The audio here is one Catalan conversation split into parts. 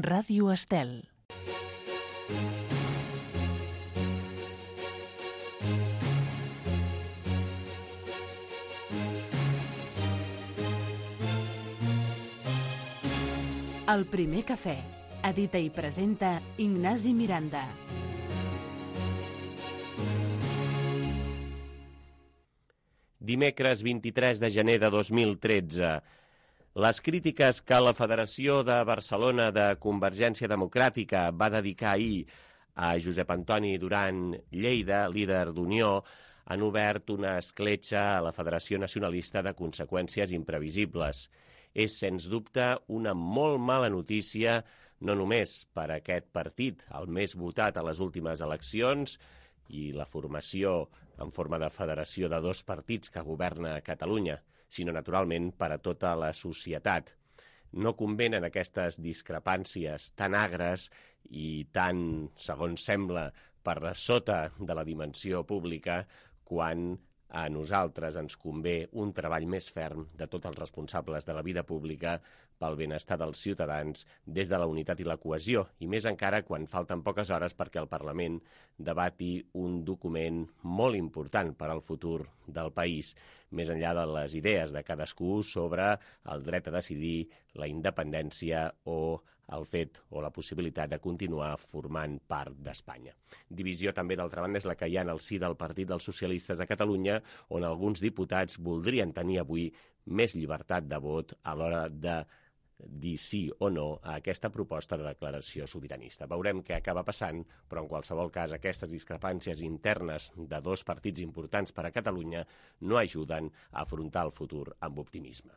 Ràdio Estel. El primer cafè. Edita i presenta Ignasi Miranda. Dimecres 23 de gener de 2013. Les crítiques que la Federació de Barcelona de Convergència Democràtica va dedicar ahir a Josep Antoni Duran Lleida, líder d'Unió, han obert una escletxa a la Federació Nacionalista de conseqüències imprevisibles. És, sens dubte, una molt mala notícia, no només per a aquest partit, el més votat a les últimes eleccions, i la formació en forma de federació de dos partits que governa Catalunya, sinó, naturalment, per a tota la societat. No convenen aquestes discrepàncies tan agres i tan, segons sembla, per sota de la dimensió pública, quan a nosaltres ens convé un treball més ferm de tots els responsables de la vida pública pel benestar dels ciutadans des de la unitat i la cohesió, i més encara quan falten poques hores perquè el Parlament debati un document molt important per al futur del país, més enllà de les idees de cadascú sobre el dret a decidir, la independència o el fet o la possibilitat de continuar formant part d'Espanya. Divisió també, d'altra banda, és la que hi ha en el si del Partit dels Socialistes de Catalunya, on alguns diputats voldrien tenir avui més llibertat de vot a l'hora de dir sí o no a aquesta proposta de declaració sobiranista. Veurem què acaba passant, però en qualsevol cas aquestes discrepàncies internes de dos partits importants per a Catalunya no ajuden a afrontar el futur amb optimisme.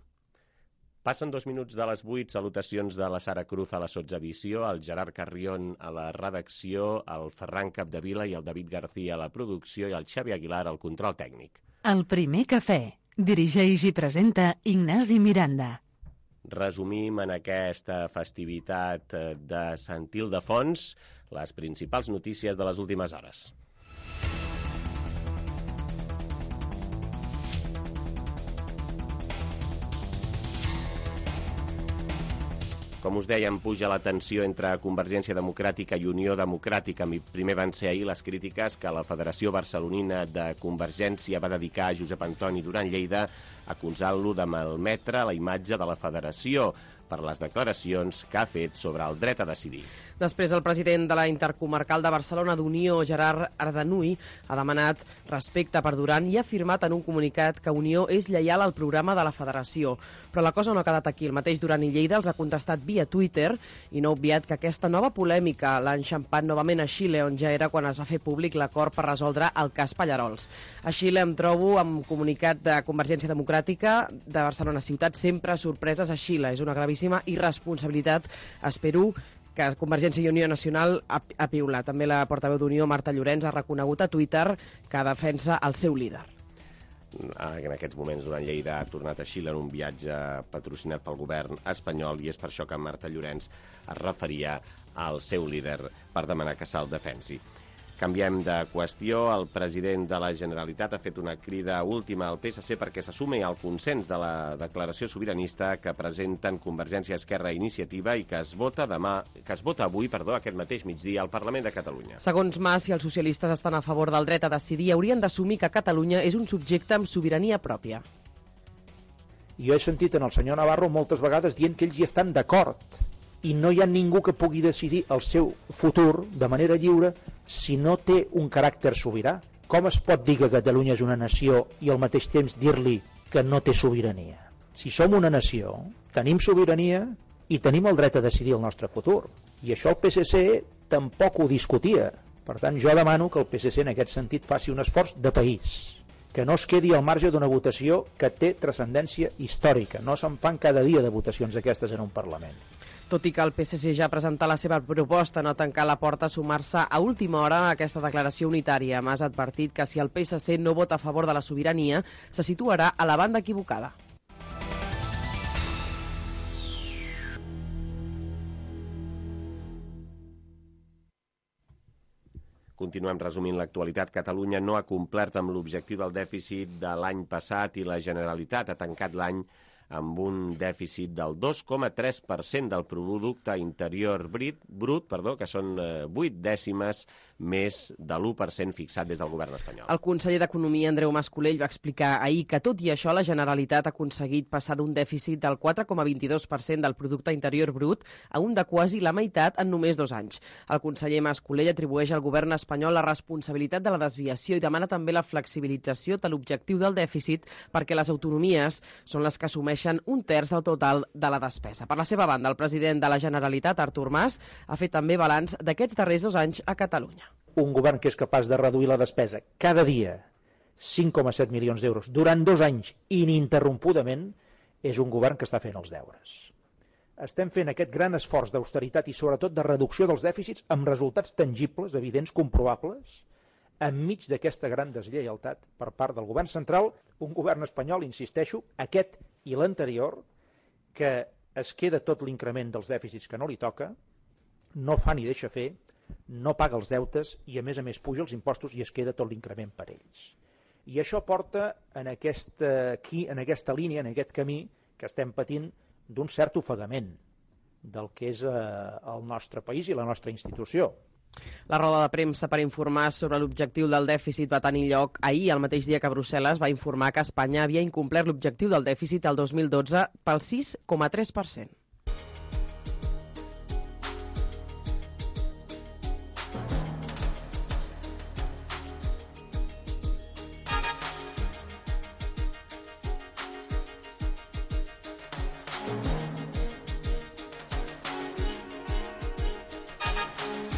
Passen 2 minuts de les 8, salutacions de la Sara Cruz a la sotsedició, el Gerard Carrión a la redacció, el Ferran Capdevila i el David García a la producció i el Xavi Aguilar al control tècnic. El primer cafè. Dirigeix i presenta Ignasi Miranda. Resumim en aquesta festivitat de Sant Ildefons les principals notícies de les últimes hores. Com us dèiem, puja la tensió entre Convergència Democràtica i Unió Democràtica. Primer van ser ahir les crítiques que la Federació Barcelonina de Convergència va dedicar a Josep Antoni Duran Lleida, acusant-lo de malmetre la imatge de la Federació per les declaracions que ha fet sobre el dret a decidir. Després, el president de la Intercomarcal de Barcelona d'Unió, Gerard Ardanuy, ha demanat respecte per Duran i ha afirmat en un comunicat que Unió és lleial al programa de la Federació. Però la cosa no ha quedat aquí. El mateix Duran i Lleida els ha contestat via Twitter i no ha obviat que aquesta nova polèmica l'ha enxampat novament a Xile, on ja era quan es va fer públic l'acord per resoldre el cas Pallarols. A Xile em trobo amb comunicat de Convergència Democràtica de Barcelona Ciutat, sempre sorpreses a Xile. És una gravíssima irresponsabilitat. Espero que Convergència i Unió Nacional ha piulat. També la portaveu d'Unió, Marta Llorenç, ha reconegut a Twitter que defensa el seu líder. En aquests moments, Duran Lleida ha tornat a Xile en un viatge patrocinat pel govern espanyol i és per això que Marta Llorenç es referia al seu líder per demanar que se'l defensi. Canviem de qüestió. El president de la Generalitat ha fet una crida última al PSC perquè s'assumi al consens de la declaració sobiranista que presenten Convergència, Esquerra i Iniciativa i que es vota avui, aquest mateix migdia al Parlament de Catalunya. Segons Mas, si els socialistes estan a favor del dret a decidir, haurien d'assumir que Catalunya és un subjecte amb sobirania pròpia. Jo he sentit en el senyor Navarro moltes vegades dient que ells hi estan d'acord i no hi ha ningú que pugui decidir el seu futur de manera lliure si no té un caràcter sobirà. Com es pot dir que Catalunya és una nació i al mateix temps dir-li que no té sobirania? Si som una nació, tenim sobirania i tenim el dret a decidir el nostre futur. I això el PSC tampoc ho discutia. Per tant, jo demano que el PSC en aquest sentit faci un esforç de país, que no es quedi al marge d'una votació que té transcendència històrica. No se'n fan cada dia de votacions aquestes en un Parlament. Tot i que el PSC ja ha presentat la seva proposta no tancar la porta a sumar-se a última hora a aquesta declaració unitària. Mas ha advertit que si el PSC no vota a favor de la sobirania, se situarà a la banda equivocada. Continuem resumint l'actualitat. Catalunya no ha complert amb l'objectiu del dèficit de l'any passat i la Generalitat ha tancat l'any amb un dèficit del 2,3% del producte interior brut, que són 8 dècimes més de l'1% fixat des del govern espanyol. El conseller d'Economia, Andreu Mas-Colell, va explicar ahir que, tot i això, la Generalitat ha aconseguit passar d'un dèficit del 4,22% del producte interior brut a un de quasi la meitat en només 2 anys. El conseller Mas-Colell atribueix al govern espanyol la responsabilitat de la desviació i demana també la flexibilització de l'objectiu del dèficit perquè les autonomies són les que assumeixen 1/3 del total de la despesa. Per la seva banda, el president de la Generalitat, Artur Mas, ha fet també balanç d'aquests darrers 2 anys a Catalunya. Un govern que és capaç de reduir la despesa cada dia 5,7 milions d'euros durant 2 anys ininterrompudament és un govern que està fent els deures. Estem fent aquest gran esforç d'austeritat i sobretot de reducció dels dèficits amb resultats tangibles, evidents, comprovables, enmig d'aquesta gran deslleialtat per part del govern central, un govern espanyol, insisteixo, aquest i l'anterior, que es queda tot l'increment dels dèficits que no li toca, no fa ni deixa fer, no paga els deutes i a més puja els impostos i es queda tot l'increment per ells. I això porta en aquesta línia, en aquest camí que estem patint d'un cert ofegament del que és el nostre país i la nostra institució. La roda de premsa per informar sobre l'objectiu del dèficit va tenir lloc ahir, el mateix dia que Brussel·les va informar que Espanya havia incomplert l'objectiu del dèficit el 2012 pel 6,3%.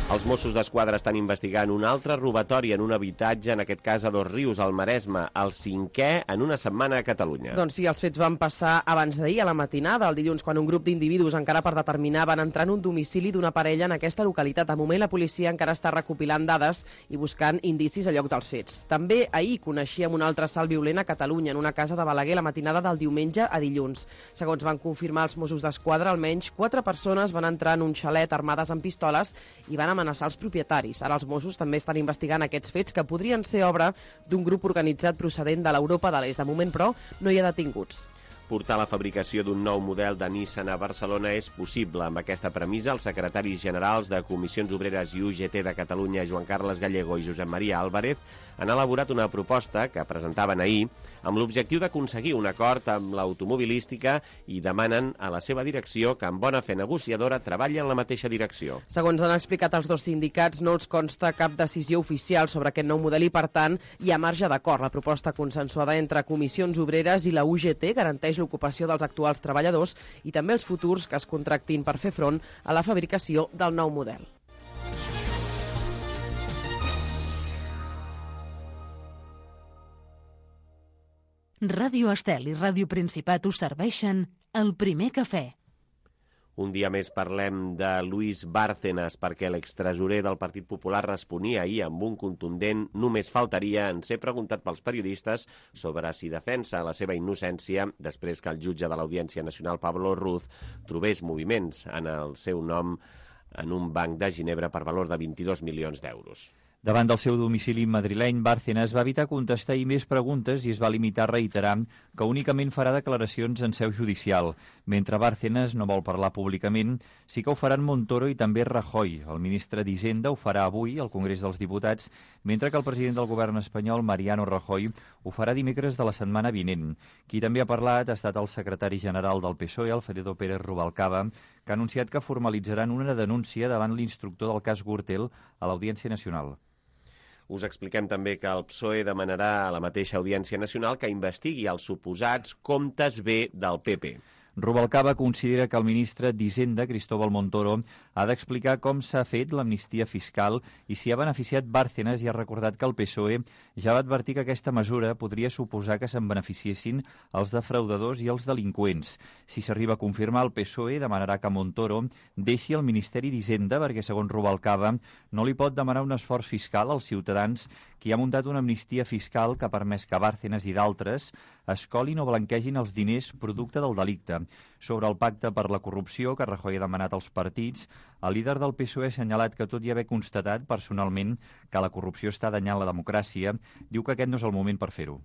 Els Mossos d'Esquadra estan investigant un altre robatori en un habitatge, en aquest cas a Dosrius, al Maresme, el 5è en una setmana a Catalunya. Doncs sí, els fets van passar abans d'ahir, a la matinada, el dilluns, quan un grup d'individus, encara per determinar, van entrar en un domicili d'una parella en aquesta localitat. De moment, la policia encara està recopilant dades i buscant indicis a lloc dels fets. També ahir coneixíem un altre assalt violent a Catalunya, en una casa de Balaguer, la matinada del diumenge a dilluns. Segons van confirmar els Mossos d'Esquadra, almenys 4 persones van entrar en un xalet armades amb pistoles i van amenaçar els propietaris. Ara els Mossos també estan investigant aquests fets que podrien ser obra d'un grup organitzat procedent de l'Europa de l'Est. De moment, però, no hi ha detinguts. Portar la fabricació d'un nou model de Nissan a Barcelona és possible. Amb aquesta premissa, els secretaris generals de Comissions Obreres i UGT de Catalunya, Joan Carles Gallego i Josep Maria Álvarez, han elaborat una proposta que presentaven ahir amb l'objectiu d'aconseguir un acord amb l'automobilística i demanen a la seva direcció que, amb bona fe negociadora, treballi en la mateixa direcció. Segons han explicat els dos sindicats, no els consta cap decisió oficial sobre aquest nou model i, per tant, hi ha marge d'acord. La proposta consensuada entre Comissions Obreres i la UGT garanteix l'ocupació dels actuals treballadors i també els futurs que es contractin per fer front a la fabricació del nou model. Ràdio Estel i Ràdio Principat us serveixen el primer cafè. Un dia més parlem de Luis Bárcenas perquè l'extresorer del Partit Popular responia ahir amb un contundent "només faltaria" en ser preguntat pels periodistes sobre si defensa la seva innocència després que el jutge de l'Audiència Nacional, Pablo Ruz, trobés moviments en el seu nom en un banc de Ginebra per valor de 22 milions d'euros. Davant del seu domicili madrileny, Bárcenas va evitar contestar més preguntes i es va limitar a reiterar que únicament farà declaracions en seu judicial. Mentre Bárcenas no vol parlar públicament, sí que ho faran Montoro i també Rajoy. El ministre d'Hisenda ho farà avui al Congrés dels Diputats, mentre que el president del govern espanyol, Mariano Rajoy, ho farà dimecres de la setmana vinent. Qui també ha parlat ha estat el secretari general del PSOE, Alfredo Pérez Rubalcaba, que ha anunciat que formalitzaran una denúncia davant l'instructor del cas Gürtel a l'Audiència Nacional. Us expliquem també que el PSOE demanarà a la mateixa Audiència Nacional que investigui els suposats comptes B del PP. Rubalcaba considera que el ministre d'Hisenda, Cristóbal Montoro, ha d'explicar com s'ha fet l'amnistia fiscal i si ha beneficiat Bárcenas i ha recordat que el PSOE ja va advertir que aquesta mesura podria suposar que se'n beneficiessin els defraudadors i els delinqüents. Si s'arriba a confirmar, el PSOE demanarà que Montoro deixi el Ministeri d'Hisenda perquè, segons Rubalcaba, no li pot demanar un esforç fiscal als ciutadans qui ha muntat una amnistia fiscal que ha permès que Bárcenas i d'altres escolin o blanquegin els diners producte del delicte. Sobre el pacte per la corrupció que Rajoy ha demanat als partits, el líder del PSOE ha assenyalat que, tot i haver constatat personalment que la corrupció està danyant la democràcia, diu que aquest no és el moment per fer-ho.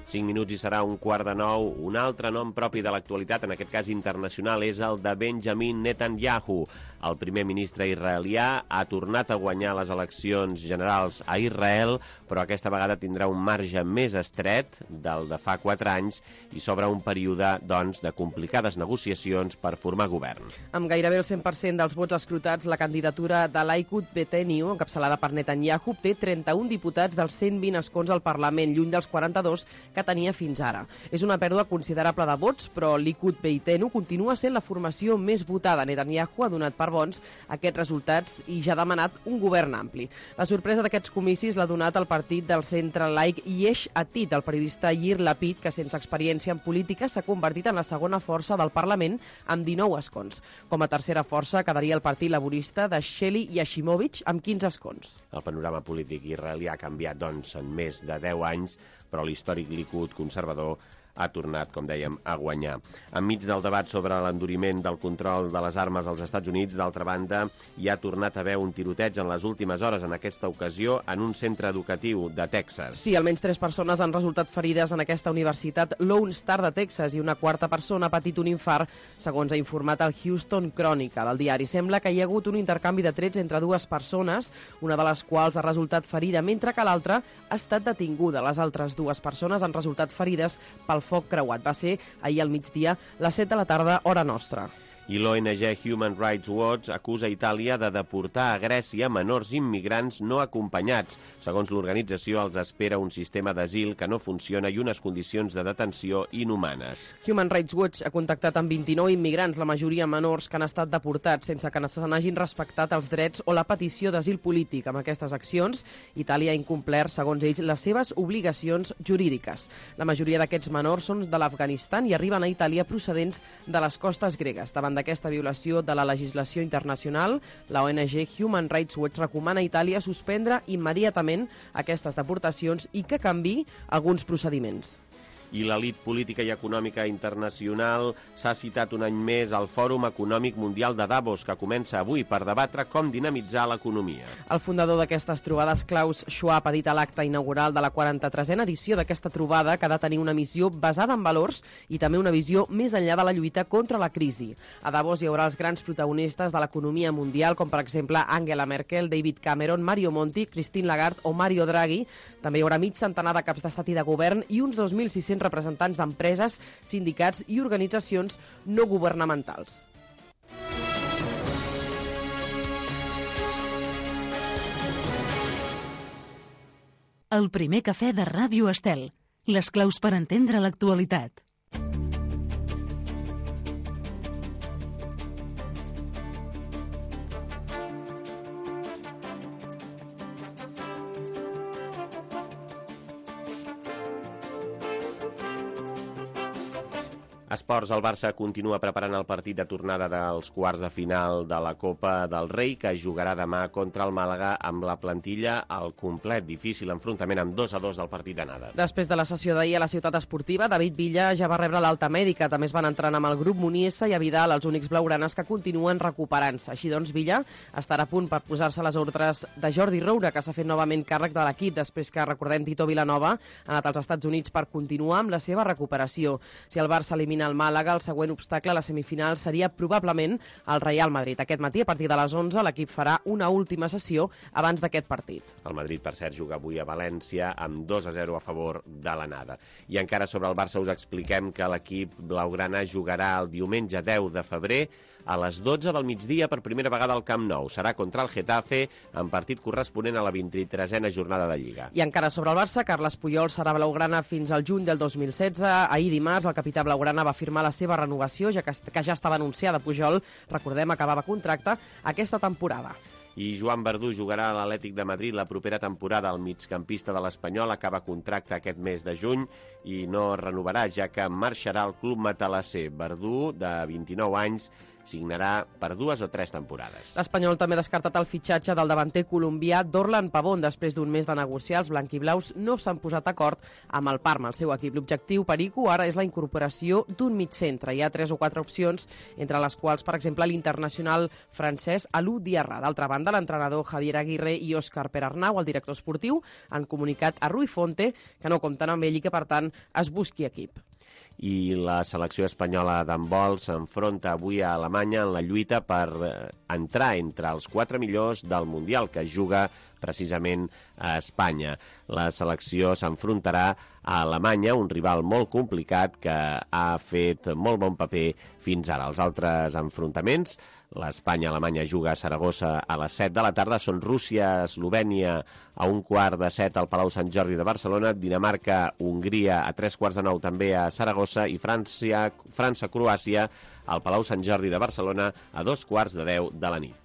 5 minuts i serà 8:45. Un altre nom propi de l'actualitat, en aquest cas internacional, és el de Benjamin Netanyahu. El primer ministre israelià ha tornat a guanyar les eleccions generals a Israel, però aquesta vegada tindrà un marge més estret del de fa 4 anys i s'obre un període, doncs, de complicades negociacions per formar govern. Amb gairebé el 100% dels vots escrutats, la candidatura de Likud Betenio, encapçalada per Netanyahu, té 31 diputats dels 120 escons al Parlament, lluny dels 42 que tenia fins ara. És una pèrdua considerable de vots, però Likud Beitenu continua sent la formació més votada. Netanyahu ha donat per bons aquests resultats i ja ha demanat un govern ampli. La sorpresa d'aquests comicis l'ha donat el partit del centre laic Yesh Atid, el periodista Yair Lapid, que sense experiència en política s'ha convertit en la segona força del Parlament amb 19 escons. Com a tercera força quedaria el Partit Laborista de Sheli Yashimovic amb 15 escons. El panorama polític israelià ha canviat, doncs, en més de 10 anys, però l'històric Likud conservador ha tornat, com dèiem, a guanyar. Enmig del debat sobre l'enduriment del control de les armes als Estats Units, d'altra banda, hi ha tornat a haver un tiroteig en les últimes hores, en aquesta ocasió, en un centre educatiu de Texas. Sí, almenys 3 persones han resultat ferides en aquesta universitat Lone Star de Texas i una quarta persona ha patit un infart, segons ha informat el Houston Chronicle. El diari sembla que hi ha hagut un intercanvi de trets entre 2 persones, una de les quals ha resultat ferida, mentre que l'altra ha estat detinguda. Les altres 2 persones han resultat ferides pel foc creuat. Va ser ahir al migdia, les 7 de la tarda, hora nostra. I l'ONG Human Rights Watch acusa Itàlia de deportar a Grècia menors immigrants no acompanyats. Segons l'organització, els espera un sistema d'asil que no funciona i unes condicions de detenció inhumanes. Human Rights Watch ha contactat amb 29 immigrants, la majoria menors, que han estat deportats sense que se n'hagin respectat els drets o la petició d'asil polític. Amb aquestes accions, Itàlia ha incomplert, segons ells, les seves obligacions jurídiques. La majoria d'aquests menors són de l'Afganistan i arriben a Itàlia procedents de les costes gregues. Davant d'aquesta violació de la legislació internacional, la ONG Human Rights Watch recomana a Itàlia suspendre immediatament aquestes deportacions i que canviï alguns procediments. I l'elit política i econòmica internacional s'ha citat un any més al Fòrum Econòmic Mundial de Davos, que comença avui per debatre com dinamitzar l'economia. El fundador d'aquestes trobades, Klaus Schwab, ha dit a l'acte inaugural de la 43a edició d'aquesta trobada que ha de tenir una missió basada en valors i també una visió més enllà de la lluita contra la crisi. A Davos hi haurà els grans protagonistes de l'economia mundial, com per exemple Angela Merkel, David Cameron, Mario Monti, Christine Lagarde o Mario Draghi. També hi haurà mig centenar de caps d'estat i de govern i uns 2.600 representants d'empreses, sindicats i organitzacions no governamentals. El primer cafè de Ràdio Estel. Les claus per entendre l'actualitat. Esports, el Barça continua preparant el partit de tornada dels quarts de final de la Copa del Rei, que jugarà demà contra el Màlaga amb la plantilla al complet. Difícil enfrontament amb 2-2 del partit d'anada. Després de la sessió d'ahir a la ciutat esportiva, David Villa ja va rebre l'alta mèdica. També es van entrenar amb el grup Muniesa i a Vidal, els únics blaugranes que continuen recuperant-se. Així doncs, Villa estarà a punt per posar-se les ordres de Jordi Roura, que s'ha fet novament càrrec de l'equip després que, recordem, Tito Vilanova ha anat als Estats Units per continuar amb la seva recuperació. Si el Barça elimina el Màlaga, el següent obstacle a la semifinal seria probablement el Real Madrid. Aquest matí, a partir de les 11, l'equip farà una última sessió abans d'aquest partit. El Madrid, per cert, juga avui a València amb 2-0 a favor de l'anada. I encara sobre el Barça us expliquem que l'equip blaugrana jugarà el diumenge 10 de febrer a les 12 del migdia per primera vegada al Camp Nou. Serà contra el Getafe, en partit corresponent a la 23a jornada de Lliga. I encara sobre el Barça, Carles Puyol serà blaugrana fins al juny del 2016. Ahir dimarts, el capità blaugrana va firmar la seva renovació, ja que ja estava anunciada. Pujol, recordem, acabava contracte aquesta temporada. I Joan Verdú jugarà a l'Atlètic de Madrid la propera temporada. El migcampista de l'Espanyol acaba contracte aquest mes de juny i no renovarà, ja que marxarà al club matalasser. Verdú, de 29 anys, signarà per 2 o 3 temporades. L'Espanyol també ha descartat el fitxatge del davanter colombià Dorlan Pavón. Després d'un mes de negociar, els blanquiblaus no s'han posat d'acord amb el Parma, el seu equip. L'objectiu perico ara és la incorporació d'un migcentre. Hi ha 3 o 4 opcions, entre les quals, per exemple, l'internacional francès Alou Diarra. D'altra banda, l'entrenador Javier Aguirre i Òscar Perarnau, el director esportiu, han comunicat a Rui Fonte que no compten amb ell i que, per tant, es busqui equip. I la selecció espanyola d'handbol s'enfronta avui a Alemanya en la lluita per entrar entre els 4 millors del Mundial, que es juga precisament a Espanya. La selecció s'enfrontarà a Alemanya, un rival molt complicat que ha fet molt bon paper fins ara. Els altres enfrontaments, l'Espanya-Alemanya juga a Saragossa a les 7 de la tarda, són Rússia-Eslovènia a 1:15 al Palau Sant Jordi de Barcelona, Dinamarca-Hongria a 3:15 també a Saragossa i França-Croàcia al Palau Sant Jordi de Barcelona a 9:15 de la nit.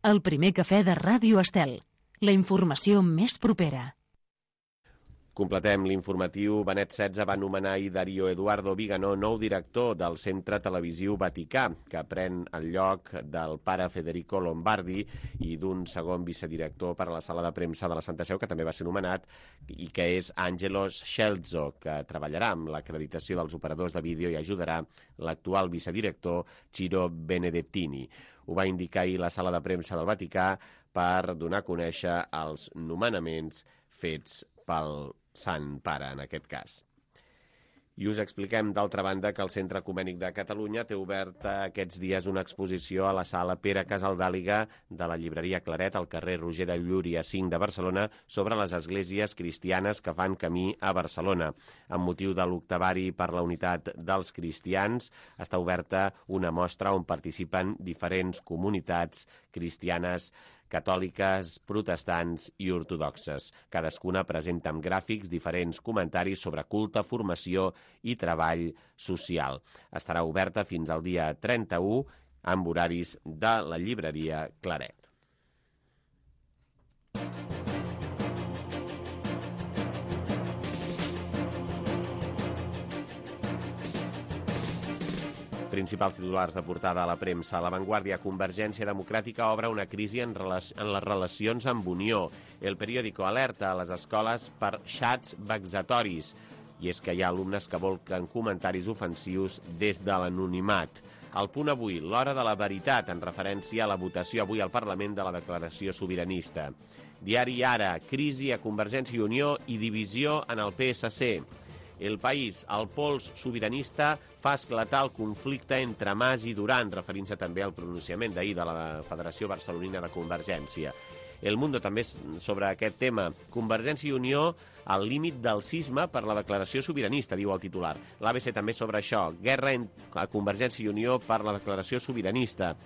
El primer cafè de Ràdio Estel. La informació més propera. Completem l'informatiu. Benet XVI va nomenar ahir Dario Eduardo Vigano nou director del Centre Televisiu Vaticà, que pren el lloc del pare Federico Lombardi i d'un segon vicedirector per a la sala de premsa de la Santa Seu, que també va ser nomenat, i que és Angelo Scelzo, que treballarà amb l'acreditació dels operadors de vídeo i ajudarà l'actual vicedirector Ciro Benedettini. Ho va indicar ahir la sala de premsa del Vaticà per donar a conèixer els nomenaments fets pel Sant Pare, en aquest cas. I us expliquem, d'altra banda, que el Centre Ecumènic de Catalunya té oberta aquests dies una exposició a la sala Pere Casaldàliga de la llibreria Claret, al carrer Roger de Llúria 5 de Barcelona, sobre les esglésies cristianes que fan camí a Barcelona. Amb motiu de l'octavari per la unitat dels cristians, està oberta una mostra on participen diferents comunitats cristianes catòliques, protestants i ortodoxes. Cadascuna presenta amb gràfics diferents comentaris sobre culte, formació i treball social. Estarà oberta fins al dia 31 amb horaris de la llibreria Claret. Principals titulars de portada a la premsa. La Vanguardia: Convergència Democràtica obre una crisi en les relacions amb Unió. El periòdico alerta a les escoles per xats vexatoris. I és que hi ha alumnes que volquen comentaris ofensius des de l'anonimat. El Punt avui: l'hora de la veritat, en referència a la votació avui al Parlament de la declaració sobiranista. Diari Ara: crisi a Convergència i Unió i divisió en el PSC. El País: el pols sobiranista fa esclatar el conflicte entre Mas i Duran, referint-se també al pronunciament d'ahir de la Federació Barcelonina de Convergència. El Mundo també sobre aquest tema. Convergència i Unió al límit del cisma per la declaració sobiranista, diu el titular. L'ABC també sobre això. Guerra a Convergència i Unió per la declaració sobiranista.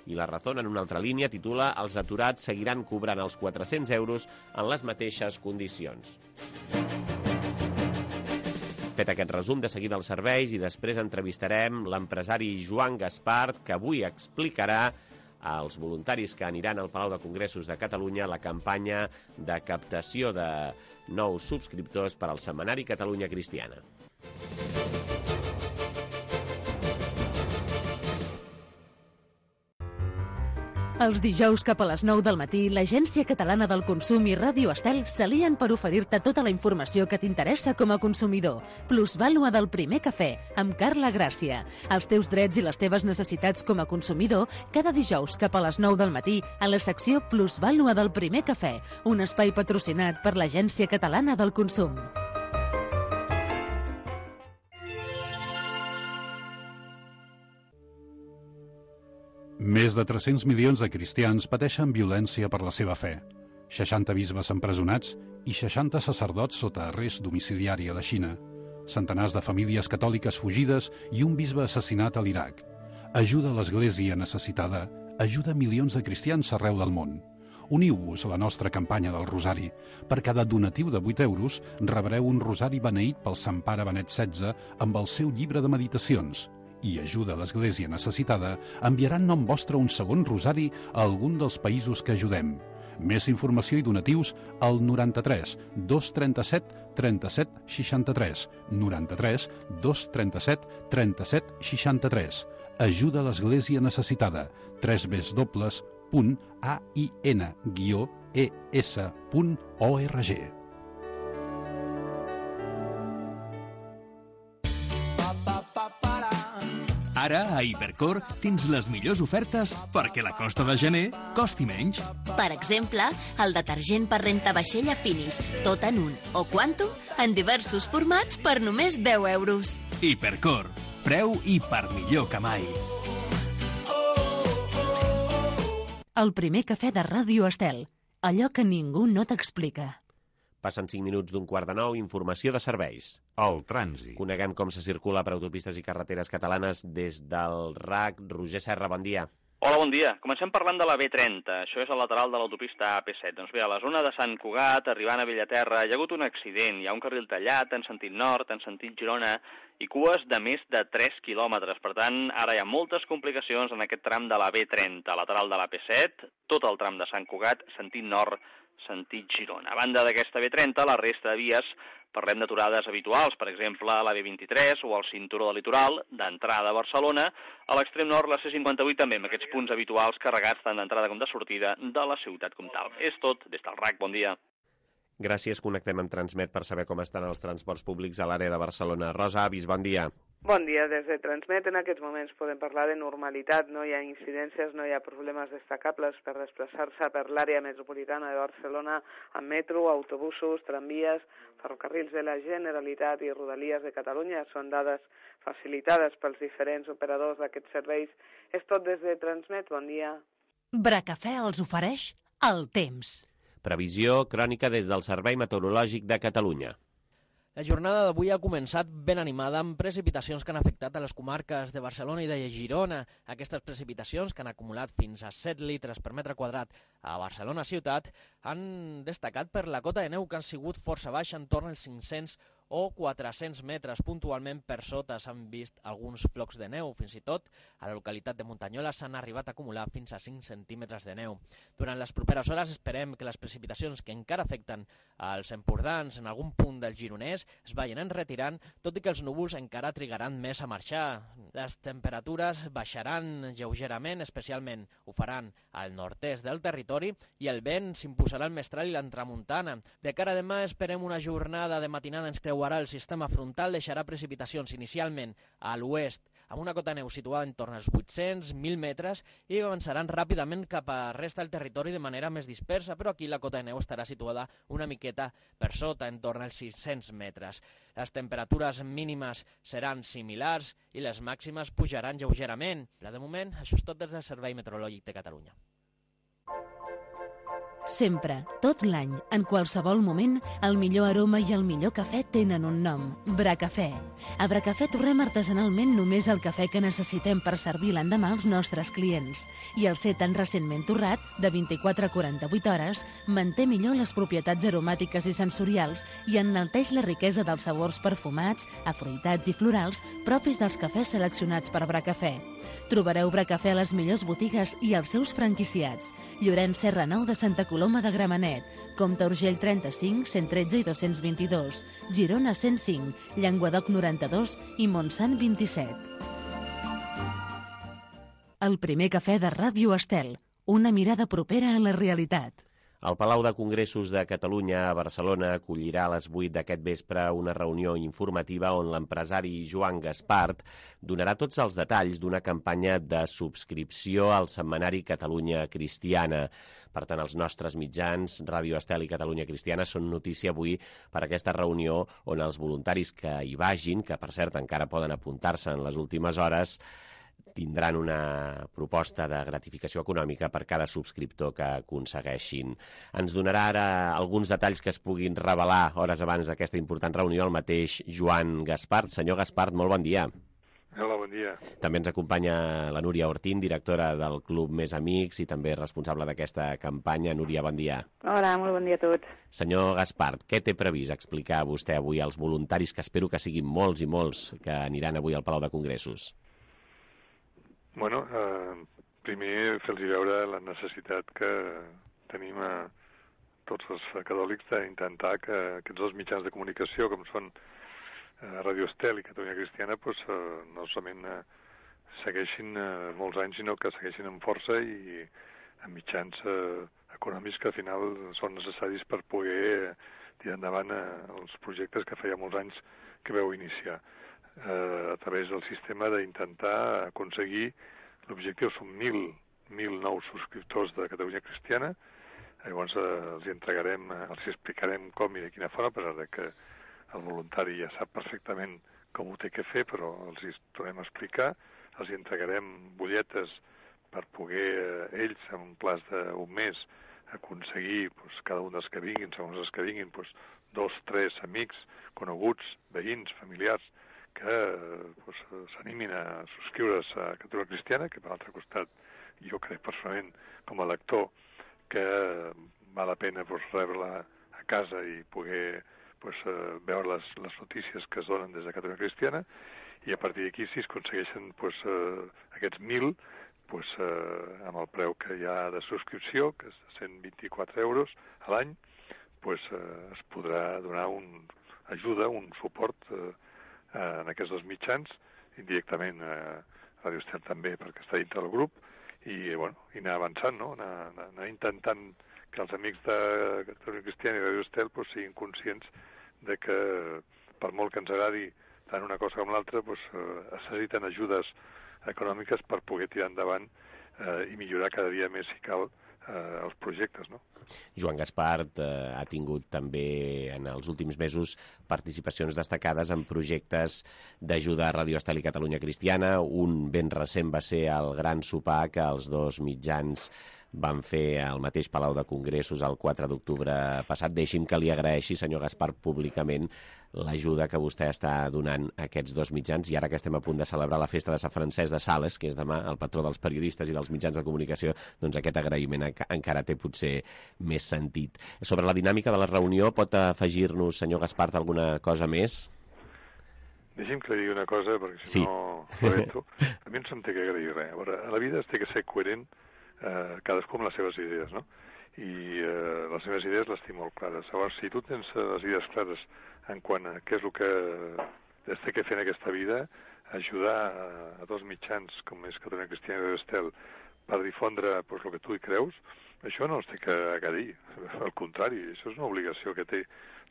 I La Razón, en una altra línia, titula: els aturats seguiran cobrant els 400 euros en les mateixes condicions. Fet aquest resum, de seguida els serveis, i després entrevistarem l'empresari Joan Gaspart, que avui explicarà als voluntaris que aniran al Palau de Congressos de Catalunya la campanya de captació de nous subscriptors per al Setmanari Catalunya Cristiana. Els dijous cap a les 9 del matí, l'Agència Catalana del Consum i Ràdio Estel s'alien per oferir-te tota la informació que t'interessa com a consumidor. Plusvàlua del primer cafè, amb Carla Gràcia. Els teus drets i les teves necessitats com a consumidor, cada dijous cap a les 9 del matí, a la secció Plusvàlua del primer cafè, un espai patrocinat per l'Agència Catalana del Consum. Més de 300 milions de cristians pateixen violència per la seva fe. 60 bisbes empresonats i 60 sacerdots sota arrest domiciliari a la Xina. Centenars de famílies catòliques fugides i un bisbe assassinat a l'Iraq. Ajuda a l'Església necessitada, ajuda milions de cristians arreu del món. Uniu-vos a la nostra campanya del Rosari. Per cada donatiu de 8 euros rebreu un rosari beneït pel Sant Pare Benet XVI amb el seu llibre de meditacions. I ajuda a l'Església necessitada enviaran nom vostre un segon rosari a algun dels països que ajudem. Més informació i donatius al 93 237 37 63. 93 237 37 63. Ajuda a l'Església Necessitada. www.ain-es.org. Ara, a Hipercor, tens les millors ofertes perquè la costa de gener costi menys. Per exemple, el detergent per rentavaixella Finis, tot en un, o Quantum, en diversos formats per només 10 euros. Hipercor, preu i per millor que mai. El primer cafè de Ràdio Estel. Allò que ningú no t'explica. Passen 5 minuts d'un quart de 9, informació de serveis. El trànsit. Coneguem com se circula per autopistes i carreteres catalanes des del RAC. Roger Serra, bon dia. Hola, bon dia. Comencem parlant de la B30. Això és el lateral de l'autopista AP7. Doncs bé, a la zona de Sant Cugat, arribant a Bellaterra, hi ha hagut un accident. Hi ha un carril tallat en sentit nord, en sentit Girona, i cues de més de 3 quilòmetres. Per tant, ara hi ha moltes complicacions en aquest tram de la B30, lateral de l'AP7, tot el tram de Sant Cugat, sentit nord, sentit Girona. A banda d'aquesta B30, la resta de vies parlem d'aturades habituals, per exemple, a la B23 o al cinturó del litoral, d'entrada a Barcelona, a l'extrem nord la C58 també, amb aquests punts habituals carregats tant d'entrada com de sortida de la ciutat comtal. És tot, des del RAC, bon dia. Gràcies, connectem amb Transmet per saber com estan els transports públics a l'àrea de Barcelona. Rosa Avis, bon dia. Bon dia, des de Transmet en aquests moments podem parlar de normalitat, no hi ha incidències, no hi ha problemes destacables per desplaçar-se per l'àrea metropolitana de Barcelona amb metro, autobusos, tramvies, ferrocarrils de la Generalitat i Rodalies de Catalunya. Són dades facilitades pels diferents operadors d'aquests serveis. És tot des de Transmet, bon dia. Bracafè els ofereix el temps. Previsió crònica des del Servei Meteorològic de Catalunya. La jornada d'avui ha començat ben animada amb precipitacions que han afectat a les comarques de Barcelona i de Girona. Aquestes precipitacions, que han acumulat fins a 7 litres per metre quadrat a Barcelona ciutat, han destacat per la cota de neu, que han sigut força baixa, entorn als 500 o 400 metres. Puntualment per sota s'han vist alguns flocs de neu. Fins i tot a la localitat de Muntanyola s'han arribat a acumular fins a 5 centímetres de neu. Durant les properes hores esperem que les precipitacions que encara afecten als empordans en algun punt del Gironès es vagin enretirant, tot i que els núvols encara trigaran més a marxar. Les temperatures baixaran lleugerament, especialment ho faran al nord-est del territori, i el vent s'imposarà al mestral i l'entramuntana. De cara a demà esperem una jornada de matinada ens creuarà el sistema frontal, deixarà precipitacions inicialment a l'oest, amb una cota de neu situada en torn als 800-1.000 metres, i avançaran ràpidament cap a resta del territori de manera més dispersa, però aquí la cota de neu estarà situada una miqueta per sota, en torn als 600 metres. Les temperatures mínimes seran similars i les màximes pujaran lleugerament. De moment, això és tot des del Servei Meteorològic de Catalunya. Sempre, tot l'any, en qualsevol moment, el millor aroma i el millor cafè tenen un nom, Bracafè. A Bracafè torrem artesanalment només el cafè que necessitem per servir l'endemà als nostres clients. I el ser tan recentment torrat, de 24 a 48 hores, manté millor les propietats aromàtiques i sensorials i enalteix la riquesa dels sabors perfumats, afruitats i florals propis dels cafès seleccionats per Bracafè. Trobareu Bracafè a les millors botigues i als seus franquiciats. Llorenç Serra 9 de Santa Coloma de Gramenet, Comte Urgell 35, 113 i 222, Girona 105, Llenguadoc 92 i Montsant 27. El primer cafè de Ràdio Estel, una mirada propera a la realitat. El Palau de Congressos de Catalunya a Barcelona acollirà a les 8 d'aquest vespre una reunió informativa on l'empresari Joan Gaspart donarà tots els detalls d'una campanya de subscripció al setmanari Catalunya Cristiana. Per tant, els nostres mitjans, Ràdio Estel i Catalunya Cristiana, són notícia avui per aquesta reunió on els voluntaris que hi vagin, que per cert encara poden apuntar-se en les últimes hores, tindran una proposta de gratificació econòmica per cada subscriptor que aconsegueixin. Ens donarà ara alguns detalls que es puguin revelar hores abans d'aquesta important reunió el mateix Joan Gaspart. Senyor Gaspart, molt bon dia. Hola, bon dia. També ens acompanya la Núria Ortín, directora del Club Més Amics i també responsable d'aquesta campanya. Núria, bon dia. Hola, molt bon dia a tots. Senyor Gaspart, què té previst explicar vostè avui als voluntaris, que espero que siguin molts i molts, que aniran avui al Palau de Congressos? Bueno, primer fer-los veure la necessitat que tenim tots els catòlics d'intentar que aquests dos mitjans de comunicació, com són Radio Estel i Catalunya Cristiana, no solament segueixin molts anys, sinó que segueixin amb força i amb mitjans econòmics que al final són necessaris per poder tirar endavant els projectes que feia molts anys que veu iniciar. A través del sistema d'intentar aconseguir l'objectiu, són 1.000 nous subscriptors de Catalunya Cristiana. Llavors els explicarem com i de quina forma, a pesar de que el voluntari ja sap perfectament com ho té que fer, però els hi tornem a explicar. Els entregarem butlletes per poder ells, en un plaç d'un mes, aconseguir cada un dels que vinguin, segons els que vinguin, 2, 3 amics, coneguts, veïns, familiars, que s'animin a subscriure's a Catalunya Cristiana, que per l'altre costat jo crec personalment com a lector que val la pena rebre-la a casa i poder veure les notícies que es donen des de Catalunya Cristiana, i a partir d'aquí, si es aconsegueixen aquests 1.000, amb el preu que hi ha de subscripció, que és de 124 euros a l'any, es podrà donar una ajuda, un suport en aquests dos mitjans, indirectament a Radio Estel també, perquè està dintre del grup, i anar avançant, no? Anar intentant que els amics de Catalunya Cristiana i Radio Estel siguin conscients de que, per molt que ens agradi tant una cosa com l'altra, necessiten ajudes econòmiques per poder tirar endavant i millorar cada dia més, si cal, els projectes, no? Joan Gaspart ha tingut també en els últims mesos participacions destacades en projectes d'ajuda a Radio Estel i Catalunya Cristiana. Un ben recent va ser el gran sopar que els dos mitjans van fer al mateix Palau de Congressos el 4 d'octubre passat. Deixi'm que li agraeixi, senyor Gaspart, públicament l'ajuda que vostè està donant a aquests dos mitjans, i ara que estem a punt de celebrar la festa de Sant Francesc de Sales, que és demà, el patró dels periodistes i dels mitjans de comunicació, doncs aquest agraïment encara té potser més sentit. Sobre la dinàmica de la reunió, pot afegir-nos, senyor Gaspart, alguna cosa més? Deixi'm que li digui una cosa, perquè si no lamento. A mi no se'm té que agrair res. A veure, a la vida es té que ser coherent cadascú amb les seves idees, no? I les meves idees les tinc molt clares. Llavors, si tu tens les idees clares en quant a què és el que es té que fer en aquesta vida, ajudar a dos mitjans com és Catalunya Cristiana i Radio Estel per difondre el que tu hi creus, això no es té que dir. Al contrari, això és una obligació que té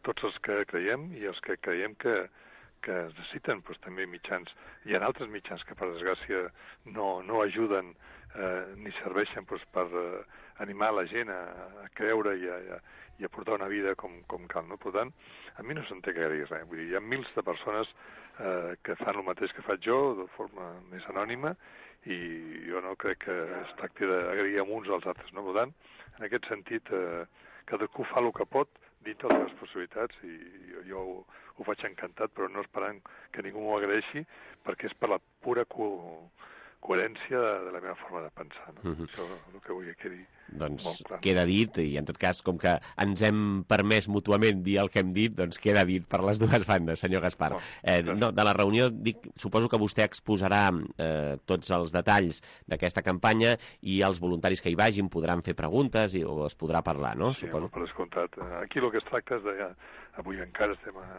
tots els que creiem i els que creiem que es necessiten també mitjans. Hi ha altres mitjans que, per desgràcia, no ajuden ni serveixen per animar la gent a creure i a portar una vida com cal, no? Per tant, a mi no se'm té que dir res. Vull dir, hi ha mils de persones que fan el mateix que faig jo, de forma més anònima, i jo no crec que es tracti d'agrair amb uns als altres, no? Per tant, en aquest sentit, cadascú fa el que pot dintre de les possibilitats, i jo ho faig encantat, però no esperant que ningú m'ho agraeixi, perquè és per la pura coherència de la meva forma de pensar, no? Això és el que vull que quedi molt clar. Queda dit, i en tot cas, com que ens hem permès mútuament dir el que hem dit, doncs queda dit per les dues bandes, senyor Gaspart. De la reunió, suposo que vostè exposarà tots els detalls d'aquesta campanya, i els voluntaris que hi vagin podran fer preguntes o es podrà parlar, no? Sí, per descomptat. Aquí el que es tracta és de, avui encara estem a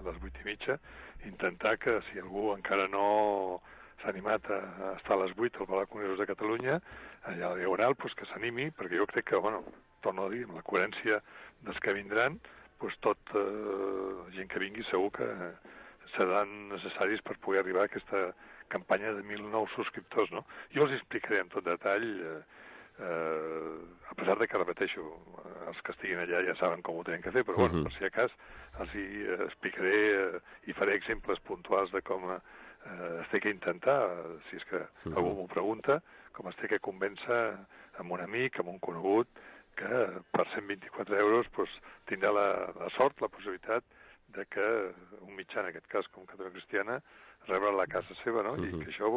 les 8:30, intentar que si algú encara no s'ha animat a estar a les 8 al Palau de Congressos de Catalunya, allà a la Diagonal, que s'animi, perquè jo crec que, torno a dir, amb la coherència dels que vindran, la gent que vingui segur que seran necessaris per poder arribar a aquesta campanya de 1.000 nous subscriptors, no? Jo els explicaré en tot detall, a pesar de que, repeteixo, els que estiguin allà ja saben com ho tenen que fer, però per si a cas els hi explicaré i faré exemples puntuals de com es té que intentar, si és que algú m'ho pregunta, com es té que convèncer amb un amic, amb un conegut, que per 124 euros tindrà la sort, la possibilitat de que un mitjà, en aquest cas com Catalunya Cristiana, rebre a la casa seva, no? I que això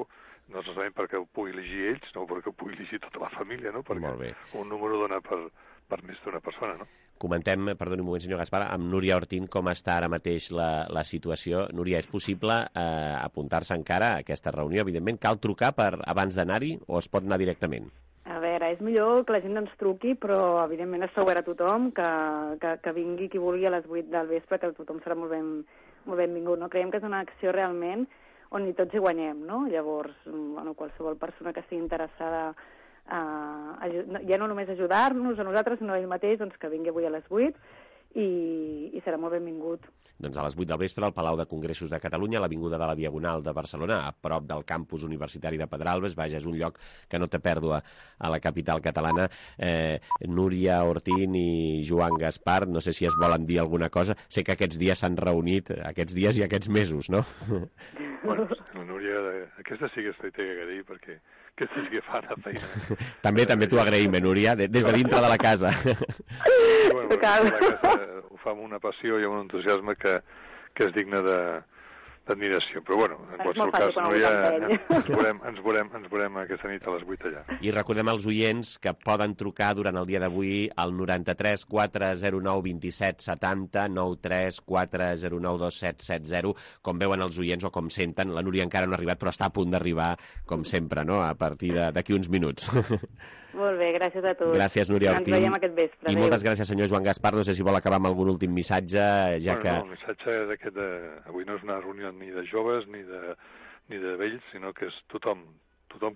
no solament perquè ho pugui llegir ells, no perquè ho pugui llegir tota la família, no? Perquè un número dona per més d'una persona, no? Comentem, perdoni un moment, senyor Gaspar, amb Núria Ortín com està ara mateix la situació. Núria, és possible apuntar-se encara a aquesta reunió? Evidentment, cal trucar abans d'anar-hi o es pot anar directament? A veure, és millor que la gent ens truqui, però evidentment està obert a tothom, que vingui qui vulgui a les 8 del vespre, que tothom serà molt benvingut. No? Creiem que és una acció realment on hi tots hi guanyem, no? Llavors, bueno, qualsevol persona que estigui interessada ja no només ajudar-nos a nosaltres, sinó a ell mateix, doncs que vingui avui a les 8 i serà molt benvingut. Doncs a les 8 del vespre al Palau de Congressos de Catalunya, a l'Avinguda de la Diagonal de Barcelona, a prop del campus universitari de Pedralbes. Vaja, és un lloc que no té pèrdua a la capital catalana. Núria Ortín i Joan Gaspar, no sé si es volen dir alguna cosa. Sé que aquests dies s'han reunit, aquests dies i aquests mesos, no? Bueno, la Núria, aquesta sí que es té que dir, perquè aquesta sí que fa la feina. També t'ho agraïm, Núria, des de dintre de la casa. Bueno, la casa ho fa amb una passió i amb un entusiasme que és digne d'admiració. Però bueno, en qualsevol cas, Núria, ens veurem aquesta nit a les 8 allà. I recordem als oients que poden trucar durant el dia d'avui al 93 409 27 70, 93 409 2770, com veuen els oients o com senten. La Núria encara no ha arribat, però està a punt d'arribar, com sempre, no? A partir d'aquí uns minuts. Molt bé, gràcies a tots. Gràcies, Núria Ortín. Ens veiem aquest vespre. I moltes gràcies, senyor Joan Gaspar. No sé si vol acabar amb algun últim missatge, ja que... No, el missatge d'aquest avui no és una reunió ni de joves ni de vells, sinó que és tothom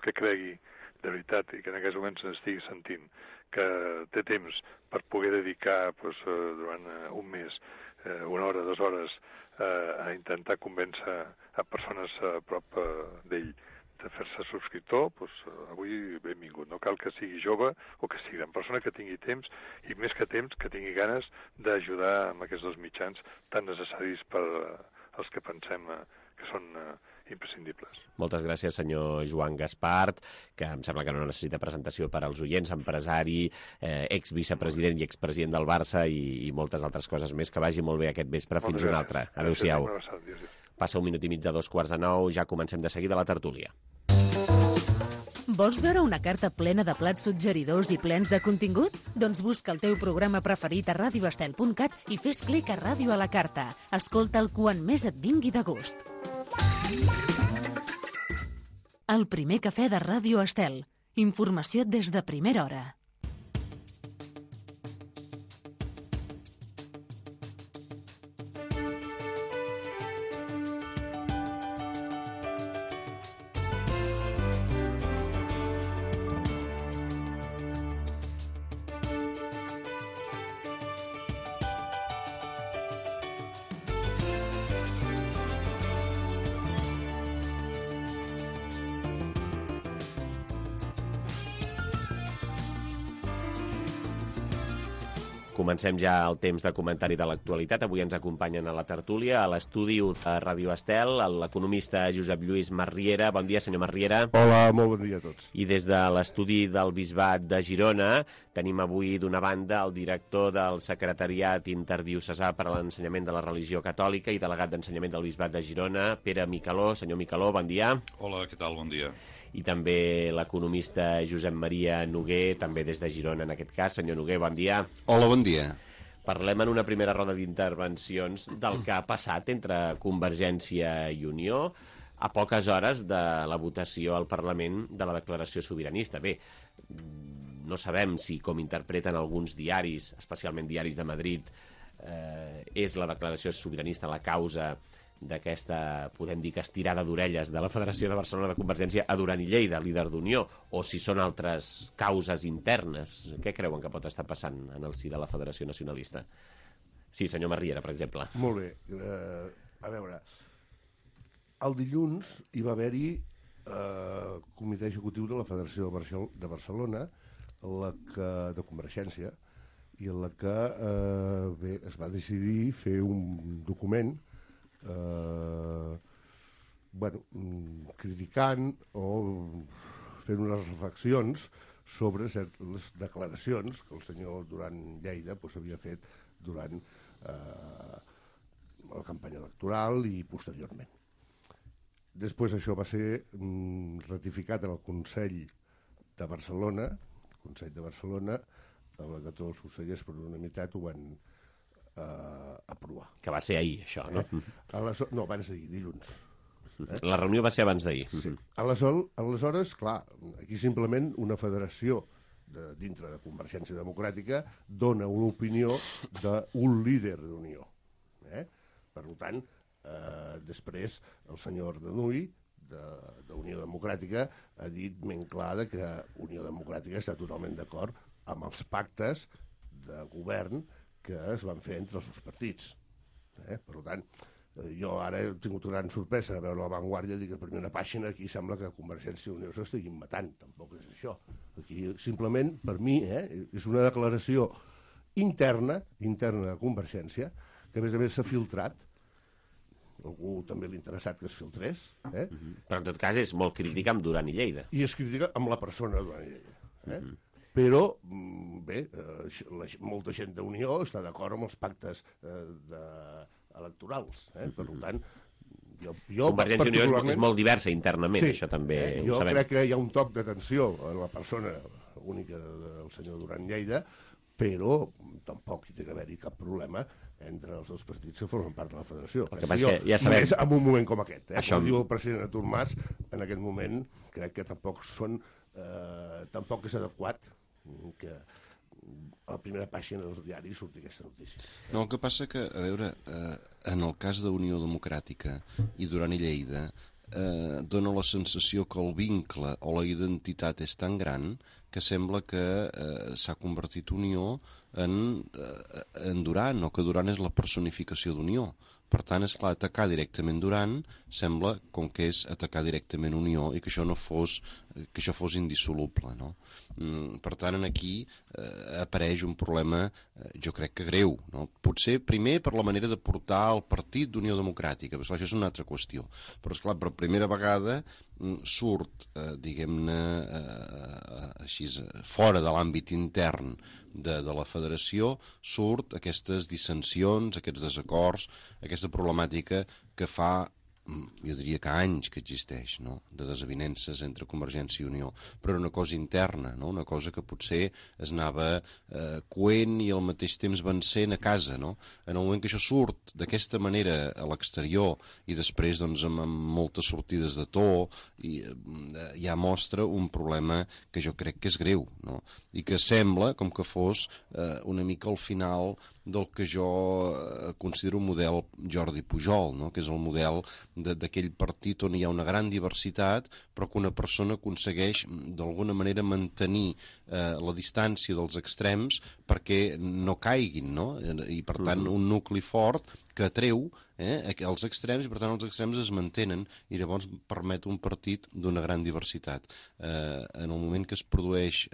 que cregui de veritat i que en aquests moments estigui sentint que té temps per poder dedicar durant un mes, una hora, 2 hores, a intentar convèncer a persones a prop d'ell de fer-se subscriptor, avui benvingut. No cal que sigui jove o que sigui gran persona, que tingui temps, i més que temps, que tingui ganes d'ajudar amb aquests 2 mitjans tan necessaris per als que pensem que són imprescindibles. Moltes gràcies, senyor Joan Gaspar, que em sembla que no necessita presentació per als oients, empresari, exvicepresident i expresident del Barça i moltes altres coses més. Que vagi molt bé aquest vespre. Fins un altre. Adéu-siau. Passa 1 minut i mig de 2:45, ja comencem de seguida la tertúlia. Vols veure una carta plena de plats suggeridors i plens de contingut? Doncs busca el teu programa preferit a radioestel.cat i fes clic a Ràdio a la Carta. Escolta'l quan més et vingui de gust. El primer cafè de Ràdio Estel. Informació des de primera hora. Comencem ja el temps de comentari de l'actualitat. Avui ens acompanyen a la tertúlia, a l'estudi de Ràdio Estel, l'economista Josep Lluís Marriera. Bon dia, senyor Marriera. Hola, molt bon dia a tots. I des de l'estudi del Bisbat de Girona tenim avui d'una banda el director del Secretariat Interdiocesà per a l'Ensenyament de la Religió Catòlica i delegat d'Ensenyament del Bisbat de Girona, Pere Micaló. Senyor Micaló, bon dia. Hola, què tal? Bon dia. I també l'economista Josep Maria Noguer, també des de Girona en aquest cas. Senyor Noguer, bon dia. Hola, bon dia. Parlem en una primera roda d'intervencions del que ha passat entre Convergència i Unió a poques hores de la votació al Parlament de la declaració sobiranista. Bé, no sabem si, com interpreten alguns diaris, especialment diaris de Madrid, és la declaració sobiranista la causa d'aquesta, podem dir, que estirada d'orelles de la Federació de Barcelona de Convergència a Duran i Lleida, líder d'Unió, o si són altres causes internes. Què creuen que pot estar passant en el si de la Federació Nacionalista? Sí, senyor Marriera, per exemple. Molt bé. A veure, el dilluns hi va haver-hi comitè executiu de la Federació de Barcelona, de Convergència, i en la que es va decidir fer un document criticant o fent unes reflexions sobre les declaracions que el senyor Duran Lleida havia fet durant la campanya electoral i posteriorment. Després això va ser ratificat en el Consell de Barcelona, que tots els consellers per unanimitat ho van aprovar. Que va ser ahir, això, no? No, abans d'ahir, dilluns. La reunió va ser abans d'ahir. Sí. Aleshores, clar, aquí simplement una federació dintre de Convergència Democràtica dona una opinió d'un líder d'Unió. Per tant, després el senyor Ardanuy d'Unió Democràtica ha dit ben clar que Unió Democràtica està totalment d'acord amb els pactes de govern que es van fer entre els dos partits. Per tant, jo ara he tingut una gran sorpresa a veure La Vanguardia i dir que per primera pàgina aquí sembla que Convergència i Unió s'estiguin matant. Tampoc és això. Aquí simplement, per mi, és una declaració interna de Convergència, que a més s'ha filtrat. Algú també l'ha interessat que es filtrés. Però en tot cas és molt crítica amb Duran i Lleida. I es critica amb la persona de Duran i Lleida. Però, bé, molta gent d'Unió està d'acord amb els pactes electorals. Per tant, Convergència i Unió és molt diversa internament, això també ho sabem. Jo crec que hi ha un toc d'atenció en la persona única del senyor Duran i Lleida, però tampoc hi té que haver-hi cap problema entre els dos partits que formen part de la federació. El que passa és que ja sabem... Més en un moment com aquest. Com diu el president Artur Mas, en aquest moment crec que tampoc és adequat que a la primera pàgina dels diaris surti aquesta notícia. No, el que passa que, a veure, en el cas d'Unió Democràtica i Duran i Lleida, dona la sensació que el vincle o la identitat és tan gran que sembla que s'ha convertit Unió en Duran, o que Duran és la personificació d'Unió. Per tant, és clar, atacar directament Duran sembla com que és atacar directament Unió i que això fos indissoluble, no? Per tant, aquí apareix un problema, jo crec que greu, no? Potser primer per la manera de portar el partit d'Unió Democràtica, però això és una altra qüestió. Però, esclar, per primera vegada surt, diguem-ne, així, fora de l'àmbit intern de la federació, surt aquestes dissensions, aquests desacords, aquesta problemàtica que fa, jo diria que anys que existeix, no?, de desavinences entre Convergència i Unió, però era una cosa interna, no?, una cosa que potser es anava coent i al mateix temps vencent a casa, no? En el moment que això surt d'aquesta manera a l'exterior i després doncs, amb moltes sortides de to, ja mostra un problema que jo crec que és greu, no?, i que sembla com que fos una mica al final del que jo considero un model Jordi Pujol, no?, que és el model d'aquell partit on hi ha una gran diversitat, però que una persona aconsegueix d'alguna manera mantenir la distància dels extrems perquè no caiguin, no? I per tant un nucli fort que atreu els extrems i per tant els extrems es mantenen i llavors permet un partit d'una gran diversitat. En el moment que es produeix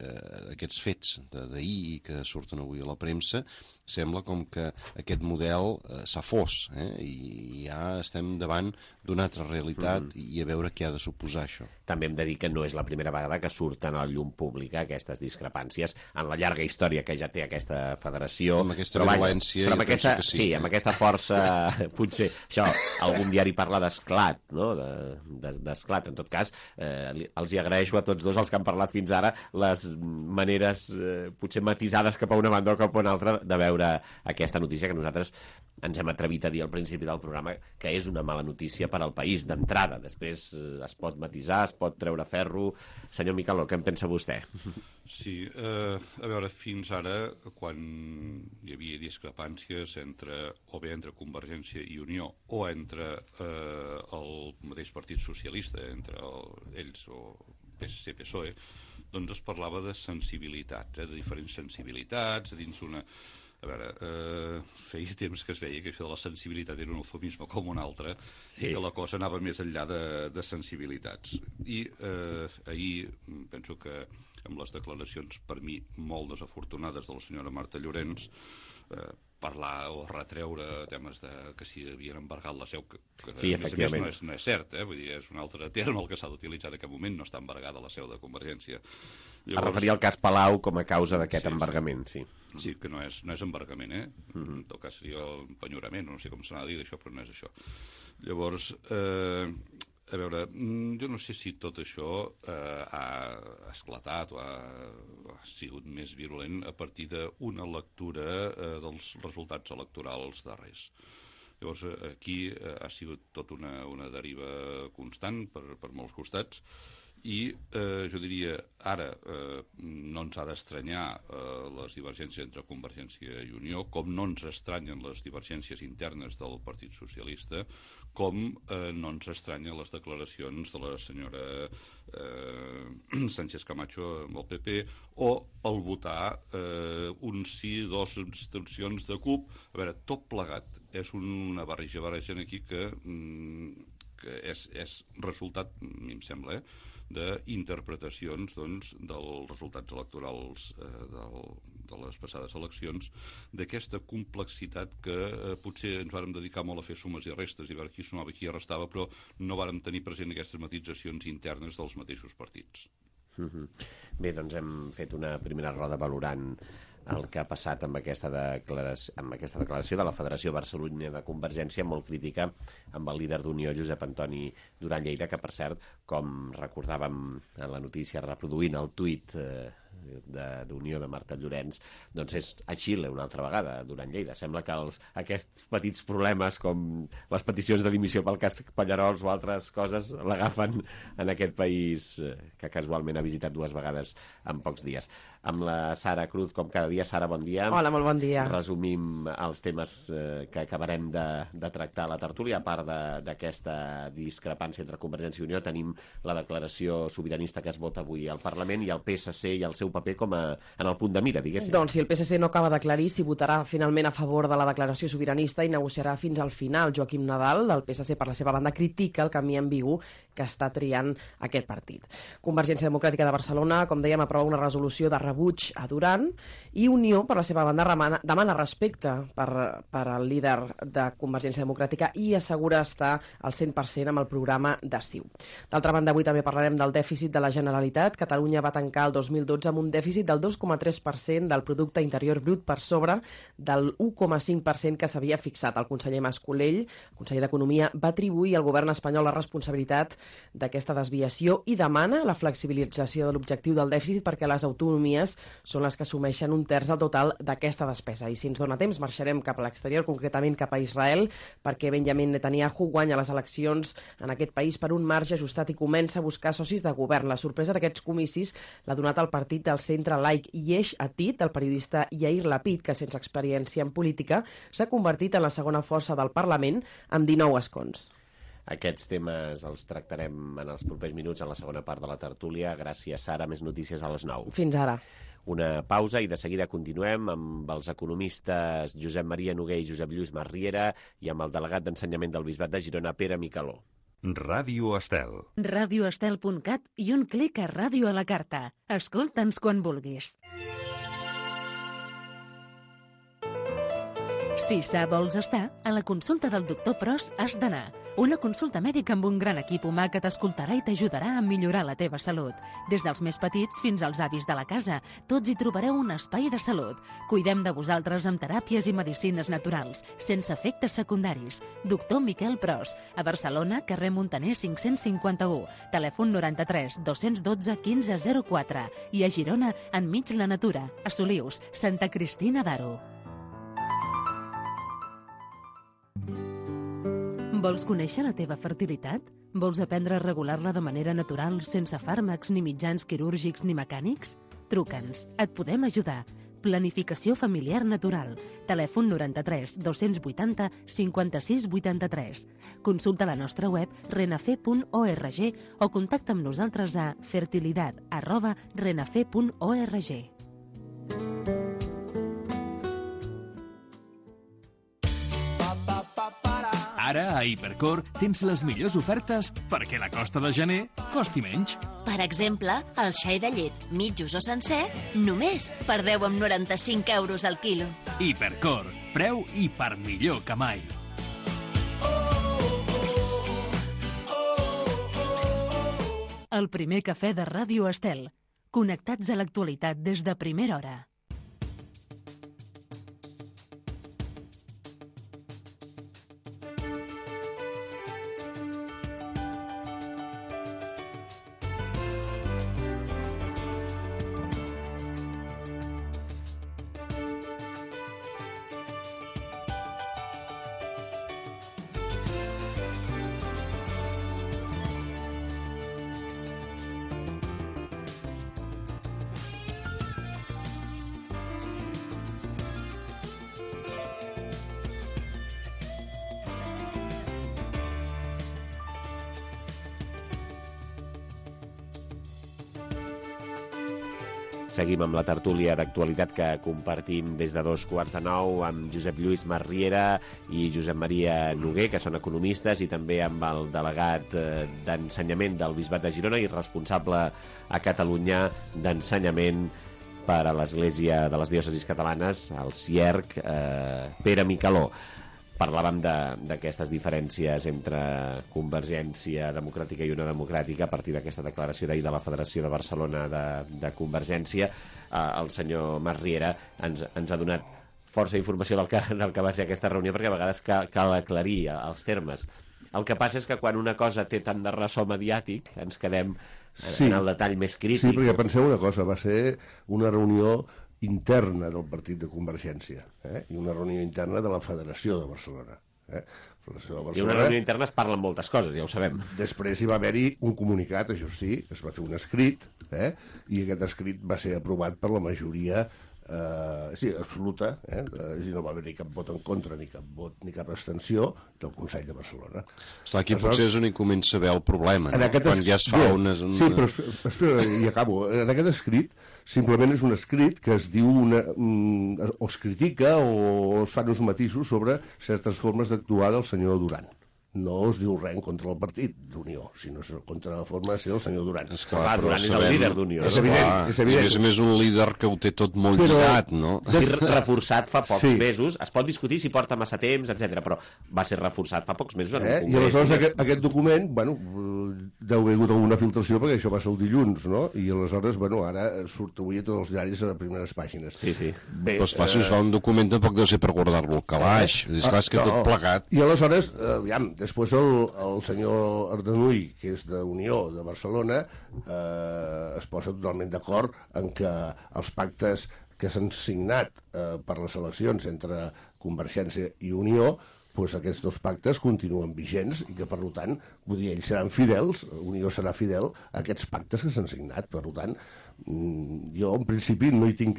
aquests fets d'ahir i que surten avui a la premsa, sembla com que aquest model s'ha fos i ja estem davant d'una altra realitat i a veure què ha de suposar això. També hem de dir que no és la primera vegada que surten a la llum pública aquestes discrepàncies en la llarga història que ja té aquesta federació. Amb aquesta violència, jo penso que sí. Sí, amb aquesta força, potser, això, algun diari parla d'esclat, no?, d'esclat. En tot cas, els hi agraeixo a tots dos els que han parlat fins ara les maneres potser matisades cap a una banda o cap a una altra de veure aquesta notícia que nosaltres ens hem atrevit a dir al principi del programa que és una mala notícia per al país d'entrada. Després es pot matisar, es pot treure ferro. Senyor Micaló, què en pensa vostè? Sí, a veure, fins ara, quan hi havia discrepàncies entre Convergència i Unió o entre el mateix Partit Socialista, entre ells o PSC-PSOE, doncs es parlava de sensibilitats, de diferents sensibilitats, dins una... A veure, feia temps que es veia que això de la sensibilitat era un eufemisme com un altre i que la cosa anava més enllà de sensibilitats. I ahir penso que amb les declaracions per mi molt desafortunades de la senyora Marta Llorens, parlar o retreure temes que si havien embargat la seu, que sí, a més no és cert, vull dir, és un altre terme el que s'ha d'utilitzar en aquest moment, no està embargada la seu de Convergència. Llavors... Es referia al cas Palau com a causa d'aquest embargament, sí. Sí, que no és embargament, en tot cas seria empenyorament, no sé com s'ha de dir d'això, però no és això. Llavors, a veure, jo no sé si tot això ha esclatat o ha sigut més virulent a partir d'una lectura dels resultats electorals darrers. Llavors, aquí ha sigut tot una deriva constant per molts costats I jo diria, ara no ens ha d'estranyar les divergències entre Convergència i Unió, com no ens estranyen les divergències internes del Partit Socialista, com no ens estranyen les declaracions de la senyora Sánchez Camacho amb el PP, o el votar un sí, dos abstencions de CUP. A veure, tot plegat és una barreja aquí que és resultat, a mi em sembla, d'interpretacions dels resultats electorals de les passades eleccions, d'aquesta complexitat que potser ens vàrem dedicar molt a fer sumes i restes i veure qui sumava i qui restava, però no vàrem tenir present aquestes matitzacions internes dels mateixos partits. Bé, doncs hem fet una primera roda valorant el que ha passat amb aquesta declaració de la Federació Barcelona de Convergència, molt crítica amb el líder d'Unió, Josep Antoni Duran Lleida, que, per cert, com recordàvem en la notícia reproduint el tuit d'Unió de Marta Llorenç, doncs és a Xile una altra vegada, Duran Lleida. Sembla que aquests petits problemes, com les peticions de dimissió pel cas Pallarols o altres coses, l'agafen en aquest país que casualment ha visitat 2 vegades en pocs dies. Amb la Sara Cruz, com cada dia. Sara, bon dia. Hola, molt bon dia. Resumim els temes que acabarem de tractar a la tertúlia. A part d'aquesta discrepància entre Convergència i Unió, tenim la declaració sobiranista que es vota avui al Parlament i el PSC i el seu paper en el punt de mira, diguéssim. Doncs si el PSC no acaba d'aclarir si votarà finalment a favor de la declaració sobiranista i negociarà fins al final. Joaquim Nadal, del PSC, per la seva banda, critica el camí ambigu que està triant aquest partit. Convergència Democràtica de Barcelona, com dèiem, aprova una resolució de rebuig a Duran, i Unió, per la seva banda, demana respecte per al líder de Convergència Democràtica i assegura estar al 100% amb el programa de CiU. D'altra banda, avui també parlarem del dèficit de la Generalitat. Catalunya va tancar el 2012 amb un dèficit del 2,3% del producte interior brut, per sobre del 1,5% que s'havia fixat. El conseller Mas-Colell, el conseller d'Economia, va atribuir al govern espanyol la responsabilitat d'aquesta desviació i demana la flexibilització de l'objectiu del dèficit perquè les autonomies són les que assumeixen 1/3 del total d'aquesta despesa. I si ens dona temps, marxarem cap a l'exterior, concretament cap a Israel, perquè Benjamin Netanyahu guanya les eleccions en aquest país per un marge ajustat i comença a buscar socis de govern. La sorpresa d'aquests comicis l'ha donat el partit del centre laic Yesh Atid, del periodista Yair Lapid, que sense experiència en política s'ha convertit en la segona força del Parlament amb 19 escons. Aquests temes els tractarem en els propers minuts en la segona part de la tertúlia. Gràcies, Sara. Més notícies a les 9. Fins ara. Una pausa i de seguida continuem amb els economistes Josep Maria Noguer i Josep Lluís Marriera i amb el delegat d'Ensenyament del Bisbat de Girona, Pere Micaló. Ràdio Estel. radioestel.cat i un clic a Ràdio a la Carta. Escolta'ns quan vulguis. Si sa vols estar, a la consulta del doctor Pros has d'anar. Una consulta mèdica amb un gran equip humà que t'escoltarà i t'ajudarà a millorar la teva salut. Des dels més petits fins als avis de la casa, tots hi trobareu un espai de salut. Cuidem de vosaltres amb teràpies i medicines naturals, sense efectes secundaris. Doctor Miquel Pros, a Barcelona, carrer Montaner 551, telèfon 93 212 1504 i a Girona, enmig la natura, a Solius, Santa Cristina d'Aro. Vols conèixer la teva fertilitat? Vols aprendre a regular-la de manera natural, sense fàrmacs, ni mitjans quirúrgics ni mecànics? Truca'ns, et podem ajudar. Planificació familiar natural. Telèfon 93 280 56 83. Consulta la nostra web renafe.org o contacta amb nosaltres a fertilidad@renafe.org. Ara, a Hipercor, tens les millors ofertes perquè la costa de gener costi menys. Per exemple, el xai de llet, mitjos o sencer, només per 10,95 euros al quilo. Hipercor, preu i per millor que mai. El primer cafè de Ràdio Estel. Connectats a l'actualitat des de primera hora. Seguim amb la tertúlia d'actualitat que compartim des de 8:45 amb Josep Lluís Marriera i Josep Maria Noguer, que són economistes, i també amb el delegat d'ensenyament del Bisbat de Girona i responsable a Catalunya d'ensenyament per a l'Església de les Diòcesis Catalanes, el CIERC, Pere Micaló. Parlàvem d'aquestes diferències entre Convergència Democràtica i Unió Democràtica a partir d'aquesta declaració d'ahir de la Federació de Barcelona de Convergència. El senyor Marriera ens ha donat força informació del que va ser aquesta reunió, perquè a vegades cal aclarir els termes. El que passa és que quan una cosa té tant de ressò mediàtic ens quedem en el detall més crític. Sí, perquè penseu una cosa, va ser una reunió interna del partit de Convergència i una reunió interna de la Federació de Barcelona. I una reunió interna es parlen moltes coses, ja ho sabem. Després hi va haver-hi un comunicat, això sí, es va fer un escrit, i aquest escrit va ser aprovat per la majoria absoluta, i no va haver-hi cap vot en contra ni cap abstenció del Consell de Barcelona. Està aquí potser és on hi comença a veure el problema, no? Quan ja es fa una... Sí, però espera, i acabo. En aquest escrit simplement és un escrit que es diu o es critica o es fan uns matisos sobre certes formes d'actuar del senyor Duran. No es diu res contra el partit d'Unió, sinó contra la forma de ser del senyor Duran. Esclar, Duran és el líder d'Unió. És evident. I a més a més un líder que ho té tot molt lligat, no? I reforçat fa pocs mesos. Es pot discutir si porta massa temps, etc, però va ser reforçat fa pocs mesos en un congrés. I aleshores aquest document, deu haver hagut alguna filtració, perquè això va ser el dilluns, no? I aleshores, ara surt avui a tots els diaris a les primeres pàgines. Sí. Però esclar, si es fa un document tampoc deu ser per guardar-lo al calaix. Esclar, és que tot plegat. I aleshores, aviam, després el senyor Ardanuy, que és d'Unió de Barcelona, es posa totalment d'acord en que els pactes que s'han signat per les eleccions entre Convergència i Unió, aquests dos pactes continuen vigents i que, per tant, vull dir, ells seran fidels, Unió serà fidel a aquests pactes que s'han signat. Per tant, jo, en principi, no hi tinc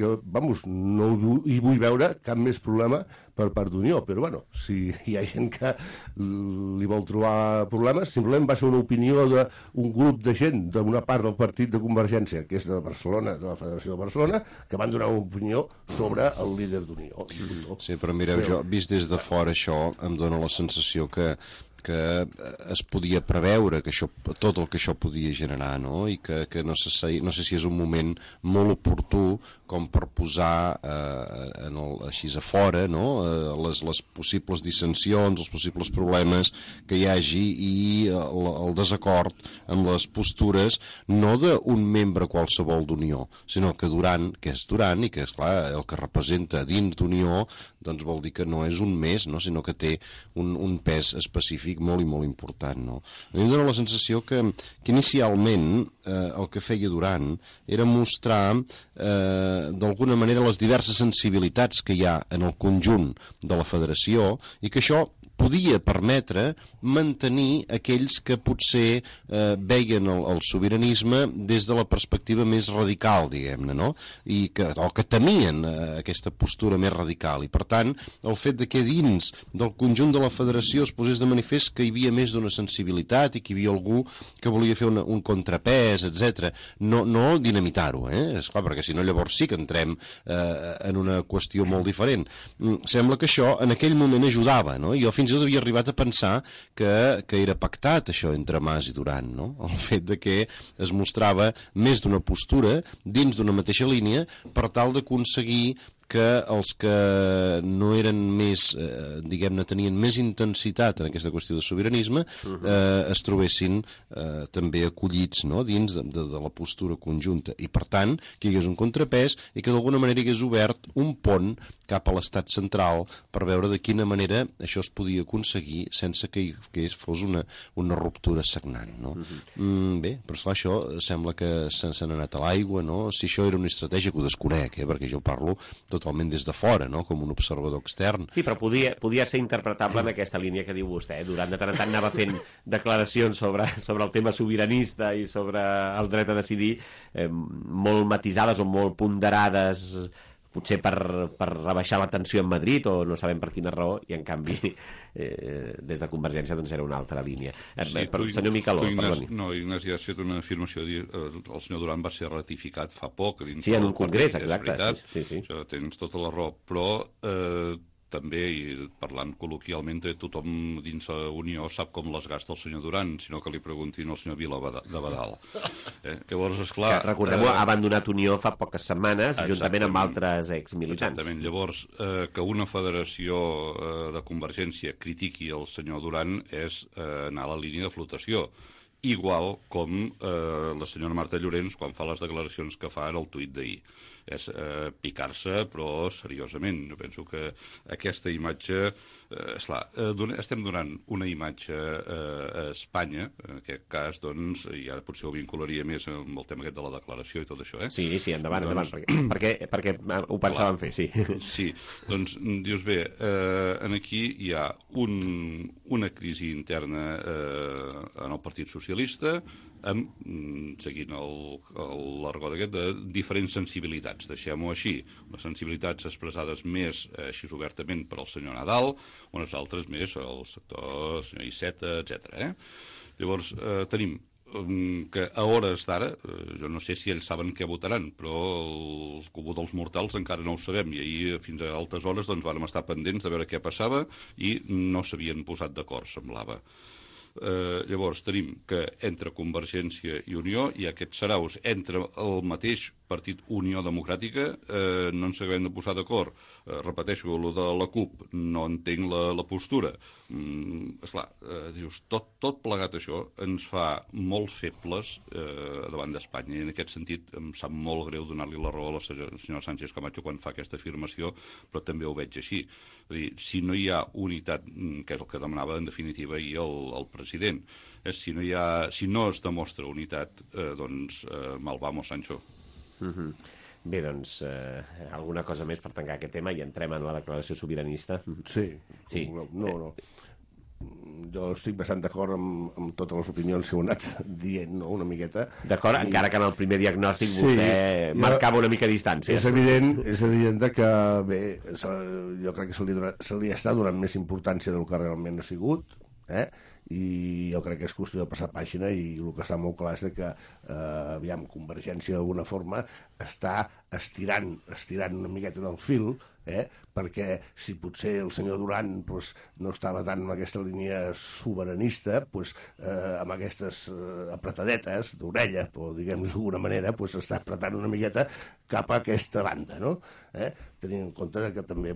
no hi vull veure cap més problema per part d'Unió, però, si hi ha gent que li vol trobar problemes, simplement va ser una opinió d'un grup de gent d'una part del partit de Convergència, que és de Barcelona, de la Federació de Barcelona, que van donar una opinió sobre el líder d'Unió. Sí, però mireu, jo, vist des de fora això, em dóna la sensació que es podia preveure que tot el que això podia generar, no? I que no sé si és un moment molt oportú com per posar així a fora, no? Les possibles dissensions, els possibles problemes que hi hagi i el desacord amb les postures no d'un membre qualsevol d'Unió, sinó que Duran, que és Duran i que és clar el que representa dins d'Unió, doncs vol dir que no és un més, no? Sinó que té un pes específic molt i molt important, no? A mi em dóna la sensació que inicialment el que feia Duran era mostrar d'alguna manera les diverses sensibilitats que hi ha en el conjunt de la federació i que això podia permetre mantenir aquells que potser veien el sobiranisme des de la perspectiva més radical, diguem-ne, no? O que temien aquesta postura més radical. I, per tant, el fet que dins del conjunt de la federació es posés de manifest que hi havia més d'una sensibilitat i que hi havia algú que volia fer un contrapès, etc. No dinamitar-ho, esclar, perquè si no llavors sí que entrem en una qüestió molt diferent. Sembla que això en aquell moment ajudava, no? Jo fins i tot havia arribat a pensar que era pactat això entre Mas i Duran, no? El fet de que es mostrava més d'una postura dins d'una mateixa línia per tal d'aconseguir que els que no eren més, diguem-ne, tenien més intensitat en aquesta qüestió de sobiranisme es trobessin també acollits, no?, dins de la postura conjunta. I, per tant, que hi hagués un contrapès i que d'alguna manera hi hagués obert un pont cap a l'estat central per veure de quina manera això es podia aconseguir sense que fos una ruptura sagnant, no? Bé, però esclar, això sembla que se n'ha anat a l'aigua, no? Si això era una estratègia, que ho desconec, perquè jo parlo totalment des de fora, no?, com un observador extern. Sí, però podia ser interpretable en aquesta línia que diu vostè. Durant de tant en tant anava fent declaracions sobre el tema sobiranista i sobre el dret a decidir molt matisades o molt ponderades potser per rebaixar la tensió en Madrid o no sabem per quina raó, i en canvi des de Convergència doncs era una altra línia. Senyor Micaló, perdoni. No, Ignasi, ha fet una afirmació, el senyor Duran va ser ratificat fa poc. Sí, en un congrés, exacte. Sí. Tens tota la raó, però també, i parlant col·loquialment, tothom dins la Unió sap com les gasta el senyor Duran, sinó que li preguntin al senyor Vila de Badal. Llavors, esclar... Recordem-ho, ha abandonat Unió fa poques setmanes, juntament amb altres exmilitants. Exactament. Llavors, que una federació de Convergència critiqui el senyor Duran és anar a la línia de flotació. Igual com la senyora Marta Llorens quan fa les declaracions que fa en el tuit d'ahir. És picar-se, però seriosament. Jo penso que aquesta imatge... Esclar, estem donant una imatge a Espanya, en aquest cas, doncs, i ara potser ho vincularia més amb el tema aquest de la declaració i tot això, Sí, endavant, perquè ho pensàvem fer, sí. Sí, doncs, dius bé, aquí hi ha una crisi interna en el Partit Socialista, seguint l'argot aquest de diferents sensibilitats, deixem-ho així, unes sensibilitats expressades més així obertament per al senyor Nadal, unes altres més al sector senyor Iceta, etc. Llavors tenim que a hores d'ara, jo no sé si ells saben què votaran, però el comú dels mortals encara no ho sabem, i ahir fins a altes hores doncs vàrem estar pendents de veure què passava i no s'havien posat d'acord, semblava. Llavors tenim que entre Convergència i Unió hi ha aquests saraus entre el mateix partit Unió Democràtica, no ens acabem de posar d'acord. Repeteixo, el de la CUP, no entenc la postura. Esclar, dius, tot plegat això ens fa molt febles davant d'Espanya, i en aquest sentit em sap molt greu donar-li la raó a la senyora Sánchez Camacho quan fa aquesta afirmació, però també ho veig així. És a dir, si no hi ha unitat, que és el que demanava en definitiva ahir el president, si no es demostra unitat, doncs mal vamos, Sancho. Bé, doncs, alguna cosa més per tancar aquest tema i entrem en la declaració sobiranista? Sí. No. Jo estic bastant d'acord amb totes les opinions que heu anat dient, no?, una miqueta. D'acord, encara que en el primer diagnòstic vostè marcava una mica distància. És evident que, bé, jo crec que se li està donant més importància del que realment ha sigut, i jo crec que és qüestió de passar pàgina, i el que està molt clar és que aviam, Convergència d'alguna forma està estirant una miqueta del fil, perquè si potser el senyor Duran no estava tant en aquesta línia sobiranista, amb aquestes apretadetes d'orella, o diguem-ho d'alguna manera, s'està apretant una miqueta cap a aquesta banda, no? Tenint en compte que també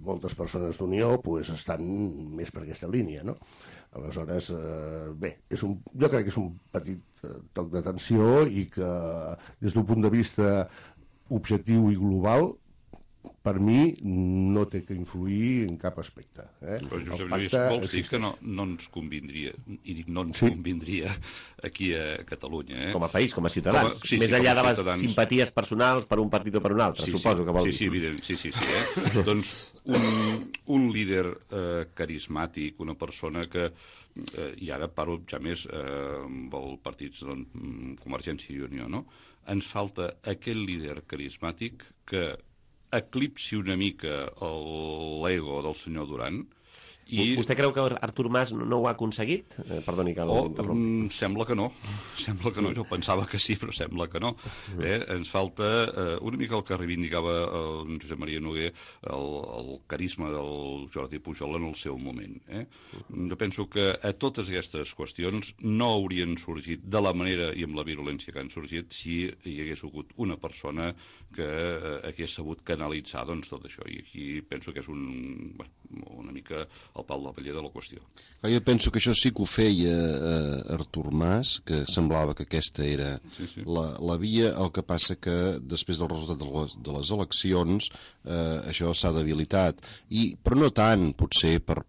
moltes persones d'Unió estan més per aquesta línia, no? Aleshores, bé, jo crec que és un petit toc d'atenció, i que des d'un punt de vista objectiu i global, per mi no té que influir en cap aspecte. Però Josep Lluís, vols dir que no ens convindria, i dic no ens convindria aquí a Catalunya? Com a país, com a ciutadans. Més enllà de les simpaties personals per un partit o per un altre, suposo que vol dir. Sí, evident, sí. Doncs un líder carismàtic, una persona que, i ara parlo ja més amb els partits Convergència i Unió, no? Ens falta aquell líder carismàtic que eclipsi una mica l'ego del senyor Duran. Vostè creu que Artur Mas no ho ha aconseguit? Perdoni que l'interrompi. Sembla que no. Jo pensava que sí, però sembla que no. Ens falta una mica el que reivindicava el Josep Maria Noguer, el carisma del Jordi Pujol en el seu moment. Jo penso que a totes aquestes qüestions no haurien sorgit de la manera i amb la virulència que han sorgit si hi hagués hagut una persona que hagués sabut canalitzar tot això. I aquí penso que és una mica el pal de paller de la qüestió. Jo penso que això sí que ho feia Artur Mas, que semblava que aquesta era la via. El que passa que després del resultat de les eleccions això s'ha debilitat, però no tant potser per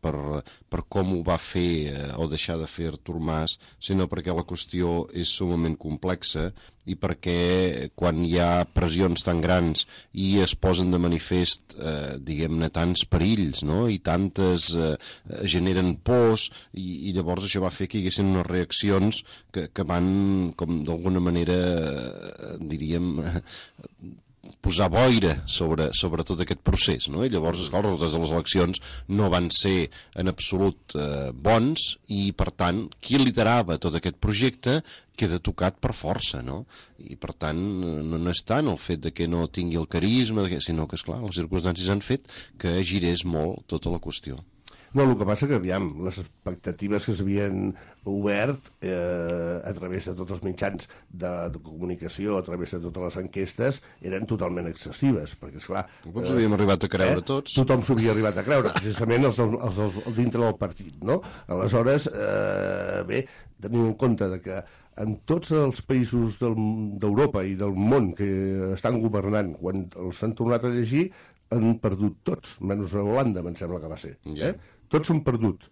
com ho va fer o deixar de fer Artur Mas, sinó perquè la qüestió és sumament complexa, i perquè quan hi ha pressions tan grans i es posen de manifest, diguem-ne, tants perills, no?, i tantes generen pors, i llavors això va fer que hi haguessin unes reaccions que van, com d'alguna manera, diríem, posar boira sobre tot aquest procés, no? I llavors, esclar, els resultats de les eleccions no van ser en absolut bons i, per tant, qui liderava tot aquest projecte queda tocat per força, no? I, per tant, no és tant el fet de que no tingui el carisma, sinó que, esclar, les circumstàncies han fet que girés molt tota la qüestió. No, el que passa que, aviam, les expectatives que s'havien obert a través de tots els mitjans de comunicació, a través de totes les enquestes, eren totalment excessives, perquè, esclar... Ens havíem arribat a creure tots. Tothom s'ho havia arribat a creure, precisament els dintre del partit, no? Aleshores, bé, tenint en compte que en tots els països d'Europa i del món que estan governant, quan els han tornat a llegir, han perdut tots, menys a Holanda, em sembla que va ser. Tots s'han perdut.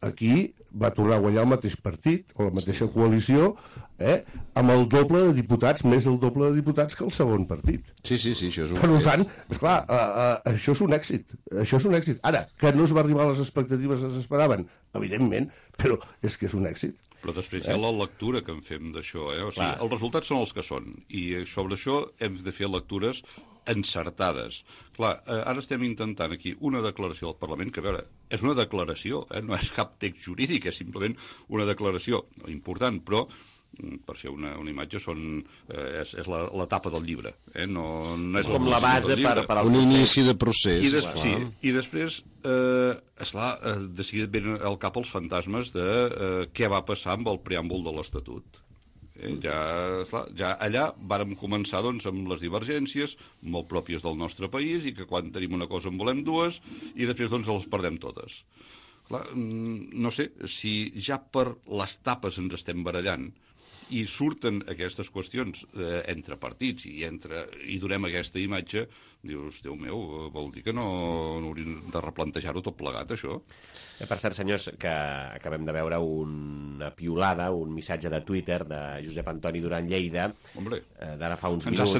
Aquí va tornar a guanyar el mateix partit, o la mateixa coalició, amb el doble de diputats, més el doble de diputats que el segon partit. Sí, això és un... Per tant, esclar, això és un èxit. Això és un èxit. Ara, que no es va arribar a les expectatives que s'esperaven, evidentment, però és que és un èxit. Però després hi ha la lectura que en fem d'això, O sigui, els resultats són els que són, i sobre això hem de fer lectures encertades. Clar, ara estem intentant aquí una declaració del Parlament, que, a veure, és una declaració, no és cap text jurídic, és simplement una declaració important, però per fer una imatge és la tapa del llibre. No és com la base per al un inici de procés. I després, esclar, de seguida venen al cap els fantasmes de què va passar amb el preàmbul de l'Estatut. Ja allà vàrem començar amb les divergències molt pròpies del nostre país, i que quan tenim una cosa en volem dues, i després les perdem totes. Clar, no sé, si ja per les tapes ens estem barallant i surten aquestes qüestions entre partits i donem aquesta imatge, dius, Déu meu, vol dir que no hauríem de replantejar-ho tot plegat, això? Per cert, senyors, que acabem de veure una piulada, un missatge de Twitter de Josep Antoni Duran Lleida, d'ara fa uns minuts.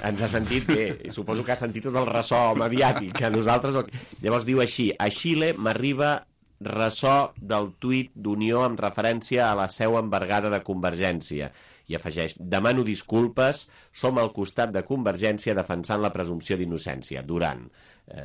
Ens ha sentit, bé, suposo que ha sentit tot el ressò mediàtic, que nosaltres... Llavors diu així: a Xile m'arriba ressò del tuit d'Unió amb referència a la seu embargada de Convergència. I afegeix: demano disculpes, som al costat de Convergència defensant la presumpció d'innocència. Duran.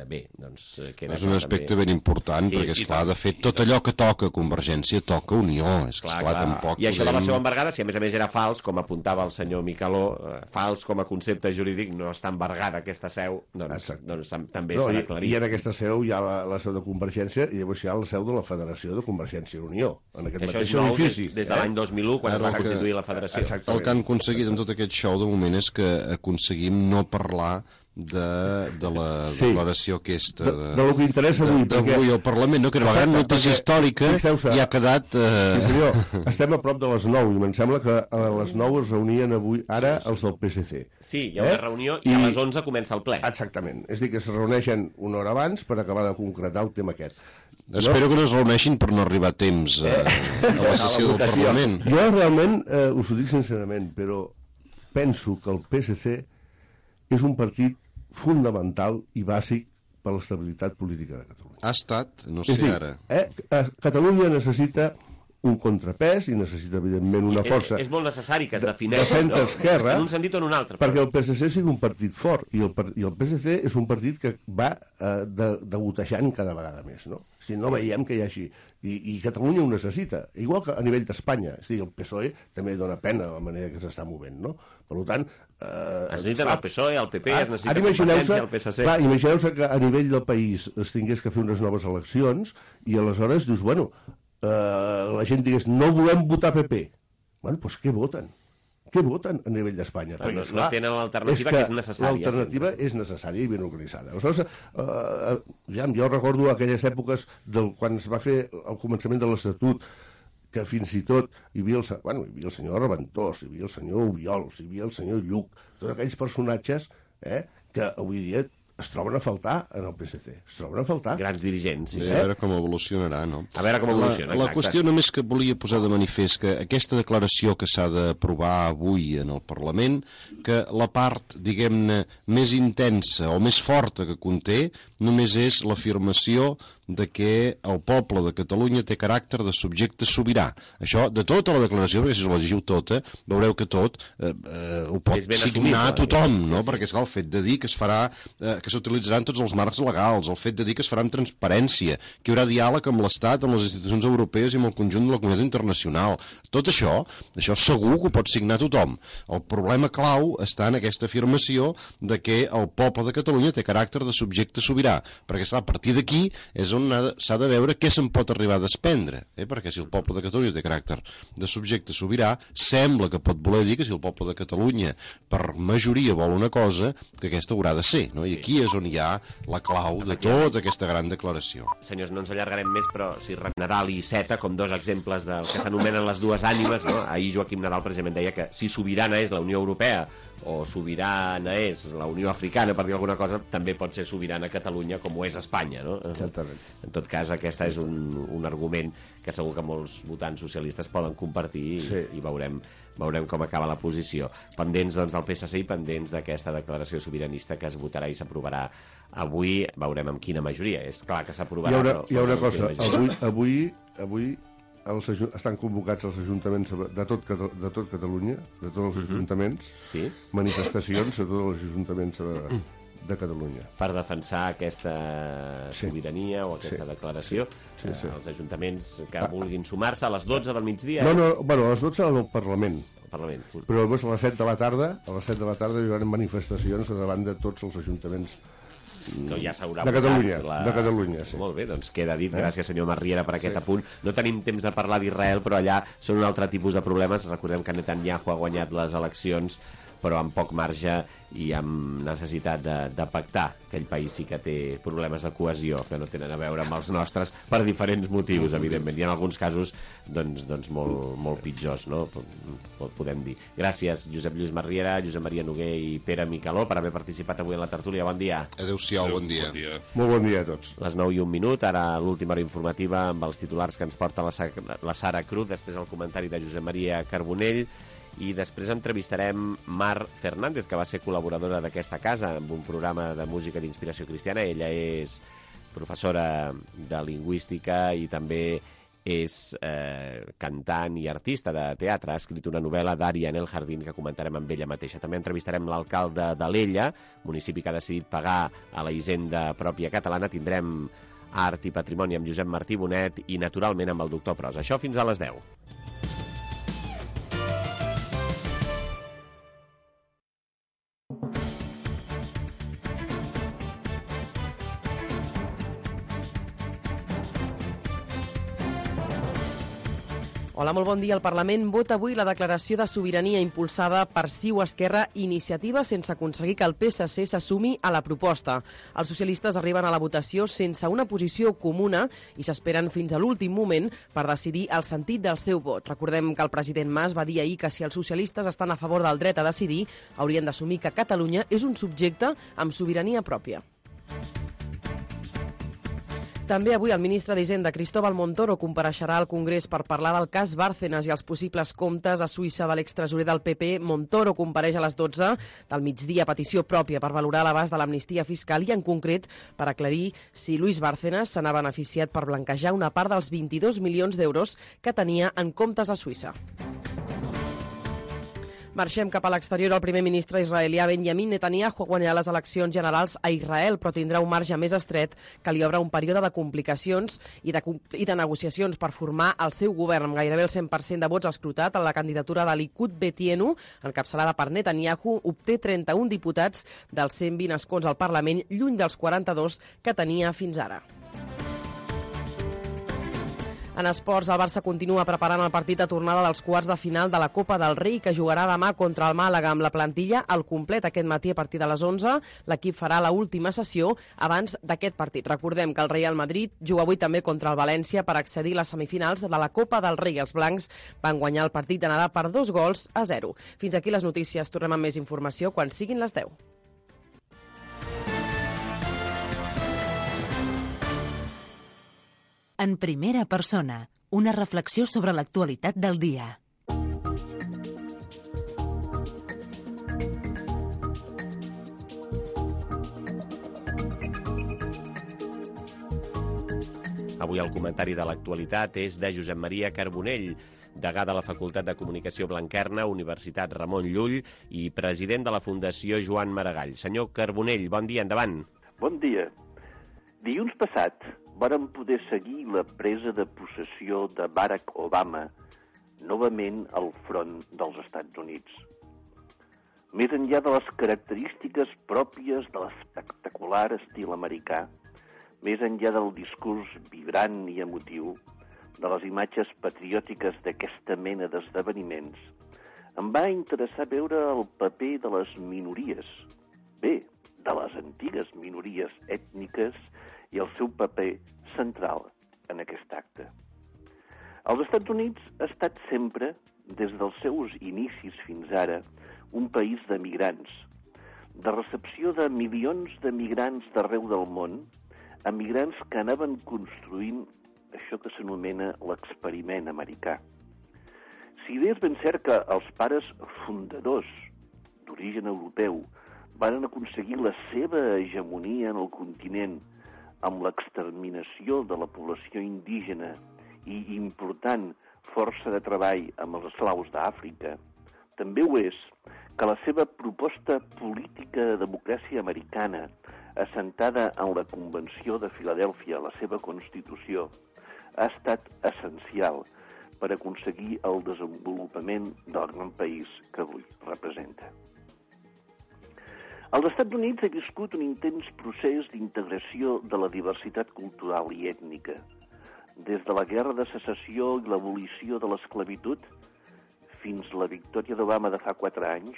Bé, doncs... És un aspecte ben important, perquè, esclar, de fet, tot allò que toca Convergència toca Unió. Esclar, tampoc... I això de la seu embargada, si a més era fals, com apuntava el senyor Micaló, fals com a concepte jurídic, no està embargada aquesta seu, doncs també s'ha d'aclarir. I en aquesta seu hi ha la seu de Convergència, i llavors hi ha la seu de la Federació de Convergència i Unió, en aquest mateix edifici. Des de l'any 2001, quan es va constituir la Federació. El que han aconseguit amb tot aquest show, de moment, és que aconseguim no parlar de la declaració aquesta del que interessa avui, d'avui al Parlament, que era una gran notícia històrica i ha quedat... Sí, senyor, estem a prop de les 9 i em sembla que a les 9 es reunien avui ara els del PSC. Sí, hi ha una reunió i a les 11 comença el ple. Exactament, és a dir, que es reuneixen una hora abans per acabar de concretar el tema aquest. Espero que no es reuneixin per no arribar a temps a la sessió del Parlament. Jo realment, us ho dic sincerament, però penso que el PSC és un partit fundamental i bàsic per a l'estabilitat política de Catalunya. Ha estat, no sé ara. Catalunya necessita un contrapès i necessita, evidentment, una força... És molt necessari que es defineixi en un sentit o en un altre. Perquè el PSC sigui un partit fort, i el PSC és un partit que va degotejant cada vegada més, no? Si no veiem que hi hagi... I Catalunya ho necessita, igual que a nivell d'Espanya. És a dir, el PSOE també dona pena la manera que s'està movent, no? Per tant... Es necessiten el PSOE, el PP, es necessita Convergència, el PSC... Clar, imagineu-se que a nivell del país es tingués que fer unes noves eleccions i aleshores dius, bueno, la gent digués, no volem votar PP. Bueno, doncs què voten? Què voten a nivell d'Espanya? No tenen l'alternativa que és necessària. L'alternativa és necessària i ben organitzada. Aleshores, jo recordo aquelles èpoques quan es va fer el començament de l'Estatut, que fins i tot hi havia el senyor Reventós, hi havia el senyor Obiols, hi havia el senyor Lluc, tots aquells personatges que avui dia es troben a faltar en el PSC. Es troben a faltar. Grans dirigents. A veure com evolucionarà, no? A veure com evoluciona. La qüestió només que volia posar de manifest que aquesta declaració que s'ha d'aprovar avui en el Parlament, que la part, diguem-ne, més intensa o més forta que conté, només és l'afirmació de que el poble de Catalunya té caràcter de subjecte sobirà. Això, de tota la declaració, perquè si us la llegiu tota, veureu que tot ho pot signar tothom, no? Perquè, esclar, el fet de dir que es farà, que s'utilitzaran tots els marcs legals, el fet de dir que es farà amb transparència, que hi haurà diàleg amb l'Estat, amb les institucions europees i amb el conjunt de la comunitat internacional. Tot això segur que ho pot signar tothom. El problema clau està en aquesta afirmació de que el poble de Catalunya té caràcter de subjecte sobirà, perquè, esclar, a partir d'aquí és on s'ha de veure què se'n pot arribar a desprendre, perquè si el poble de Catalunya té caràcter de subjecte sobirà, sembla que pot voler dir que si el poble de Catalunya per majoria vol una cosa, que aquesta haurà de ser, no? I aquí és on hi ha la clau de tota aquesta gran declaració. Senyors, no ens allargarem més, però si Nadal i Seta, com dos exemples del que s'anomenen les dues ànimes, no? Ahir Joaquim Nadal precisament deia que si sobirana és la Unió Europea o sobirana és la Unió Africana, per dir alguna cosa, també pot ser sobirana Catalunya com ho és Espanya, no? Exactament. En tot cas, aquest és un argument que segur que molts votants socialistes poden compartir i veurem com acaba la posició. Pendents doncs, del PSC i pendents d'aquesta declaració sobiranista que es votarà i s'aprovarà avui. Veurem amb quina majoria. És clar que s'aprovarà. Hi ha una cosa. Avui estan convocats els ajuntaments de tot Catalunya, de tots els ajuntaments, manifestacions de tots els ajuntaments de Catalunya. Per defensar aquesta sobirania o aquesta declaració. Els ajuntaments que vulguin sumar-se a les 12 del migdia. Bueno, a les 12 al Parlament. Però després a les 7 de la tarda hi haurà manifestacions davant de tots els ajuntaments no, ja de Catalunya, sí. Molt bé, doncs queda dit. Gràcies, senyor Marriera, per aquest apunt. No tenim temps de parlar d'Israel, però allà són un altre tipus de problemes. Recordem que Netanyahu ha guanyat les eleccions, però amb poc marge i amb necessitat de pactar. Aquell país sí que té problemes de cohesió que no tenen a veure amb els nostres per diferents motius, evidentment. I en alguns casos doncs molt pitjors, no? Podem dir. Gràcies, Josep Lluís Marriera, Josep Maria Noguer i Pere Micaló, per haver participat avui en la tertúlia. Bon dia. Adéu-siau, bon dia. Molt bon dia a tots. Les 9:01, ara l'última hora informativa amb els titulars que ens porta la Sara Cruz, després el comentari de Josep Maria Carbonell, i després entrevistarem Mar Fernández, que va ser col·laboradora d'aquesta casa amb un programa de música d'inspiració cristiana. Ella és professora de lingüística i també és cantant i artista de teatre. Ha escrit una novel·la d'Ària en el Jardín que comentarem amb ella mateixa. També entrevistarem l'alcalde d'Alella, municipi que ha decidit pagar a la hisenda pròpia catalana. Tindrem art i patrimoni amb Josep Martí Bonet i, naturalment, amb el doctor Pros. Això fins a les 10. Hola, molt bon dia. El Parlament vota avui la declaració de sobirania impulsada per CiU Esquerra Iniciativa sense aconseguir que el PSC s'assumi a la proposta. Els socialistes arriben a la votació sense una posició comuna i s'esperen fins a l'últim moment per decidir el sentit del seu vot. Recordem que el president Mas va dir ahir que si els socialistes estan a favor del dret a decidir, haurien d'assumir que Catalunya és un subjecte amb sobirania pròpia. També avui el ministre d'Hisenda, Cristóbal Montoro, compareixerà al Congrés per parlar del cas Bárcenas i els possibles comptes a Suïssa de l'extresorer del PP. Montoro compareix a les 12 del migdia a petició pròpia per valorar l'abast de l'amnistia fiscal i, en concret, per aclarir si Luis Bárcenas se n'ha beneficiat per blanquejar una part dels 22 milions d'euros que tenia en comptes a Suïssa. Marxem cap a l'exterior. El primer ministre israelià Benjamin Netanyahu guanyarà les eleccions generals a Israel, però tindrà un marge més estret que li obre un període de complicacions i de negociacions per formar el seu govern. Amb gairebé el 100% de vots escrutat, la candidatura de Likud Betienu, encapçalada per Netanyahu, obté 31 diputats dels 120 escons al Parlament, lluny dels 42 que tenia fins ara. En esports, el Barça continua preparant el partit de tornada dels quarts de final de la Copa del Rei, que jugarà demà contra el Màlaga amb la plantilla al complet aquest matí a partir de les 11. L'equip farà l'última sessió abans d'aquest partit. Recordem que el Real Madrid juga avui també contra el València per accedir a les semifinals de la Copa del Rei. Els blancs van guanyar el partit d'anada per 2-0. Fins aquí les notícies. Tornem amb més informació quan siguin les 10. En primera persona, una reflexió sobre l'actualitat del dia. Avui el comentari de l'actualitat és de Josep Maria Carbonell, degà de la Facultat de Comunicació Blanquerna, Universitat Ramon Llull i president de la Fundació Joan Maragall. Senyor Carbonell, bon dia, endavant. Bon dia. Dilluns passat vàrem poder seguir la presa de possessió de Barack Obama novament al front dels Estats Units. Més enllà de les característiques pròpies de l'espectacular estil americà, més enllà del discurs vibrant i emotiu, de les imatges patriòtiques d'aquesta mena d'esdeveniments, em va interessar veure el paper de les minories, bé, de les antigues minories ètniques i el seu paper central en aquest acte. Els Estats Units ha estat sempre, des dels seus inicis fins ara, un país de migrants, de recepció de milions de migrants d'arreu del món, emigrants que anaven construint això que s'anomena l'experiment americà. Si bé és ben cert que els pares fundadors d'origen europeu van aconseguir la seva hegemonia en el continent amb l'exterminació de la població indígena i important força de treball amb els esclaus d'Àfrica, també ho és que la seva proposta política de democràcia americana, assentada en la Convenció de Filadèlfia, la seva Constitució, ha estat essencial per aconseguir el desenvolupament del gran país que avui representa. Els Estats Units ha viscut un intens procés d'integració de la diversitat cultural i ètnica. Des de la Guerra de Secessió i l'abolició de l'esclavitud fins la victòria d'Obama de fa 4 anys,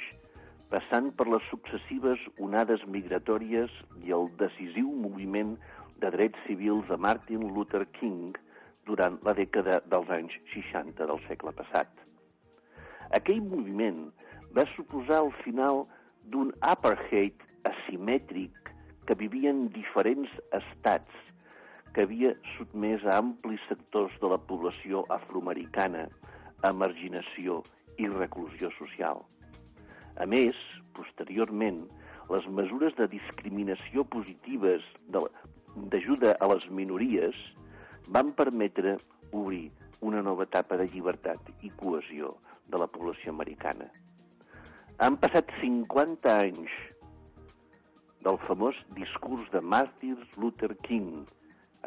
passant per les successives onades migratòries i el decisiu moviment de drets civils de Martin Luther King durant la dècada dels anys 60 del segle passat. Aquell moviment va suposar el final d'un apartheid asimètric que vivien diferents estats que havia sotmès a amplis sectors de la població afroamericana a marginació i reclusió social. A més, posteriorment, les mesures de discriminació positives d'ajuda a les minories van permetre obrir una nova etapa de llibertat i cohesió de la població americana. Han passat 50 anys del famós discurs de Martin Luther King,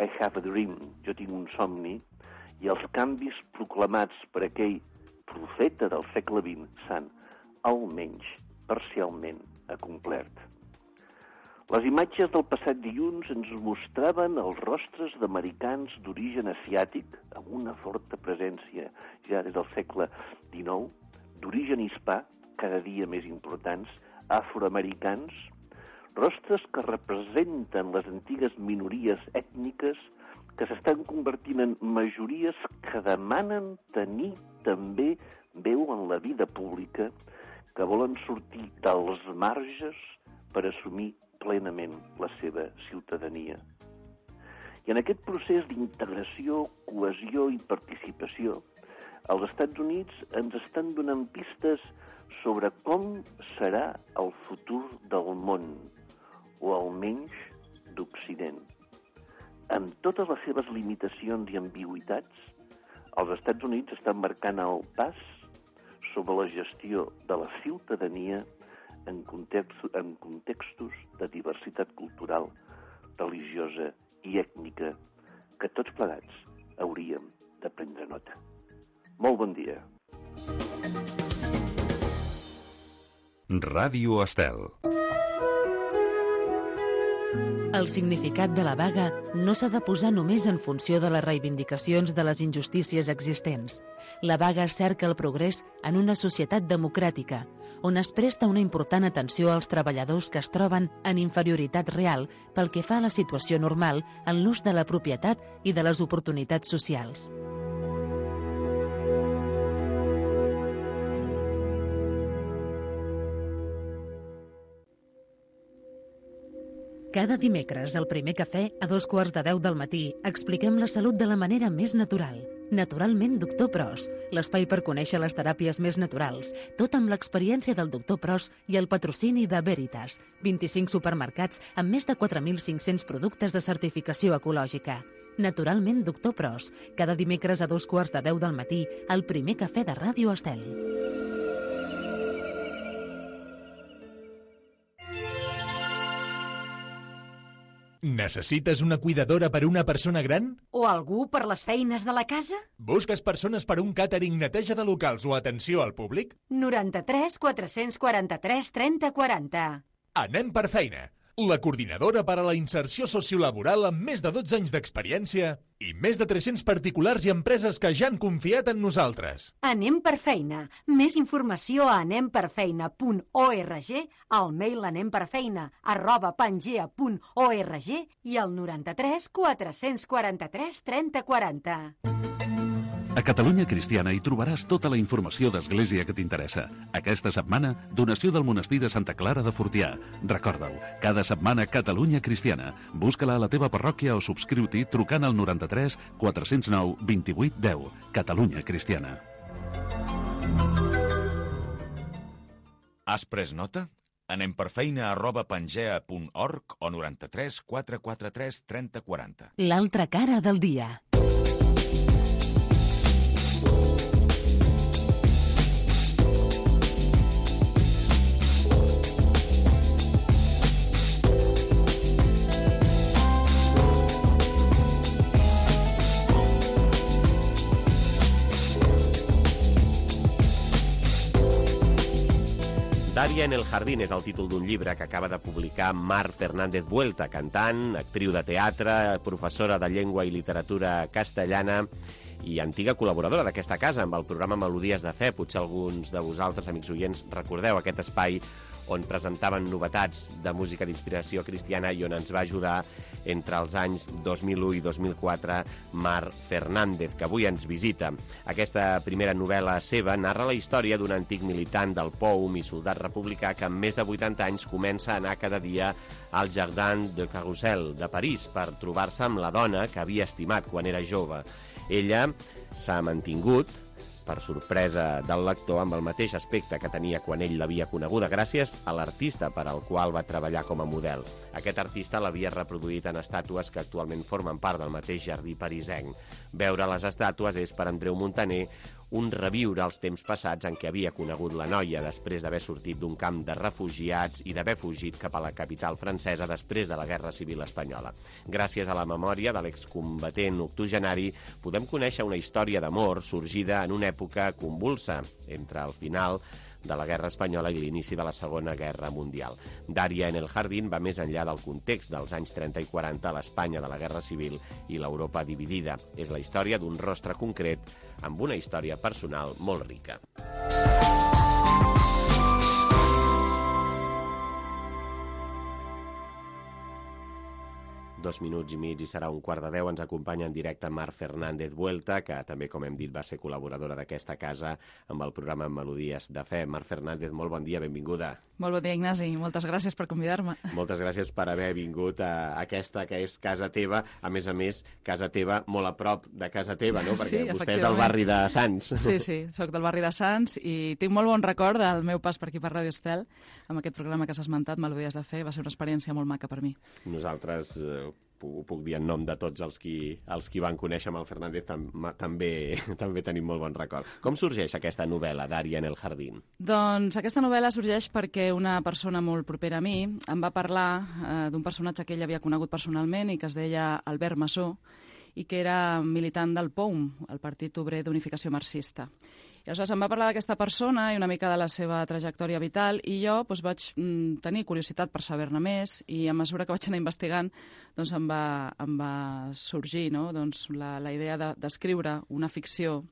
I have a dream, jo tinc un somni, i els canvis proclamats per aquell profeta del segle XX s'han, almenys parcialment, acomplert. Les imatges del passat dilluns ens mostraven els rostres d'americans d'origen asiàtic, amb una forta presència ja des del segle XIX, d'origen hispà, cada dia més importants, afroamericans, rostres que representen les antigues minories ètniques que s'estan convertint en majories que demanen tenir també veu en la vida pública, que volen sortir dels marges per assumir plenament la seva ciutadania. I en aquest procés d'integració, cohesió i participació, els Estats Units ens estan donant pistes sobre com serà el futur del món, o almenys d'Occident. Amb totes les seves limitacions i ambigüitats, els Estats Units estan marcant el pas sobre la gestió de la ciutadania en contextos de diversitat cultural, religiosa i ètnica que tots plegats hauríem de prendre nota. Molt bon dia. Ràdio Estel. El significat de la vaga no s'ha de posar només en funció de les reivindicacions de les injustícies existents. La vaga cerca el progrés en una societat democràtica, on es presta una important atenció als treballadors que es troben en inferioritat real pel que fa a la situació normal en l'ús de la propietat i de les oportunitats socials. Cada dimecres, al Primer Cafè, a 2:15 del matí, expliquem la salut de la manera més natural. Naturalment, Doctor Pros, l'espai per conèixer les teràpies més naturals, tot amb l'experiència del Doctor Pros i el patrocini de Veritas, 25 supermercats amb més de 4.500 productes de certificació ecològica. Naturalment, Doctor Pros. Cada dimecres a 2:15 del matí, el primer cafè de Ràdio Estel. Necessites una cuidadora per una persona gran? O algú per les feines de la casa? Busques persones per un càtering, neteja de locals o atenció al públic? 93 443 30 40. Anem per feina. La coordinadora per a la inserció sociolaboral amb més de 12 anys d'experiència i més de 300 particulars i empreses que ja han confiat en nosaltres. Anem per feina. Més informació a anemperfeina.org, al mail anemperfeina@pangea.org i al 93 443 30 40. A Catalunya Cristiana hi trobaràs tota la informació d'Església que t'interessa. Aquesta setmana, donació del monestir de Santa Clara de Fortià. Recorda-ho, cada setmana Catalunya Cristiana. Busca-la a la teva parròquia o subscriu-t'hi trucant al 93 409 28 10. Catalunya Cristiana. Has pres nota? Anem per feina@pangea.org o 93 443 30 40. L'altra cara del dia. Daria en el jardín és el títol d'un llibre que acaba de publicar Mar Fernández Vuelta, cantant, actriu de teatre, professora de llengua i literatura castellana i antiga col·laboradora d'aquesta casa amb el programa Melodies de Fe. Potser alguns de vosaltres, amics oients, recordeu aquest espai on presentaven novetats de música d'inspiració cristiana i on ens va ajudar entre els anys 2001 i 2004 Mar Fernández, que avui ens visita. Aquesta primera novel·la seva narra la història d'un antic militant del POUM i soldat republicà que amb més de 80 anys comença a anar cada dia al Jardin de Carrousel de París per trobar-se amb la dona que havia estimat quan era jove. Ella s'ha mantingut, per sorpresa del lector, amb el mateix aspecte que tenia quan ell l'havia coneguda, gràcies a l'artista per al qual va treballar com a model. Aquest artista l'havia reproduït en estàtues que actualment formen part del mateix jardí parisenc. Veure les estàtues és, per Andreu Montaner, un reviure als temps passats en què havia conegut la noia després d'haver sortit d'un camp de refugiats i d'haver fugit cap a la capital francesa després de la Guerra Civil Espanyola. Gràcies a la memòria de l'excombatent octogenari podem conèixer una història d'amor sorgida en una època convulsa entre el final de la Guerra Espanyola i l'inici de la Segona Guerra Mundial. Daria en el jardín va més enllà del context dels anys 30 i 40 a l'Espanya de la Guerra Civil i l'Europa dividida. És la història d'un rostre concret amb una història personal molt rica. 2 minuts i mig i serà 1:15. Ens acompanya en directe Mar Fernández Vuelta, que també, com hem dit, va ser col·laboradora d'aquesta casa amb el programa Melodies de Fe. Mar Fernández, molt bon dia, benvinguda. Molt bon dia, Ignasi. Moltes gràcies per convidar-me. Moltes gràcies per haver vingut a aquesta que és casa teva. A més, casa teva molt a prop de casa teva, no? Perquè sí, vostè és del barri de Sants. Sí, soc del barri de Sants i tinc molt bon record del meu pas per aquí per Ràdio Estel amb aquest programa que s'ha esmentat, Melodies de Fe. Va ser una experiència molt maca per mi. Nosaltres ho puc dir en nom de tots els qui van conèixer amb el Fernández, també tenim molt bon record. Com sorgeix aquesta novel·la, Daria en el jardín? Doncs aquesta novel·la sorgeix perquè una persona molt propera a mi em va parlar d'un personatge que ell havia conegut personalment i que es deia Albert Massó i que era militant del POUM, el Partit Obrer d'Unificació Marxista. I aleshores em va parlar d'aquesta persona i una mica de la seva trajectòria vital i jo vaig tenir curiositat per saber-ne més i a mesura que vaig anar investigant doncs em va sorgir la idea d'escriure una ficció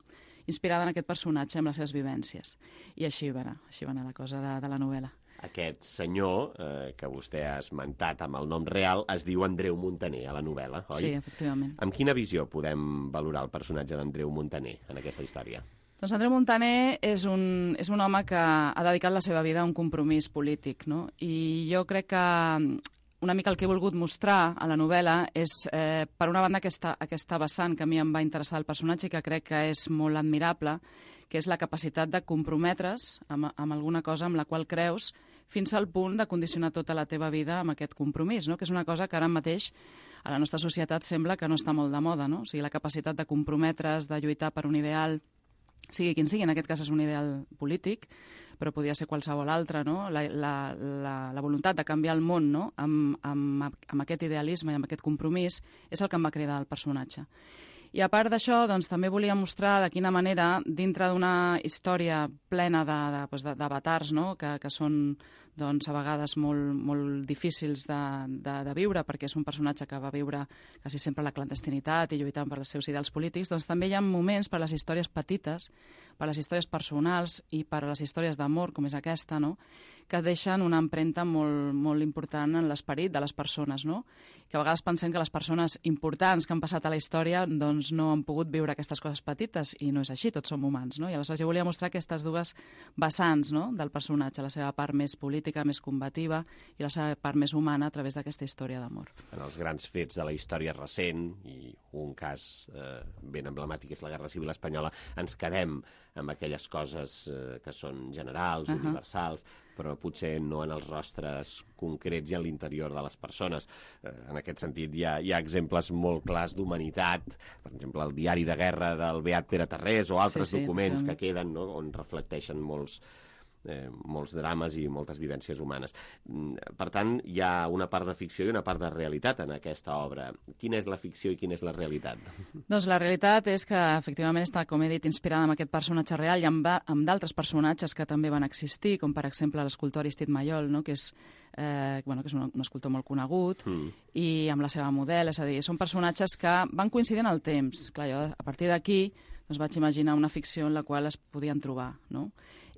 inspirada en aquest personatge, amb les seves vivències. I així va anar la cosa de la novel·la. Aquest senyor, que vostè ha esmentat amb el nom real, es diu Andreu Montaner a la novel·la, oi? Sí, efectivament. Amb quina visió podem valorar el personatge d'Andreu Montaner en aquesta història? Doncs Andreu Montaner és un home que ha dedicat la seva vida a un compromís polític, no? I jo crec que una mica el que he volgut mostrar a la novel·la és, per una banda, aquesta vessant que a mi em va interessar el personatge i que crec que és molt admirable, que és la capacitat de comprometre's amb alguna cosa amb la qual creus fins al punt de condicionar tota la teva vida amb aquest compromís, no? Que és una cosa que ara mateix a la nostra societat sembla que no està molt de moda, no? O sigui, la capacitat de comprometre's, de lluitar per un ideal, sigui quin sigui, en aquest cas és un ideal polític, però podria ser qualsevol altre, no? La voluntat de canviar el món, no? Amb aquest idealisme i amb aquest compromís és el que em va cridar el personatge. I a part d'això, doncs, també volia mostrar de quina manera, dintre d'una història plena d'avatars, no? que són doncs, a vegades molt difícils de viure, perquè és un personatge que va viure quasi sempre la clandestinitat i lluitant per els seus ideals polítics, doncs també hi ha moments per les històries petites, per les històries personals i per les històries d'amor, com és aquesta, no? que deixen una empremta molt important en l'esperit de les persones, no? Que a vegades pensem que les persones importants que han passat a la història doncs no han pogut viure aquestes coses petites, i no és així, tots som humans, no? I aleshores jo volia mostrar aquestes dues vessants, no? del personatge, la seva part més política, més combativa, i la seva part més humana a través d'aquesta història d'amor. En els grans fets de la història recent, i un cas ben emblemàtic és la Guerra Civil Espanyola, ens quedem amb aquelles coses que són generals, universals, però potser no en els rostres concrets i en l'interior de les persones. En aquest sentit, hi ha exemples molt clars d'humanitat, per exemple, el diari de guerra del Beat Pere Tarrés o altres documents que queden, no?, on reflecteixen molts drames i moltes vivències humanes. Per tant, hi ha una part de ficció i una part de realitat en aquesta obra. Quina és la ficció i quina és la realitat? Doncs la realitat és que, efectivament, està, com he dit, inspirada en aquest personatge real i amb d'altres personatges que també van existir, com, per exemple, l'escultor Aristide Maillol, no?, que és un escultor molt conegut, i amb la seva model, és a dir, són personatges que van coincidir en el temps. Clar, jo, a partir d'aquí, doncs vaig imaginar una ficció en la qual es podien trobar, no?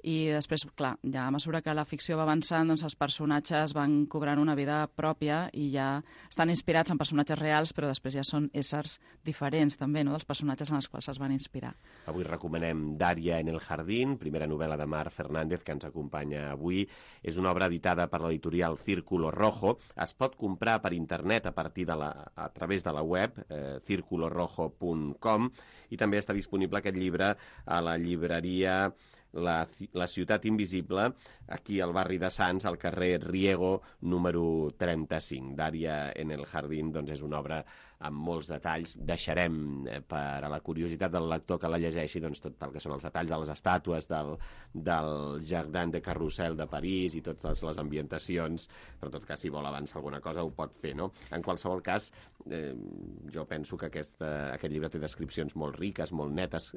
I després, clar, ja a mesura que la ficció va avançant, doncs els personatges van cobrant una vida pròpia i ja estan inspirats en personatges reals, però després ja són éssers diferents també, no?, dels personatges en els quals es van inspirar. Avui recomanem Daria en el jardín, primera novel·la de Mar Fernández, que ens acompanya avui. És una obra editada per l'editorial Círculo Rojo. Es pot comprar per internet a través de la web circulorojo.com, i també està disponible aquest llibre a la llibreria La ciutat invisible, aquí al barri de Sants, al carrer Riego, número 35. Daria en el jardín, doncs és una obra amb molts detalls. Deixarem per a la curiositat del lector que la llegeixi doncs, tot el que són els detalls de les estàtues del Jardin de Carrousel de París i totes les ambientacions, però en tot cas, si vol avançar alguna cosa, ho pot fer, no? En qualsevol cas, jo penso que aquest llibre té descripcions molt riques, molt netes.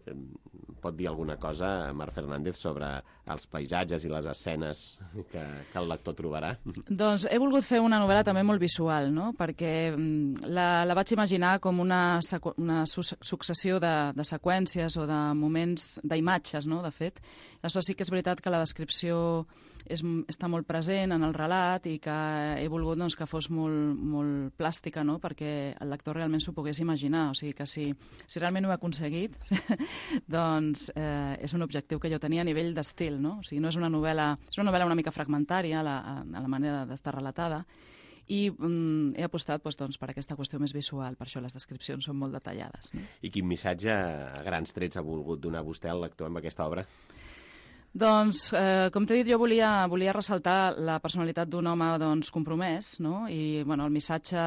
Pot dir alguna cosa, Mar Fernández, sobre els paisatges i les escenes que el lector trobarà? Doncs he volgut fer una novel·la també molt visual, no?, perquè la vaig imaginar com una successió de seqüències o de moments, d'imatges, no?, de fet. Aleshores sí que és veritat que la descripció està molt present en el relat i que he volgut doncs, que fos molt plàstica, no?, perquè el lector realment s'ho pogués imaginar. O sigui que si realment ho he aconseguit, doncs és un objectiu que jo tenia a nivell d'estil, no? O sigui, no és una novel·la, és una novel·la una mica fragmentària a la manera d'estar relatada, i he apostat doncs, per aquesta qüestió més visual, per això les descripcions són molt detallades. No? I quin missatge a grans trets ha volgut donar vostè al lector amb aquesta obra? Doncs, com t'he dit, jo volia ressaltar la personalitat d'un home doncs, compromès, no? I el missatge...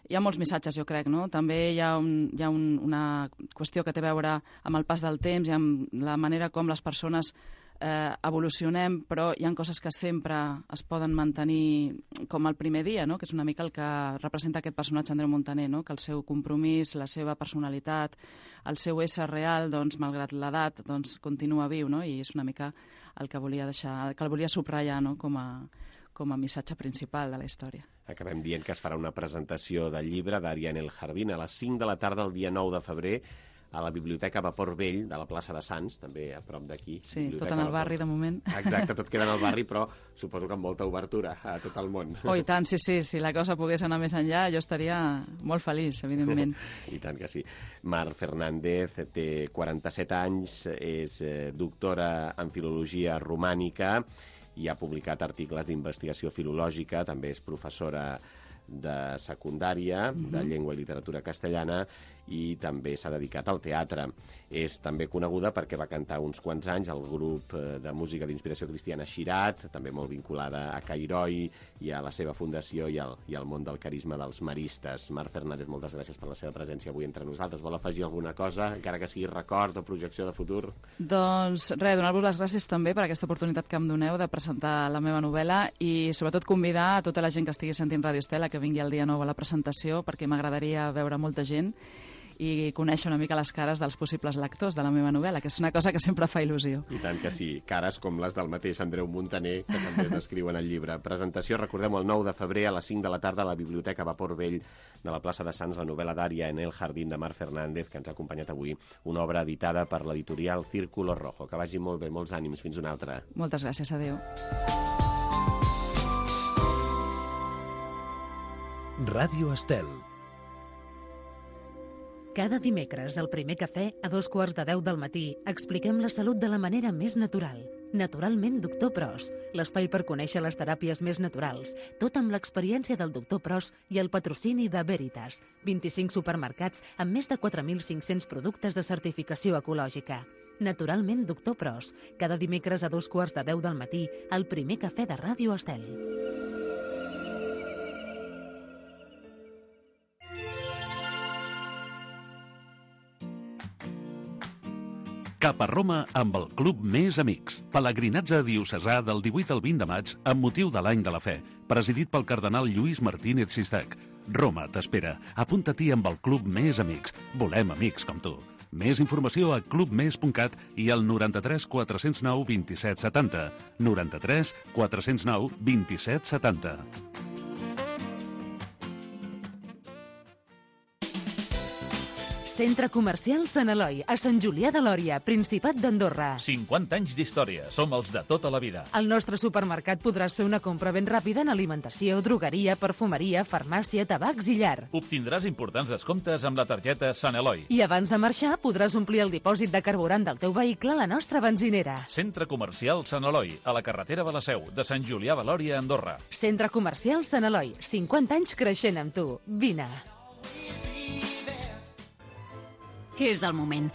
Hi ha molts missatges, jo crec, no? També hi ha una qüestió que té a veure amb el pas del temps i amb la manera com les persones evolucionem, però hi ha coses que sempre es poden mantenir com el primer dia, no?, que és una mica el que representa aquest personatge Andreu Montaner, no?, que el seu compromís, la seva personalitat, el seu ésser real, doncs, malgrat l'edat, doncs, continua viu, no?, i és una mica el que volia deixar, que el volia subratllar, no?, com a missatge principal de la història. Acabem dient que es farà una presentació del llibre Daria en el jardín a les 5 de la tarda el dia 9 de febrer a la Biblioteca Vapor Vell de la plaça de Sants, també a prop d'aquí. Sí, tot en el barri, de moment. Exacte, tot queda en el barri, però suposo que amb molta obertura a tot el món. Oh, i tant, sí, si la cosa pogués anar més enllà, jo estaria molt feliç, evidentment. I tant que sí. Mar Fernández té 47 anys, és doctora en filologia romànica i ha publicat articles d'investigació filològica, també és professora de secundària, de llengua i literatura castellana, i també s'ha dedicat al teatre. És també coneguda perquè va cantar uns quants anys al grup de música d'inspiració cristiana Xirat, també molt vinculada a Cairoi i a la seva fundació i al món del carisma dels maristes. Marc Fernández, moltes gràcies per la seva presència avui entre nosaltres. Vol afegir alguna cosa, encara que sigui record o projecció de futur? Doncs res, donar-vos les gràcies també per aquesta oportunitat que em doneu de presentar la meva novel·la i sobretot convidar a tota la gent que estigui sentint Radio Estel que vingui el dia 9 a la presentació, perquè m'agradaria veure molta gent i conèixer una mica les cares dels possibles lectors de la meva novel·la, que és una cosa que sempre fa il·lusió. I tant que sí, cares com les del mateix Andreu Montaner, que també es descriuen al llibre. Presentació, recordem, el 9 de febrer a les 5 de la tarda a la Biblioteca Vapor Vell de la plaça de Sants, la novel·la d'Ària en el Jardín de Marc Fernández, que ens ha acompanyat avui, una obra editada per l'editorial Círculo Rojo. Que vagi molt bé, molts ànims, fins una altra. Moltes gràcies, adéu. Ràdio Estel. Cada dimecres, al primer cafè, a 2:15 del matí, expliquem la salut de la manera més natural. Naturalment, Doctor Pros, l'espai per conèixer les teràpies més naturals, tot amb l'experiència del Doctor Pros i el patrocini de Veritas, 25 supermercats amb més de 4.500 productes de certificació ecològica. Naturalment, Doctor Pros, cada dimecres a 2:15 del matí, al primer cafè de Ràdio Estel. Cap a Roma amb el Club Més Amics. Pelegrinatge diocesà del 18 al 20 de maig amb motiu de l'Any de la Fe, presidit pel cardenal Lluís Martínez Sistac. Roma t'espera. Apunta-t'hi amb el Club Més Amics. Volem amics com tu. Més informació a clubmes.cat i al 93 409 27 70. 93 409 27 70. Centre Comercial Sant Eloi, a Sant Julià de Lòria, Principat d'Andorra. 50 anys d'història. Som els de tota la vida. Al nostre supermercat podràs fer una compra ben ràpida en alimentació, drogueria, perfumeria, farmàcia, tabacs i llar. Obtindràs importants descomptes amb la targeta Sant Eloi. I abans de marxar podràs omplir el dipòsit de carburant del teu vehicle a la nostra benzinera. Centre Comercial Sant Eloi, a la carretera de la Seu, de Sant Julià de Lòria, Andorra. Centre Comercial Sant Eloi, 50 anys creixent amb tu. Vine. És el moment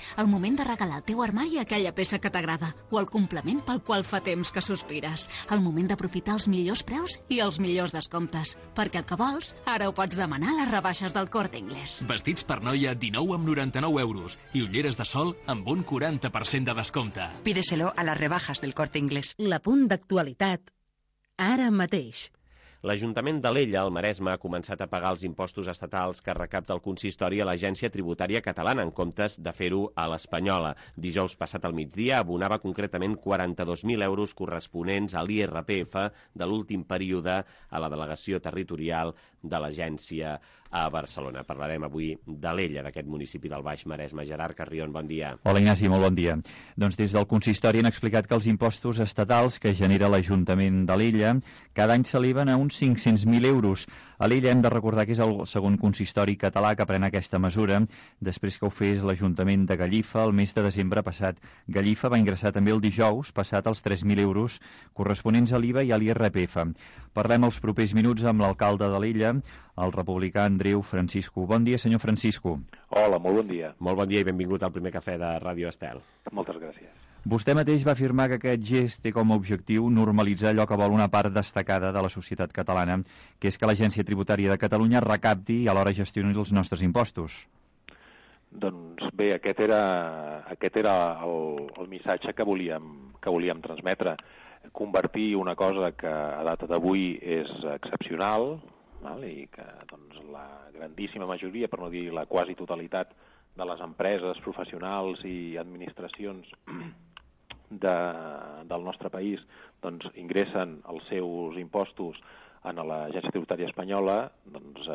de regalar al teu armari aquella peça que t'agrada o el complement pel qual fa temps que sospires. El moment d'aprofitar els millors preus i els millors descomptes, perquè el que vols ara ho pots demanar a les rebaixes del Corte Inglés. Vestits per noia 19,99 € i ulleres de sol amb un 40% de descompte. Pídeselo a las rebajas del Corte Inglés. L'apunt d'actualitat, ara mateix. L'Ajuntament d'Alella, al Maresme, ha començat a pagar els impostos estatals que recapta el consistori a l'Agència Tributària Catalana, en comptes de fer-ho a l'Espanyola. Dijous passat al migdia abonava concretament 42.000 € corresponents a l'IRPF de l'últim període a la delegació territorial de l'agència a Barcelona. Parlarem avui d'Alella, d'aquest municipi del Baix Maresme. Gerard Carrion, bon dia. Hola, Ignasi, molt bon dia. Doncs des del consistori han explicat que els impostos estatals que genera l'Ajuntament d'Alella cada any s'eleven a uns 500.000 €. A l'Illa hem de recordar que és el segon consistori català que pren aquesta mesura, després que ho fes l'Ajuntament de Gallifa el mes de desembre passat. Gallifa va ingressar també el dijous passat els 3.000 € corresponents a l'IVA i a l'IRPF. Parlem els propers minuts amb l'alcalde de l'Illa, el republicà Andreu Francisco. Bon dia, senyor Francisco. Hola, molt bon dia. Molt bon dia i benvingut al primer cafè de Ràdio Estel. Moltes gràcies. Vostè mateix va afirmar que aquest gest té com a objectiu normalitzar allò que vol una part destacada de la societat catalana, que és que l'Agència Tributària de Catalunya recapti i alhora gestioni els nostres impostos. Doncs bé, aquest era el missatge que volíem transmetre. Convertir una cosa que a data d'avui és excepcional, i que doncs, la grandíssima majoria, per no dir la quasi totalitat, de les empreses, professionals i administracions del nostre país doncs, ingressen els seus impostos a l'Agència Tributària Espanyola, doncs,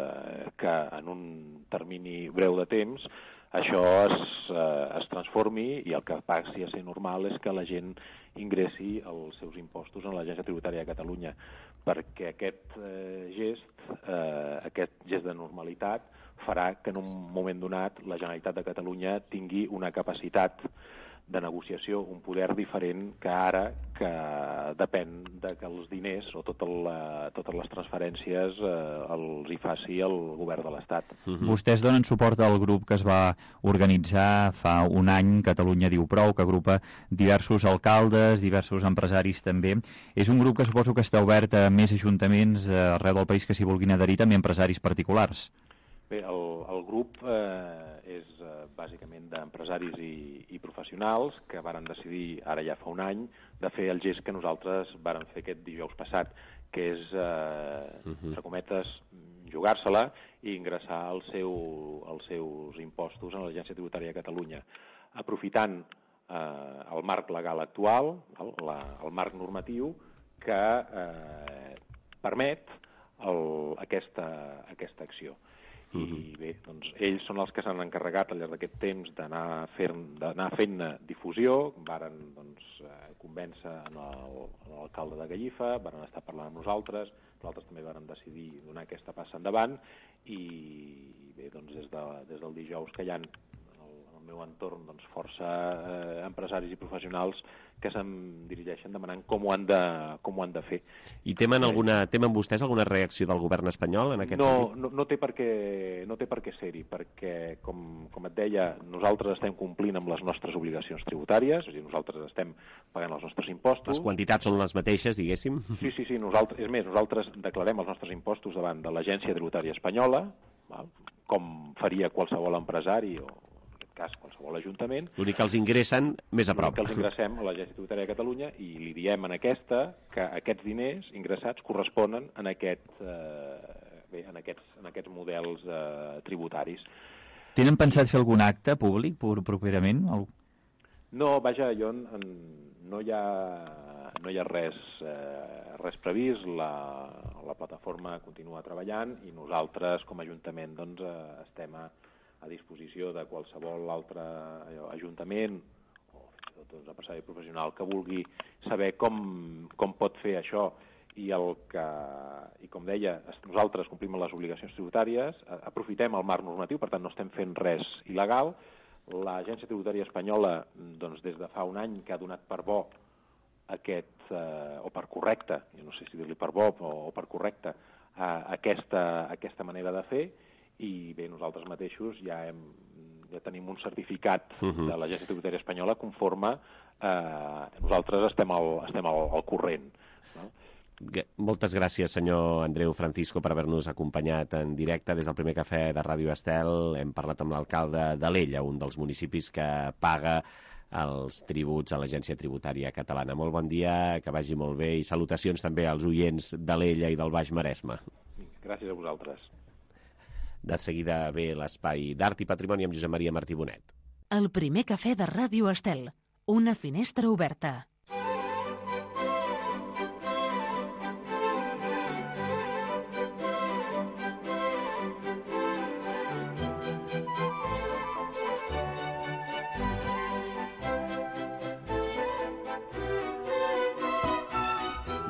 que en un termini breu de temps això es transformi i el que passi a ser normal és que la gent ingressi els seus impostos a l'Agència Tributària de Catalunya, perquè aquest gest de normalitat farà que en un moment donat la Generalitat de Catalunya tingui una capacitat de negociació, un poder diferent que ara, que depèn de que els diners o totes les transferències els hi faci el govern de l'Estat. Vostès donen suport al grup que es va organitzar fa un any, Catalunya diu prou, que agrupa diversos alcaldes, diversos empresaris també. És un grup que suposo que està obert a més ajuntaments arreu del país que s'hi vulguin adherir, també empresaris particulars. Bé, el grup és bàsicament d'empresaris i professionals que varen decidir, ara ja fa un any, de fer el gest que nosaltres vàrem fer aquest dijous passat, que és, entre cometes, jugar-se-la i ingressar els seus impostos en l'Agència Tributària de Catalunya, aprofitant el marc legal actual, el marc normatiu, que permet aquesta acció. I bé, doncs ells són els que s'han encarregat al llarg d'aquest temps d'anar fent difusió, varen convèncer l'alcalde de Gallifa, varen estar parlant amb nosaltres també varen decidir donar aquesta passa endavant i bé, doncs des del dijous que hi ha en el meu entorn força empresaris i professionals que se'm dirigeixen demanant com ho han de fer. I temen vostès alguna reacció del govern espanyol en aquest sentit? No té per què ser-hi, perquè, com et deia, nosaltres estem complint amb les nostres obligacions tributàries, és a dir, nosaltres estem pagant els nostres impostos. Les quantitats són les mateixes, diguéssim? Sí, nosaltres declarem els nostres impostos davant de l'Agència Tributària Espanyola, com faria qualsevol empresari o cas, qualsevol ajuntament. L'únic que els ingressen més a prop. L'únic que els ingressem a l'Agència Tributària de Catalunya i li diem en aquesta que aquests diners ingressats corresponen en aquests models tributaris. Tenen pensat fer algun acte públic properament? No, vaja, no hi ha res previst, la plataforma continua treballant i nosaltres com a Ajuntament estem a disposició de qualsevol altre ajuntament o fins i tot empresari professional que vulgui saber com pot fer això i com deia, nosaltres complim les obligacions tributàries, aprofitem el marc normatiu, per tant no estem fent res il·legal. L'Agència Tributària Espanyola, des de fa un any que ha donat per bo o per correcte, jo no sé si dir-li per bo o per correcte, aquesta manera de fer, i bé, nosaltres mateixos ja tenim un certificat de l'Agència Tributària Espanyola conforme nosaltres estem al corrent. No? Moltes gràcies, senyor Andreu Francisco, per haver-nos acompanyat en directe des del primer cafè de Ràdio Estel. Hem parlat amb l'alcalde d'Alella, un dels municipis que paga els tributs a l'Agència Tributària Catalana. Molt bon dia, que vagi molt bé, i salutacions també als oients d'Alella i del Baix Maresme. Gràcies a vosaltres. De seguida ve l'espai d'Art i Patrimoni amb Josep Maria Martí Bonet. El primer cafè de Ràdio Estel. Una finestra oberta.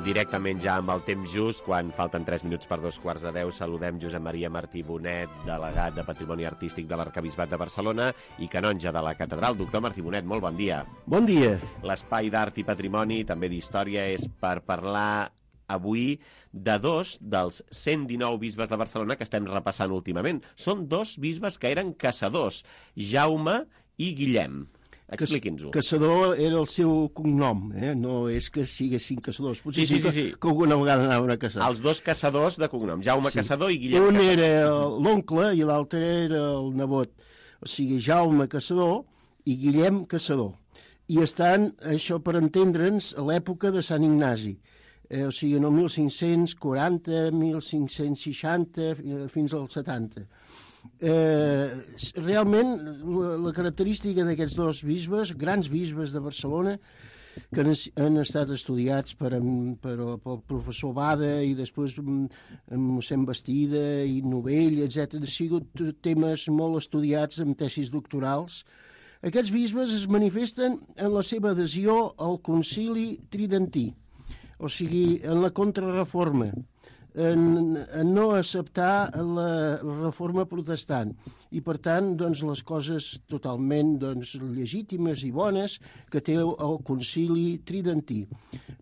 Directament ja amb el temps just, quan falten 3 minuts per 2:15, saludem Josep Maria Martí Bonet, delegat de Patrimoni Artístic de l'Arquebisbat de Barcelona i canonge de la catedral. Doctor Martí Bonet, molt bon dia. Bon dia. L'espai d'Art i Patrimoni, també d'història, és per parlar avui de 2 dels 119 bisbes de Barcelona que estem repassant últimament. Són 2 bisbes que eren caçadors, Jaume i Guillem. Expliqui'ns-ho. Caçador era el seu cognom, no és que siguessin caçadors. Potser sí. Que alguna vegada anaven a caçar. Els 2 caçadors de cognom, Jaume Caçador i Guillem Caçador. Un Caçador. era l'oncle i l'altre era el nebot. O sigui, Jaume Caçador i Guillem Caçador. I estan, això per entendre'ns, a l'època de Sant Ignasi. O sigui, en el 1540, 1560, fins al 70. Realment la característica d'aquests 2 bisbes, grans bisbes de Barcelona, que han estat estudiats pel professor Bada i després mossèn Bastida i Novell, etc. Han sigut temes molt estudiats en tesis doctorals. Aquests bisbes es manifesten en la seva adhesió al concili tridentí, o sigui, en la contrarreforma. en no acceptar la reforma protestant i, per tant, doncs, les coses totalment legítimes i bones que té el concili tridentí.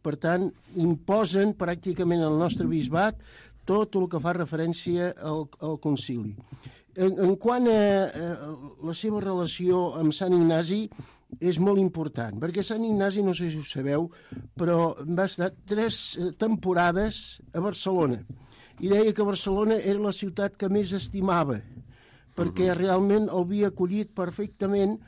Per tant, imposen pràcticament al nostre bisbat tot el que fa referència al concili. En quant a la seva relació amb Sant Ignasi, és molt important, perquè Sant Ignasi, no sé si ho sabeu, però va estar 3 temporades a Barcelona i deia que Barcelona era la ciutat que més estimava, perquè realment el havia acollit perfectament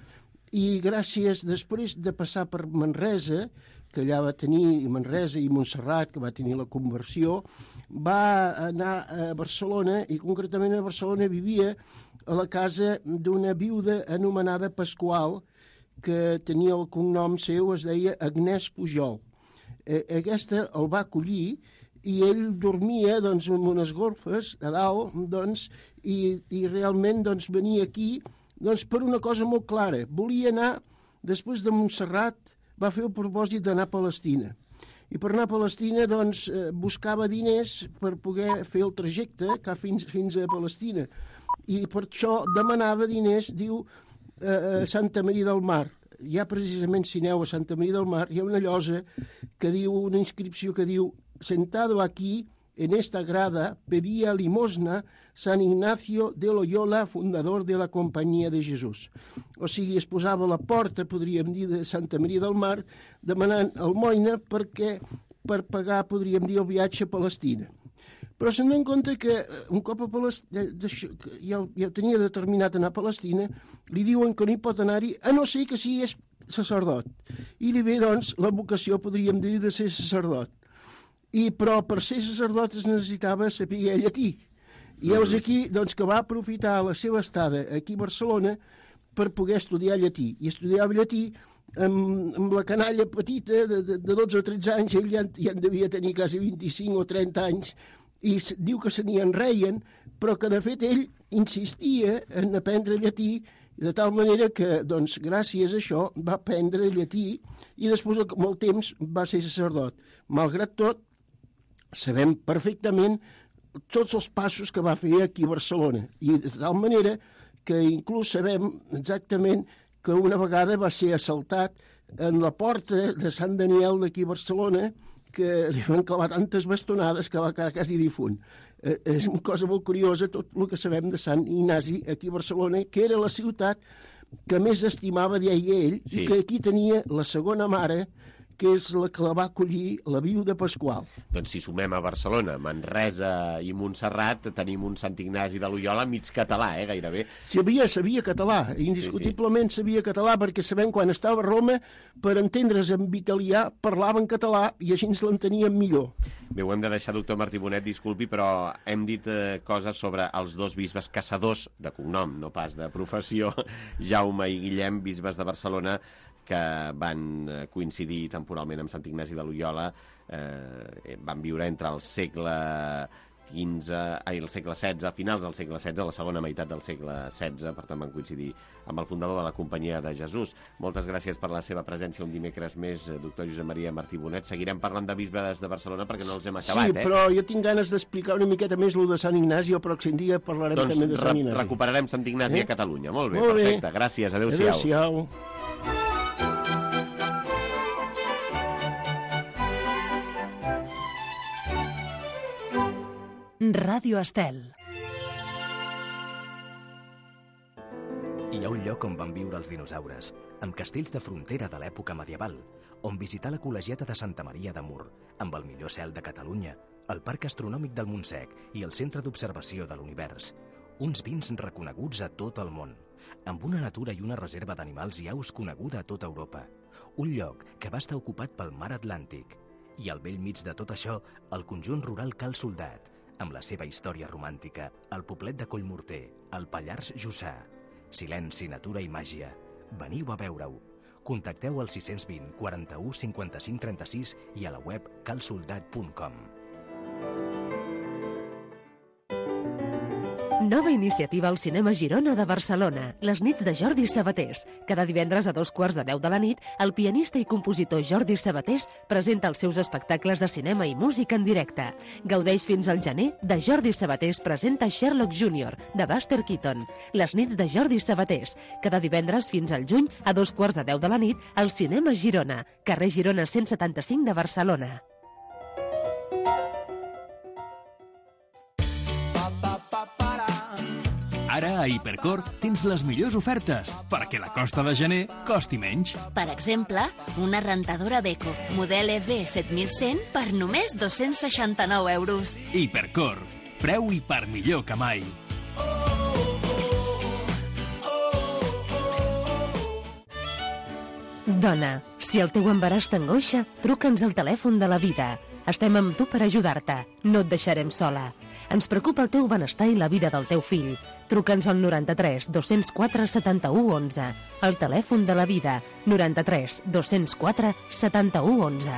i gràcies, després de passar per Manresa, que allà va tenir Manresa i Montserrat, que va tenir la conversió, va anar a Barcelona i concretament a Barcelona vivia a la casa d'una viuda anomenada Pasqual, que tenia el cognom seu, es deia Agnès Pujol. Aquesta el va acollir i ell dormia en unes golfes a dalt i realment venia aquí per una cosa molt clara. Volia anar, després de Montserrat, va fer el propòsit d'anar a Palestina. I per anar a Palestina buscava diners per poder fer el trajecte fins a Palestina. I per això demanava diners, diu, a Santa Maria del Mar. Ja precisament, si aneu a Santa Maria del Mar, hi ha una llosa que diu, una inscripció que diu: sentado aquí, en esta grada, pedía limosna San Ignacio de Loyola, fundador de la Companyia de Jesús. O sigui, es posava a la porta, podríem dir, de Santa Maria del Mar, demanant almoina per pagar, podríem dir, el viatge a Palestina. Però se'n dona compte que un cop a Palestina, ja ho tenia determinat anar a Palestina, li diuen que no hi pot anar-hi, a no ser que sigui sacerdot. I li ve, la vocació, podríem dir, de ser sacerdot. Però per ser sacerdot es necessitava saber llatí. I heus aquí que va aprofitar la seva estada aquí a Barcelona per poder estudiar llatí. I estudiava llatí amb la canalla petita de 12 o 13 anys, ell ja en devia tenir quasi 25 o 30 anys, i diu que se n'hi enreien, però que de fet ell insistia en aprendre llatí, de tal manera que, gràcies a això, va aprendre llatí i després, amb el temps, va ser sacerdot. Malgrat tot, sabem perfectament tots els passos que va fer aquí a Barcelona, i de tal manera que inclús sabem exactament que una vegada va ser assaltat en la porta de Sant Daniel d'aquí a Barcelona, que li van clavar tantes bastonades que va quedar quasi difunt. És una cosa molt curiosa tot el que sabem de Sant Ignasi aquí a Barcelona, que era la ciutat que més estimava, deia ell, i que aquí tenia la segona mare, que és la que la va acollir, la viuda Pasqual. Doncs si sumem a Barcelona, Manresa i Montserrat, tenim un Sant Ignasi de Loyola mig català, gairebé. Sabia català, indiscutiblement sabia català, perquè sabem quan estava a Roma, per entendre's en italià, parlaven català i així ens l'enteníem millor. Bé, ho hem de deixar, doctor Martí Bonet, disculpi, però hem dit coses sobre els dos bisbes caçadors de cognom, no pas de professió, Jaume i Guillem, bisbes de Barcelona, que van coincidir temporalment amb Sant Ignasi de Loyola, van viure entre el segle XVI, a finals del segle XVI, a la segona meitat del segle XVI, per tant van coincidir amb el fundador de la Companyia de Jesús. Moltes gràcies per la seva presència un dimecres més, doctor Josep Maria Martí Bonet. Seguirem parlant de bisbes de Barcelona perquè no els hem acabat, Sí, però jo tinc ganes d'explicar una miqueta més el de Sant Ignasi, el pròxim dia parlarem també de Sant Ignasi. Doncs recuperarem Sant Ignasi a Catalunya. Molt bé, perfecte. Gràcies, adéu-siau. Adéu-siau. Ràdio Estel. Hi ha un lloc on van viure els dinosaures, amb castells de frontera de l'època medieval, on visitar la col·legiata de Santa Maria de Mur, amb el millor cel de Catalunya, el Parc Astronòmic del Montsec i el Centre d'Observació de l'Univers. Uns vins reconeguts a tot el món, amb una natura i una reserva d'animals i aus coneguda a tota Europa. Un lloc que va estar ocupat pel mar Atlàntic. I al bell mig de tot això, el conjunt rural Cal Soldat, amb la seva història romàntica, el poblet de Collmorter, el Pallars Jussà. Silenci, natura i màgia. Veniu a veure-ho. Contacteu al 620 41 55 36 i a la web calsoldat.com. Nova iniciativa al Cinema Girona de Barcelona, les nits de Jordi Sabatés. Cada divendres a 2:15 de la nit, el pianista i compositor Jordi Sabatés presenta els seus espectacles de cinema i música en directe. Gaudeix fins al gener de Jordi Sabatés presenta Sherlock Jr., de Buster Keaton. Les nits de Jordi Sabatés, cada divendres fins al juny a 2:15 de la nit, al Cinema Girona, carrer Girona 175 de Barcelona. Ara a Hipercor tens les millors ofertes perquè la costa de gener costi menys. Per exemple, una rentadora Beko, model EV7100 per només 269 euros. Hipercor, preu i per millor que mai. Dona, si el teu embaràs t'angoixa, truca'ns al telèfon de la vida. Estem amb tu per ajudar-te. No et deixarem sola. Ens preocupa el teu benestar i la vida del teu fill. Truca'ns al 93 204 71 11. El telèfon de la vida, 93 204 71 11.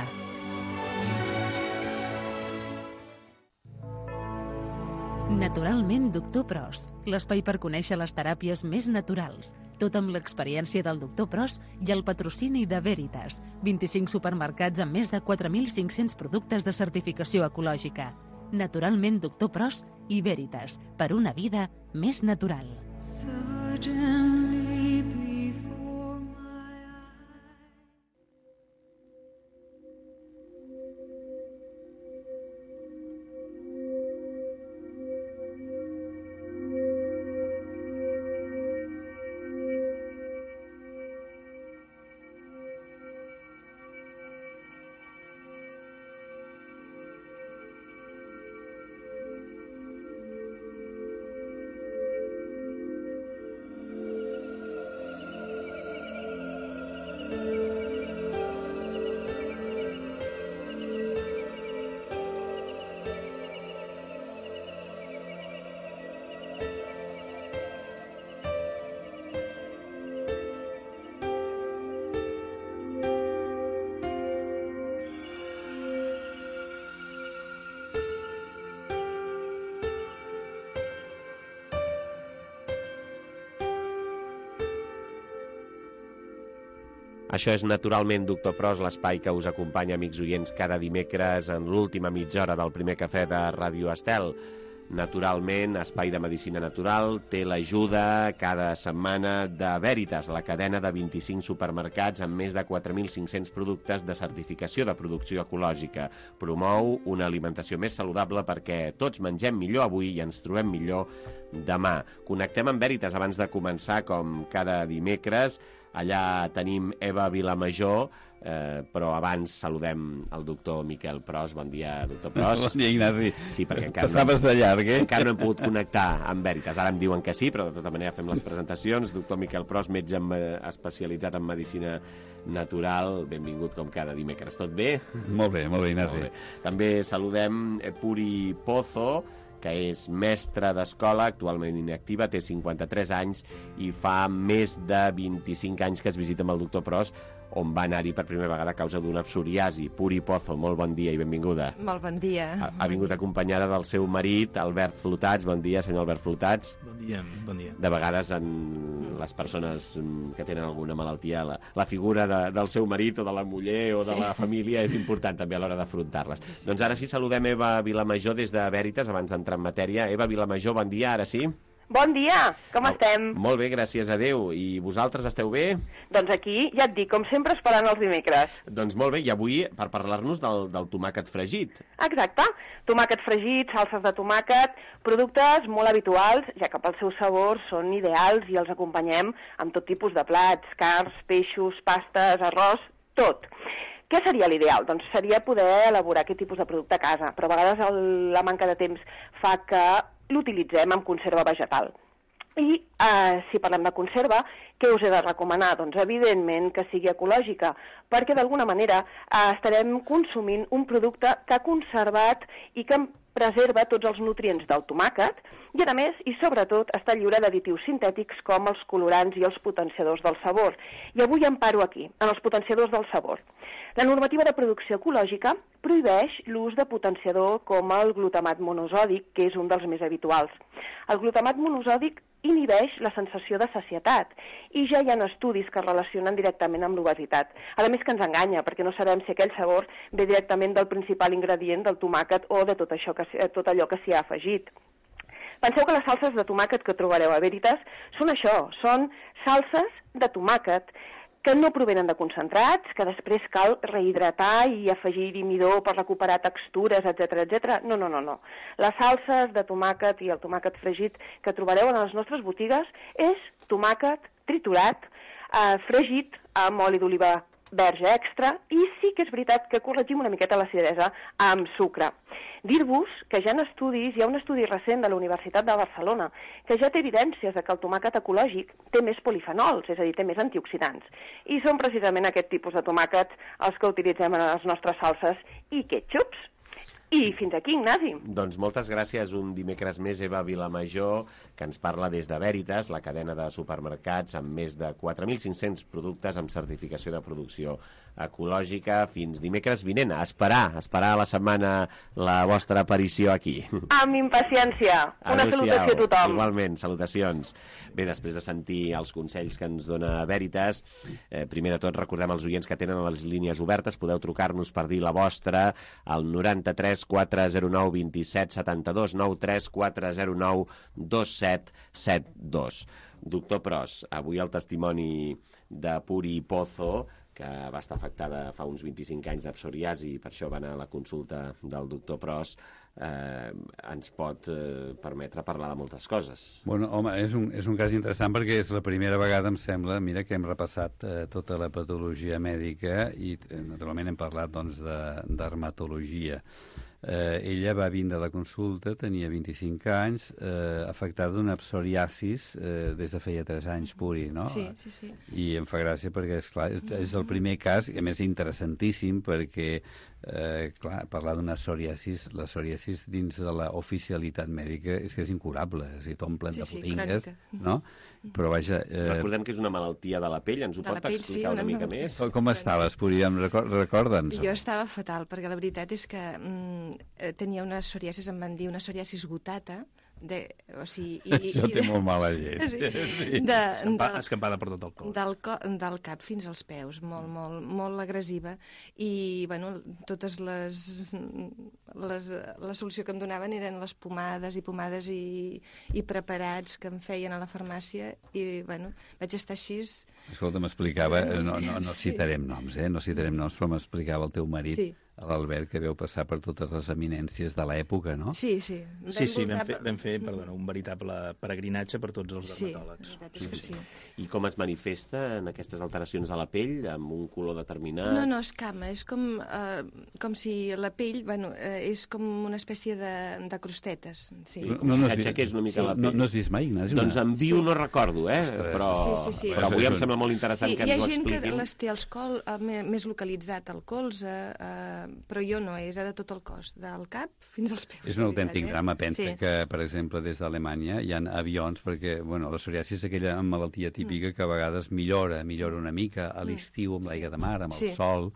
Naturalment Doctor Pros, l'espai per conèixer les teràpies més naturals. Tot amb l'experiència del Doctor Pros i el patrocini de Veritas. 25 supermercats amb més de 4.500 productes de certificació ecològica. Naturalment Doctor Pros i Veritas, per una vida més natural. Això és Naturalment Doctor Pros, l'espai que us acompanya, amics oients, cada dimecres en l'última mitja hora del primer cafè de Ràdio Estel. Naturalment, espai de medicina natural, té l'ajuda cada setmana de Veritas, la cadena de 25 supermercats amb més de 4.500 productes de certificació de producció ecològica. Promou una alimentació més saludable perquè tots mengem millor avui i ens trobem millor demà. Connectem amb Veritas abans de començar, com cada dimecres. Allà tenim Eva Vilamajor, però abans saludem el doctor Miquel Pros. Bon dia, doctor Pros. Bon dia, Ignasi. Sí, perquè encara passaves de llarg, encara no hem pogut connectar amb Veritas. Ara em diuen que sí, però de tota manera fem les presentacions. Doctor Miquel Pros, metge especialitzat en medicina natural. Benvingut com cada dimecres. Tot bé? Molt bé, Ignasi. Molt bé. També saludem Puri Pozo, que és mestra d'escola, actualment inactiva, té 53 anys i fa més de 25 anys que es visita amb el doctor Pros, on va anar-hi per primera vegada a causa d'una psoriasi. Puri Pozo, molt bon dia i benvinguda. Molt bon dia. Ha vingut acompanyada del seu marit, Albert Flotats. Bon dia, senyor Albert Flotats. Bon dia, bon dia. De vegades, en les persones que tenen alguna malaltia, la figura del seu marit o de la muller o de la família és important també a l'hora d'afrontar-les. Sí. Doncs ara sí, saludem Eva Vilamajor des de Veritas, abans d'entrar en matèria. Eva Vilamajor, bon dia, ara sí. Bon dia, com estem? Molt bé, gràcies a Déu. I vosaltres esteu bé? Doncs aquí, ja et dic, com sempre, esperant els dimecres. Doncs molt bé, i avui per parlar-nos del tomàquet fregit. Exacte, tomàquet fregit, salses de tomàquet, productes molt habituals, ja que pel seu sabor són ideals i els acompanyem amb tot tipus de plats, carns, peixos, pastes, arròs, tot. Què seria l'ideal? Doncs seria poder elaborar aquest tipus de producte a casa, però a vegades la manca de temps fa que l'utilitzem amb conserva vegetal. I si parlem de conserva, què us he de recomanar? Doncs evidentment que sigui ecològica, perquè d'alguna manera estarem consumint un producte que ha conservat i que preserva tots els nutrients del tomàquet i, a més, i sobretot, està lliure d'additius sintètics com els colorants i els potenciadors del sabor. I avui em paro aquí, en els potenciadors del sabor. La normativa de producció ecològica prohibeix l'ús de potenciador com el glutamat monosòdic, que és un dels més habituals. El glutamat monosòdic inhibeix la sensació de sacietat i ja hi ha estudis que es relacionen directament amb l'obesitat. A més que ens enganya, perquè no sabem si aquell sabor ve directament del principal ingredient del tomàquet o de tot allò que s'hi ha afegit. Penseu que les salses de tomàquet que trobareu a Veritas són això, són salses de tomàquet que no provenen de concentrats, que després cal rehidratar i afegir-hi midó per recuperar textures, etc. No. Les salses de tomàquet i el tomàquet fregit que trobareu en les nostres botigues és tomàquet triturat, fregit amb oli d'oliva verge extra, i sí que és veritat que corregim una miqueta l'acidesa amb sucre. Dir-vos que hi ha un estudi recent de la Universitat de Barcelona que ja té evidències de que el tomàquet ecològic té més polifenols, és a dir, té més antioxidants. I són precisament aquest tipus de tomàquets els que utilitzem en les nostres salses i ketchups. I fins aquí, Ignasi. Doncs moltes gràcies. Un dimecres més, Eva Vilamajor, que ens parla des de Veritas, la cadena de supermercats amb més de 4.500 productes amb certificació de producció ecològica. Fins dimecres vinent. A esperar la setmana la vostra aparició aquí. Amb impaciència. Una salutació a tothom. Igualment, salutacions. Bé, després de sentir els consells que ens dona Veritas, primer de tot recordem als oients que tenen les línies obertes. Podeu trucar-nos per dir la vostra al 93 409 27 72, 93 409 27 72. Doctor Pros, avui el testimoni de Puri Pozo, que va estar afectada fa uns 25 anys de psoriasi, i per això va anar a la consulta del doctor Pros, ens pot permetre parlar de moltes coses. Bueno, home, és un cas interessant perquè és la primera vegada, em sembla, mira, que hem repassat tota la patologia mèdica i naturalment hem parlat doncs de dermatologia. Ella va vindre a la consulta, tenia 25 anys, afectada d'una psoriasis des de feia 3 anys, Puri, no? Sí. I em fa gràcia perquè, esclar, és el primer cas, i a més interessantíssim, perquè clar, parlar d'una psoriasis, la psoriasis dins de l'oficialitat mèdica és que és incurable, és a dir, t'omplen de potingues, no? Però vaja... Recordem que és una malaltia de la pell, ens ho pot explicar una mica més? Com estaves, Puri? Recorda'ns. Jo estava fatal, perquè la veritat és que tenia una psoriasis, em van dir una psoriasis gotata, això té molt mala llet. Sí. Escampada per tot el cos. Del cap fins als peus, molt agressiva. I, bueno, totes la solució que em donaven eren les pomades i preparats que em feien a la farmàcia. I, bueno, vaig estar així... Escolta, m'explicava, no citarem noms, no citarem noms, però m'explicava el teu marit, l'Albert, que veu passar per totes les eminències de l'època, no? Sí. Vam fer un veritable peregrinatge per tots els dermatòlegs. Sí. I com es manifesta en aquestes alteracions de la pell, amb un color determinat? No, escama, és com si la pell, és com una espècie de crostetes. Sí. S'aixequés una mica la pell. No has vist mai, Ignasi? Doncs en viu no recordo, però avui em sembla molt interessant que ens ho expliquin. Hi ha gent que les té més localitzat al colze, però jo no, és de tot el cos, del cap fins als peus. És un autèntic drama. Pensa que, per exemple, des d'Alemanya hi ha avions, perquè la psoriasi és aquella malaltia típica que a vegades millora una mica a l'estiu amb l'aigua de mar, amb el sol,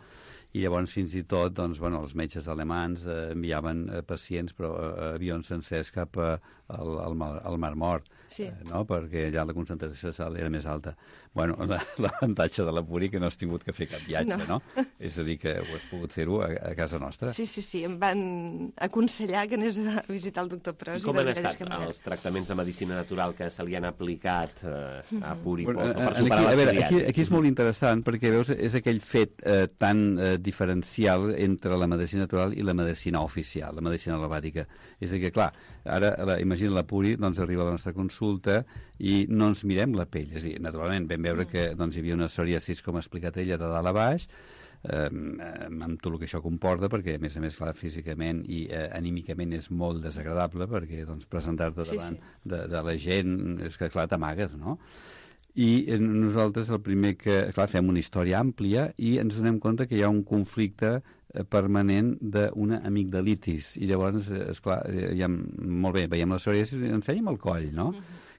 i llavors fins i tot els metges alemans enviaven pacients, però avions sencers cap al Mar Mort, perquè allà la concentració de sal era més alta. L'avantatge de la Puri que no has tingut que fer cap viatge, no? És a dir, que ho has pogut fer-ho a casa nostra. Sí, em van aconsellar que anés a visitar el doctor Pros. Com han estat els tractaments de medicina natural que se li han aplicat a Puri Pozo per superar la psoriasi? Aquí és molt interessant perquè, veus, és aquell fet tan diferencial entre la medicina natural i la medicina oficial, la medicina alopàtica. És a dir, que, clar, ara, imagina la Puri, arriba a la nostra consulta i no ens mirem la pell. És a dir, naturalment, vam veure que hi havia una psoriasis, com ha explicat ella, de dalt a baix, amb tot el que això comporta, perquè, a més, clar, físicament i anímicament és molt desagradable, perquè presentar-te davant de la gent, és que, clar, t'amagues, no? I nosaltres el primer que... Clar, fem una història àmplia i ens donem compte que hi ha un conflicte permanent d'una amigdalitis. I llavors, esclar, molt bé, veiem la psoriasis i ens fèiem el coll, no?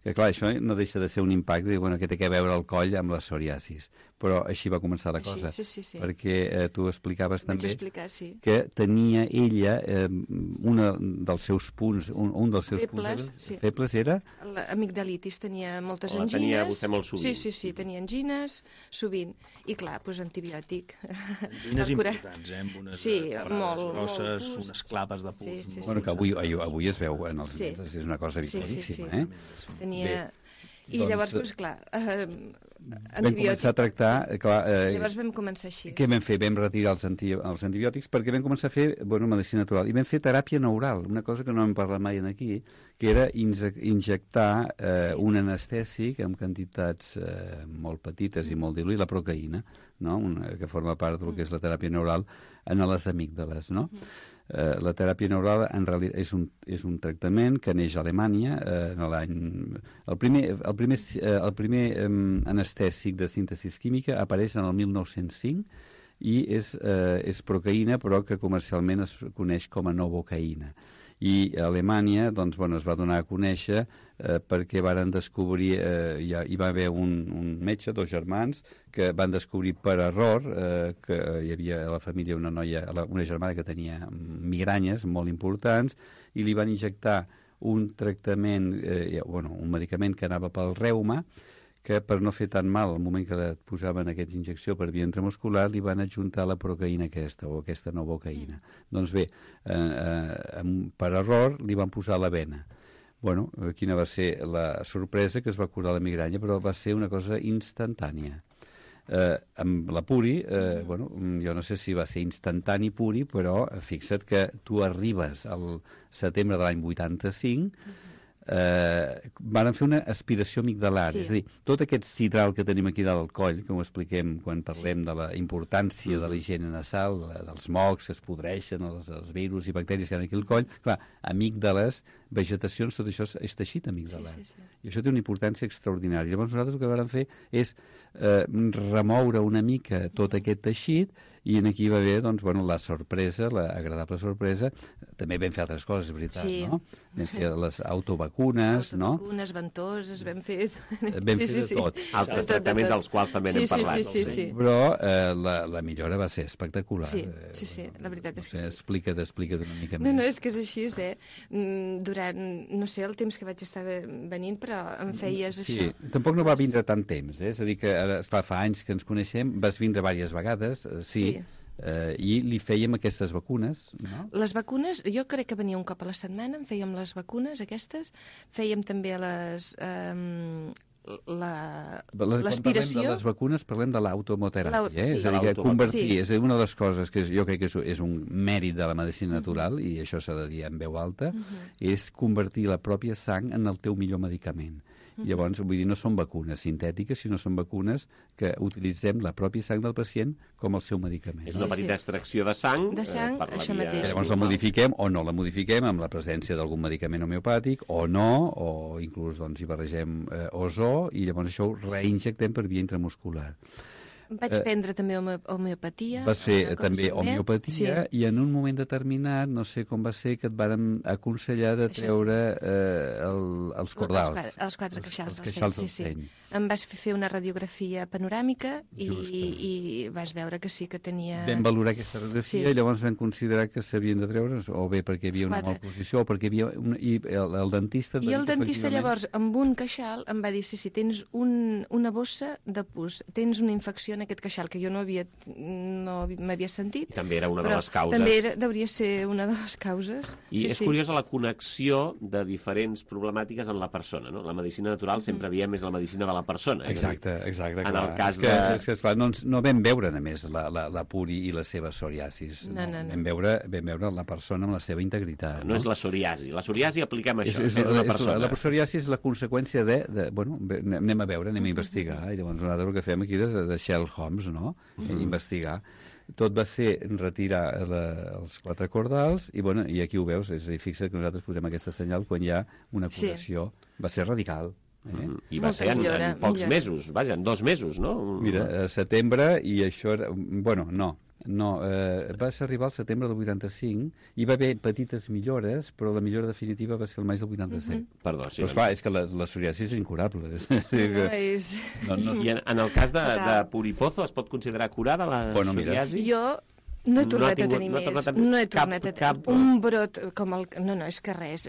Que clar, això no deixa de ser un impacte, que té que veure el coll amb la psoriasis. però així va començar la cosa. Sí. Perquè tu explicaves també sí. que tenia ella un dels seus punts, un dels seus febles, punts febles era... L'amigdalitis, tenia moltes angines. La tenia vostè molt sovint. Sí, tenia angines sovint. I clar, doncs antibiòtic. Angines importants, amb unes parades grosses, unes clapes de pus. Bueno, que avui es veu en els nens, és una cosa habitualíssima. Tenia... I llavors, doncs clar, vam començar a tractar... Llavors vam començar així. Què vam fer? Vam retirar els antibiòtics perquè vam començar a fer medicina natural. I vam fer teràpia neural, una cosa que no hem parlat mai aquí, que era injectar un anestèsic amb quantitats molt petites i molt diluït, la procaïna, no? Que forma part del que és la teràpia neural, en les amígdales, no? La teràpia neural en realitat és un tractament que neix a Alemanya en l'any... El primer anestèsic de síntesi química apareix en el 1905 i és procaïna, però que comercialment es coneix com a novocaïna. I a Alemanya doncs, es va donar a conèixer perquè varen descobrir, hi va haver un metge, dos germans, que van descobrir per error que hi havia a la família una germana que tenia migranyes molt importants i li van injectar un tractament, un medicament que anava pel reuma, que per no fer tan mal al moment que et posaven aquesta injecció per via intramuscular li van adjuntar la procaïna aquesta o aquesta novocaïna. Doncs bé, per error li van posar la vena. Bueno, quina va ser la sorpresa? Que es va curar la migranya, però va ser una cosa instantània. Amb la Puri, jo no sé si va ser instantani Puri, però fixa't que tu arribes al setembre de l'any 85, van fer una aspiració amigdalar, és a dir, tot aquest sidral que tenim aquí dalt al coll, que ho expliquem quan parlem de la importància de la higiene nasal, dels mocs que es podreixen, els virus i bacteris que hi ha aquí al coll, clar, amígdales, vegetacions, tot això és teixit amigdalar. I això té una importància extraordinària. Llavors nosaltres el que vam fer és remoure una mica tot aquest teixit i aquí va haver la sorpresa, l'agradable sorpresa. També vam fer altres coses, és veritat, no? Vam fer les autovacunes, no? Autovacunes, ventoses, vam fer... Vam fer de tot. Altres tractaments dels quals també n'hem parlat. Sí. Però la millora va ser espectacular. Sí, la veritat és que sí. Explica't una mica més. No, és que és així, durant, no sé, el temps que vaig estar venint, però em feies això. Sí, tampoc no va vindre tant temps, és a dir que ara, esclar, fa anys que ens coneixem, vas vindre diverses vegades, sí. I li fèiem aquestes vacunes, no? Les vacunes, jo crec que venia un cop a la setmana, fèiem les vacunes aquestes, fèiem també l'aspiració. Quan parlem de les vacunes parlem de l'automoteràpia, és a dir, que convertir, és una de les coses que jo crec que és un mèrit de la medicina natural, i això s'ha de dir en veu alta, és convertir la pròpia sang en el teu millor medicament. Llavors, vull dir, no són vacunes sintètiques, sinó són vacunes que utilitzem la pròpia sang del pacient com el seu medicament. És una petita extracció de sang. De sang, això mateix. Llavors la modifiquem o no la modifiquem amb la presència d'algun medicament homeopàtic o no, o inclús hi barregem ozó i llavors això ho reinjectem per via intramuscular. Vaig prendre també homeopatia. Vas fer també homeopatia i en un moment determinat, no sé com va ser, que et varen aconsellar de treure els cordals. Els quatre queixals del seny. Em vas fer una radiografia panoràmica i vas veure que sí que tenia... Vam valorar aquesta radiografia i llavors vam considerar que s'havien de treure, o bé perquè hi havia una malposició o perquè hi havia... I el dentista... I el dentista llavors, amb un queixal, em va dir, sí, tens una bossa de pus, tens una infecció en aquest queixal, que jo no m'havia sentit. També era una de les causes. També devia ser una de les causes. I és curiosa la connexió de diferents problemàtiques en la persona, no? La medicina natural sempre diem és la medicina de la persona. Exacte. En el cas de... És que esclar, no vam veure, a més, la Puri i la seva psoriasis. No. Vam veure la persona amb la seva integritat. No és la psoriasi. La psoriasi apliquem això, és una persona. La psoriasi és la conseqüència bueno, anem a veure, anem a investigar, i llavors nosaltres el que fem aquí és de Sherlock Holmes, no? Investigar. Tot va ser retirar els quatre cordals i aquí ho veus, és a dir, fixa't que nosaltres posem aquesta senyal quan hi ha una curació. Va ser radical. I va ser en pocs mesos, vaja, en 2 mesos, no? Mira, setembre, i això era... Bueno, no, No, va arribar al setembre del 85 i va haver petites millores, però la millora definitiva va ser el maig del 87. Perdó, sí. Però esclar, és que la psoriasi és incurable. I en el cas de Puripozo es pot considerar curada la psoriasi? Jo no he tornat a tenir més. No he tornat a tenir un brot com el... No, és que res.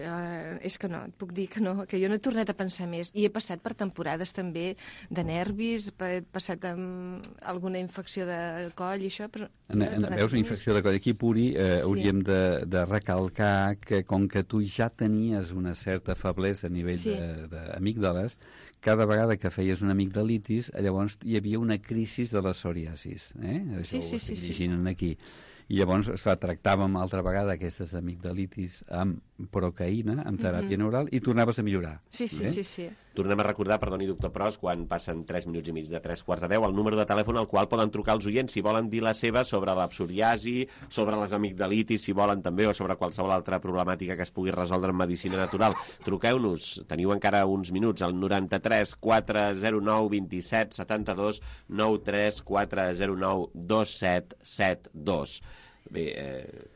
És que no, et puc dir que no, que jo no he tornat a pensar més. I he passat per temporades també de nervis, he passat amb alguna infecció de coll i això, però... Veus, una infecció de coll. Aquí, Puri, hauríem de recalcar que com que tu ja tenies una certa feblesa a nivell d'amígdales, cada vegada que feies una amigdalitis, llavors hi havia una crisi de la psoriasis. Això ho estic llegint aquí. I llavors, tractàvem altra vegada aquestes amigdalitis amb procaïna, amb teràpia neural, i tornaves a millorar. Sí. Tornem a recordar, perdoni, doctor Pros, quan passen 3 minuts i mig de 3:45, el número de telèfon al qual poden trucar els oients si volen dir la seva sobre la psoriasi, sobre les amigdalitis, si volen també, o sobre qualsevol altra problemàtica que es pugui resoldre en medicina natural. Truqueu-nos, teniu encara uns minuts, al 93 409 27 72, 93 409 2772. Bé,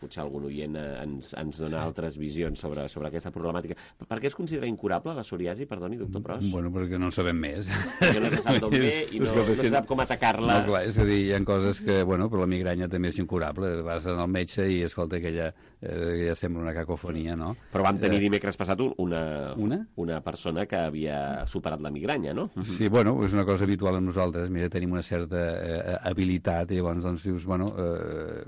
potser algun oient ens dona altres visions sobre aquesta problemàtica. Per què es considera incurable la psoriasi, perdoni, doctor Pros? Bueno, perquè no en sabem més. Perquè no se sap d'on ve i no se sap com atacar-la. No, clar, és a dir, hi ha coses que, bueno, però la migranya també és incurable. Vas al metge i escolta que ja sembla una cacofonia, no? Però vam tenir dimecres passat una persona que havia superat la migranya, no? Sí, bueno, és una cosa habitual amb nosaltres. Mira, tenim una certa habilitat i llavors doncs dius, bueno,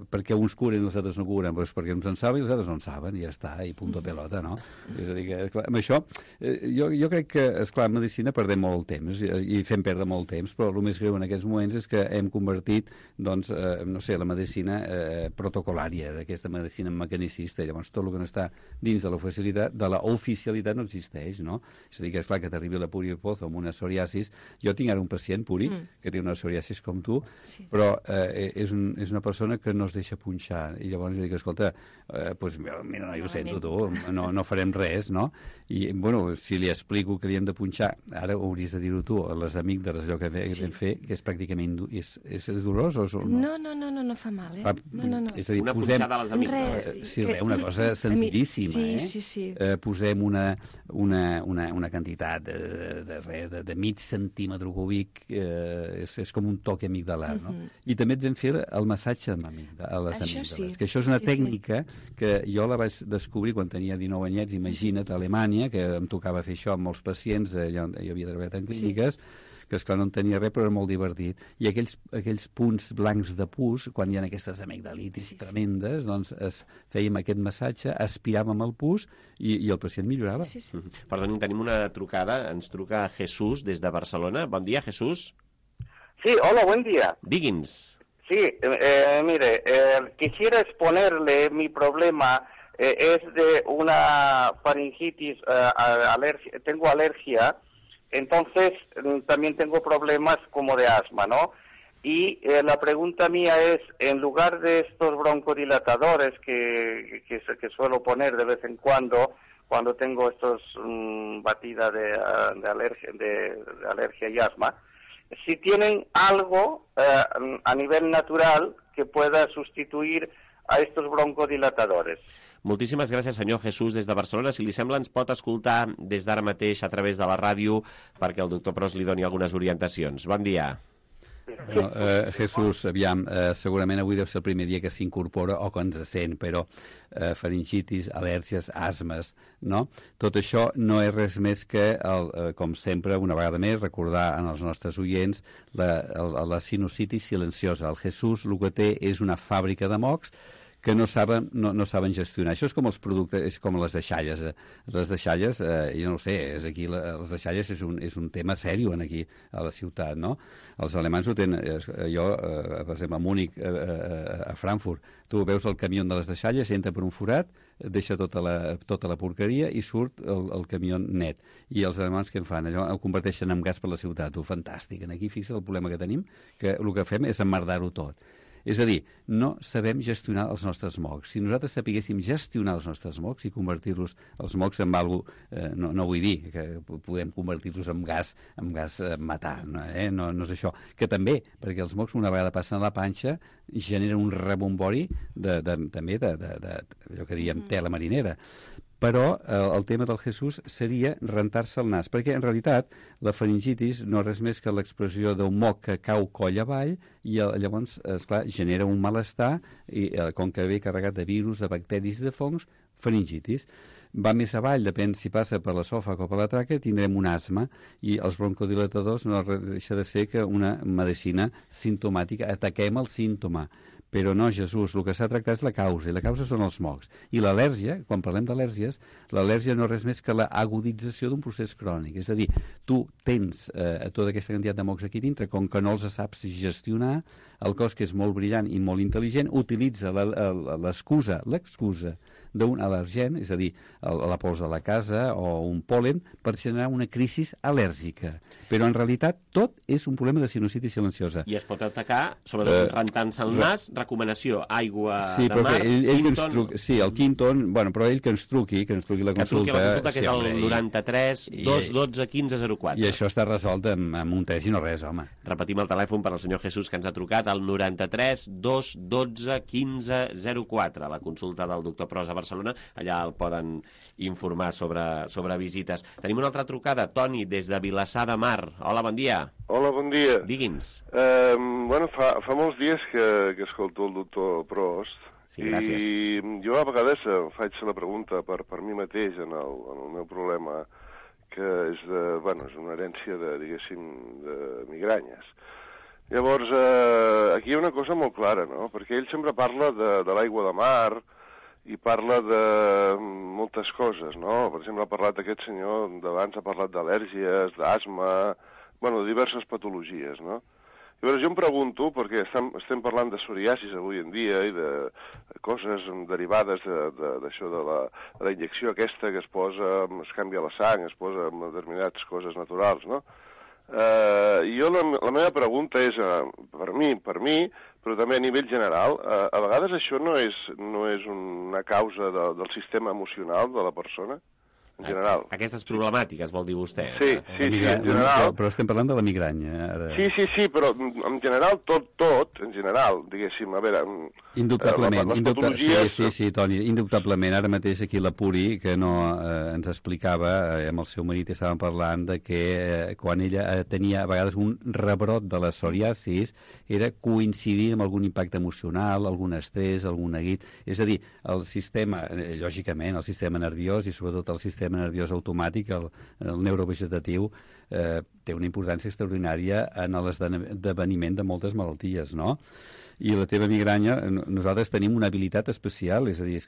perquè uns curen i els altres no curen, doncs perquè uns en saben i els altres no en saben, i ja està, i punto pelota, no? És a dir, que, clar, amb això, jo crec que, esclar, en medicina perdem molt temps, i fem perdre molt temps, però el més greu en aquests moments és que hem convertit, doncs, no sé, la medicina protocolària, aquesta medicina mecanicista, llavors tot el que no està dins de l'oficialitat no existeix, no? És a dir, que és clar que t'arribi la Puripozo amb una psoriasis. Jo tinc ara un pacient, Puri, que té una psoriasis com tu, però és una persona que no es deixa punxar, i llavors jo dic, escolta, doncs mira, no, jo ho sento, tu, no farem res, no? I, bueno, si li explico que li hem de punxar, ara ho hauries de dir-ho tu, a les amígdales, allò que vam fer, que és pràcticament... És dolorós o no? No fa mal, No. És a dir, una punxada a les amígdales. Sí, una cosa senzillíssima, Sí. Posem una quantitat de mig centímetre cúbic, és com un toc amigdalar, no? I també et vam fer el massatge a les amígdales, que això és una tècnica que jo la vaig descobrir quan tenia 19 anyets, imagina't, a Alemanya, que em tocava fer això amb molts pacients, jo havia treballat en clíniques, que esclar no en tenia res, però era molt divertit. I aquells punts blancs de pus, quan hi ha aquestes amigdalitis tremendes, doncs fèiem aquest massatge, aspiràvem el pus i el pacient millorava. Perdoni, tenim una trucada, ens truca Jesús des de Barcelona. Bon dia, Jesús. Sí, hola, buen día. Digui'ns. Sí, mire, quisiera exponerle mi problema. Es de una faringitis, tengo alergia, entonces también tengo problemas como de asma, ¿no? Y la pregunta mía es, en lugar de estos broncodilatadores que suelo poner de vez en cuando tengo estos batida de alergia y asma, si tienen algo a nivel natural que pueda sustituir a estos broncodilatadores. Moltíssimes gràcies, senyor Jesús, des de Barcelona. Si li sembla, ens pot escoltar des d'ara mateix a través de la ràdio perquè el doctor Pros li doni algunes orientacions. Bon dia. Bueno, Jesús, aviam, segurament avui deu ser el primer dia que s'incorpora o que ens sent, però faringitis, al·lèrgies, asmes, no? Tot això no és res més que, com sempre, una vegada més, recordar als nostres oients la sinusitis silenciosa. El Jesús el que té és una fàbrica de mocs que no saben gestionar. Això és com els productes, és com les deixalles. Les deixalles, jo no ho sé, les deixalles és un tema sèrio aquí a la ciutat, no? Els alemanys ho tenen, jo, per exemple, a Múnich, a Frankfurt, tu veus el camió de les deixalles, entra per un forat, deixa tota la porqueria i surt el camió net. I els alemanys què en fan? Allò ho converteixen en gas per la ciutat. Fantàstic. Aquí, fixa't el problema que tenim, que el que fem és emmerdar-ho tot. És a dir, no sabem gestionar els nostres mocs. Si nosaltres sapiguéssim gestionar els nostres mocs i convertir-los, els mocs en alguna cosa, no vull dir que podem convertir-los en gas matar, no és això. Que també, perquè els mocs una vegada passen a la panxa generen un rebombori també allò que diem tela marinera. Però el tema del Jesús seria rentar-se el nas, perquè en realitat la faringitis no és res més que l'expressió d'un moc que cau coll avall i llavors, esclar, genera un malestar i com que ve carregat de virus, de bacteris i de fongs, faringitis. Va més avall, depèn si passa per l'esòfag o per la tràquea, tindrem un asma i els broncodilatadors no deixa de ser que una medicina simptomàtica, ataquem el símptoma. Però no, Jesús, el que s'ha de tractar és la causa, i la causa són els mocs. I l'al·lèrgia, quan parlem d'al·lèrgies, l'al·lèrgia no és res més que l'agudització d'un procés crònic. És a dir, tu tens tota aquesta quantitat de mocs aquí dintre, com que no els saps gestionar, el cos, que és molt brillant i molt intel·ligent, utilitza l'excusa d'un al·lergen, és a dir, la pols de la casa o un pol·len, per generar una crisi al·lèrgica. Però en realitat tot és un problema de sinusitis silenciosa. I es pot atacar, sobretot rentant-se el nas, recomanació, aigua de mar, Quinton... Sí, el Quinton, però ell que ens truqui la consulta. Que truqui la consulta, que és el 93 212 1504. I això està resolt amb un test i no res, home. Repetim el telèfon per al senyor Jesús, que ens ha trucat, el 93 212 1504, la consulta del doctor Pros a Barcelona. Allà el poden informar sobre visites. Tenim una altra trucada, Toni, des de Vilassar de Mar. Hola, bon dia. Hola, bon dia. Digui'ns. Fa molts dies que escolto el doctor Prost. Sí, gràcies. I jo a vegades faig la pregunta per mi mateix en el meu problema, que és una herència de migranyes. Llavors, aquí hi ha una cosa molt clara, no? Perquè ell sempre parla de l'aigua de mar i parla de moltes coses, no? Per exemple, ha parlat aquest senyor d'abans, ha parlat d'al·lèrgies, d'asma, de diverses patologies, no? Llavors jo em pregunto, perquè estem parlant de psoriasis avui en dia i de coses derivades d'això de la injecció aquesta que es posa, es canvia la sang, es posa amb determinades coses naturals, no? I jo la meva pregunta és, per mi, però també a nivell general, a vegades això no és una causa del sistema emocional de la persona? En general. Aquestes problemàtiques, vol dir vostè? Sí, en general. Però estem parlant de la migranya. Ara. Sí, però en general, tot, en general, diguéssim, a veure... Indubtablement, les patologies... Sí, Toni, indubtablement. Ara mateix aquí la Puri, que no ens explicava, amb el seu marit estàvem parlant de que quan ella tenia a vegades un rebrot de la psoriasis, era coincidir amb algun impacte emocional, algun estrès, algun neguit. És a dir, el sistema, lògicament, el sistema nerviós i sobretot el sistema nerviós automàtic, el neurovegetatiu, té una importància extraordinària en l'esdeveniment de moltes malalties, no? I la teva migranya, nosaltres tenim una habilitat especial, és a dir,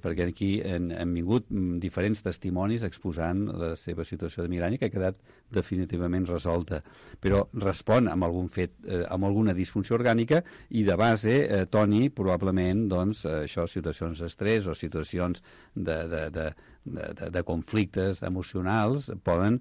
perquè aquí han vingut diferents testimonis exposant la seva situació de migranya que ha quedat definitivament resolta, però respon amb algun fet, amb alguna disfunció orgànica i de base, Toni, probablement, doncs, això, situacions d'estrès o situacions de conflictes emocionals poden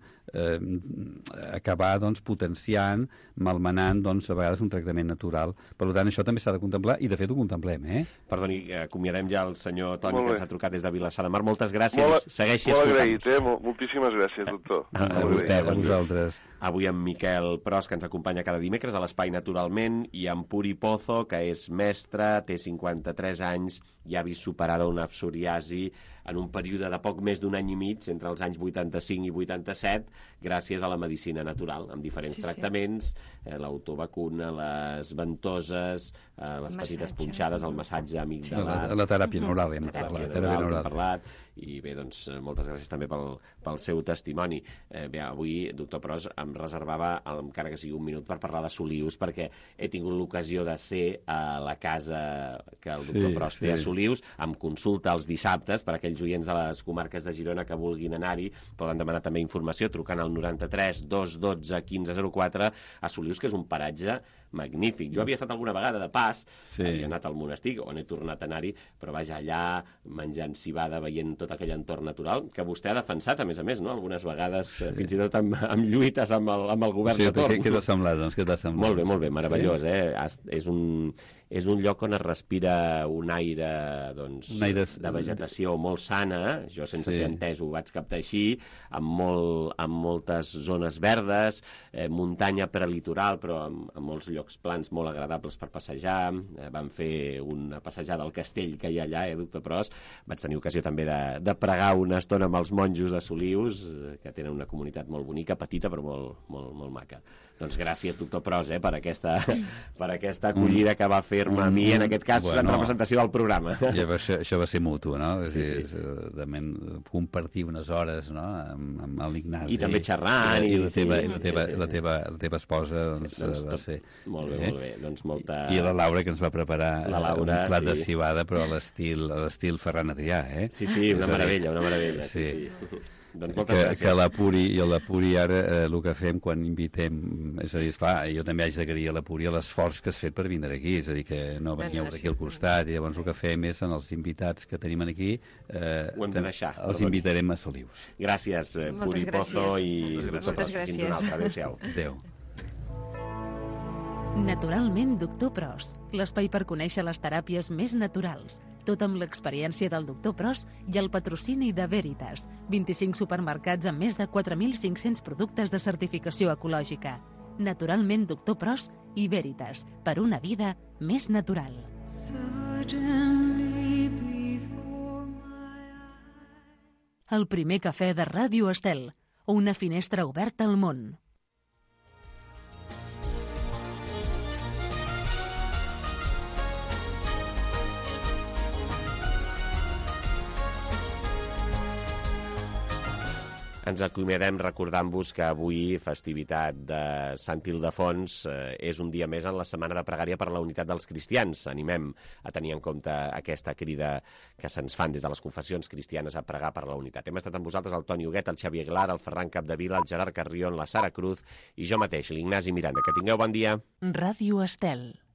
acabar doncs, potenciant, malmenant doncs, a vegades un tractament natural. Per tant, això també s'ha de contemplar i de fet ho contemplem, Perdoni, acomiadem ja el senyor Toni, que ens ha trucat des de Vilassar de Mar. Moltes gràcies. Segueixi escoltant. Molt agraït, moltíssimes gràcies, doctor. A vostè, a vosaltres. Avui amb Miquel Pros, que ens acompanya cada dimecres a l'Espai Naturalment, i amb Puri Pozo, que és mestre, té 53 anys i ha vist superada una psoriasi en un període de poc més d'un any i mig, entre els anys 85 i 87, gràcies a la medicina natural, amb diferents tractaments, l'autovacuna, les ventoses, les petites punxades, el massatge amigdalar... La teràpia neural, hem parlat. I bé, doncs, moltes gràcies també pel seu testimoni. Bé, avui, doctor Pros, em reservava, encara que sigui un minut, per parlar de Solius, perquè he tingut l'ocasió de ser a la casa que el doctor Pros té a Solius, amb consulta els dissabtes, per aquells oients de les comarques de Girona que vulguin anar-hi, poden demanar també informació trucant al 93 212 1504 a Solius, que és un paratge magnífic. Jo havia estat alguna vegada de pas, havia anat al monestir, on he tornat a anar-hi, però vaja, allà menjant cibada, veient tot aquell entorn natural, que vostè ha defensat, a més, no? Algunes vegades, fins i tot amb lluites amb el govern de torn. Què t'ha semblat, doncs? Molt bé, meravellós, És és un lloc on es respira un aire, doncs, de vegetació molt sana, jo sense ser entès ho vaig captar així, amb moltes zones verdes, muntanya prelitoral, però amb molts llocs plans molt agradables per passejar. Vam fer una passejada al castell que hi ha allà, doctor Pros. Vaig tenir ocasió també de pregar una estona amb els monjos de Solius, que tenen una comunitat molt bonica, petita però molt maca. Doncs gràcies, doctor Pros, per aquesta acollida que va fer-me a mi, en aquest cas, en representació del programa. Això va ser mutu, no? Compartir unes hores amb l'Ignasi. I també xerrant. I la teva esposa va ser... Molt bé. I la Laura, que ens va preparar un plat de cibada, però a l'estil Ferran Adrià, eh? Sí, una meravella. Sí. Doncs moltes gràcies. Que l'Apuri ara el que fem quan invitem, és a dir, esclar, jo també haig d'agrair a l'Apuri l'esforç que has fet per vindre aquí, és a dir, que no veníeu d'aquí al costat, i llavors el que fem és, en els invitats que tenim aquí, ho hem de deixar. Els invitarem a Solius. Gràcies, Puri Pozo i doctor Pros. Fins una altra. Adéu-siau. Adéu. Naturalment, doctor Pros, l'espai per conèixer les teràpies més naturals, tot amb l'experiència del doctor Pros i el patrocini de Veritas, 25 supermercats amb més de 4.500 productes de certificació ecològica. Naturalment, doctor Pros i Veritas, per una vida més natural. El primer cafè de Ràdio Estel, una finestra oberta al món. Ens acomiadem recordant-vos que avui, festivitat de Sant Ildefons, és un dia més en la Setmana de Pregària per la Unitat dels Cristians. Animem a tenir en compte aquesta crida que se'ns fan des de les confessions cristianes a pregar per la unitat. Hem estat amb vosaltres el Toni Huguet, el Xavier Aguilar, el Ferran Capdevila, el Gerard Carrion, la Sara Cruz i jo mateix, l'Ignasi Miranda. Que tingueu bon dia. Ràdio Estel.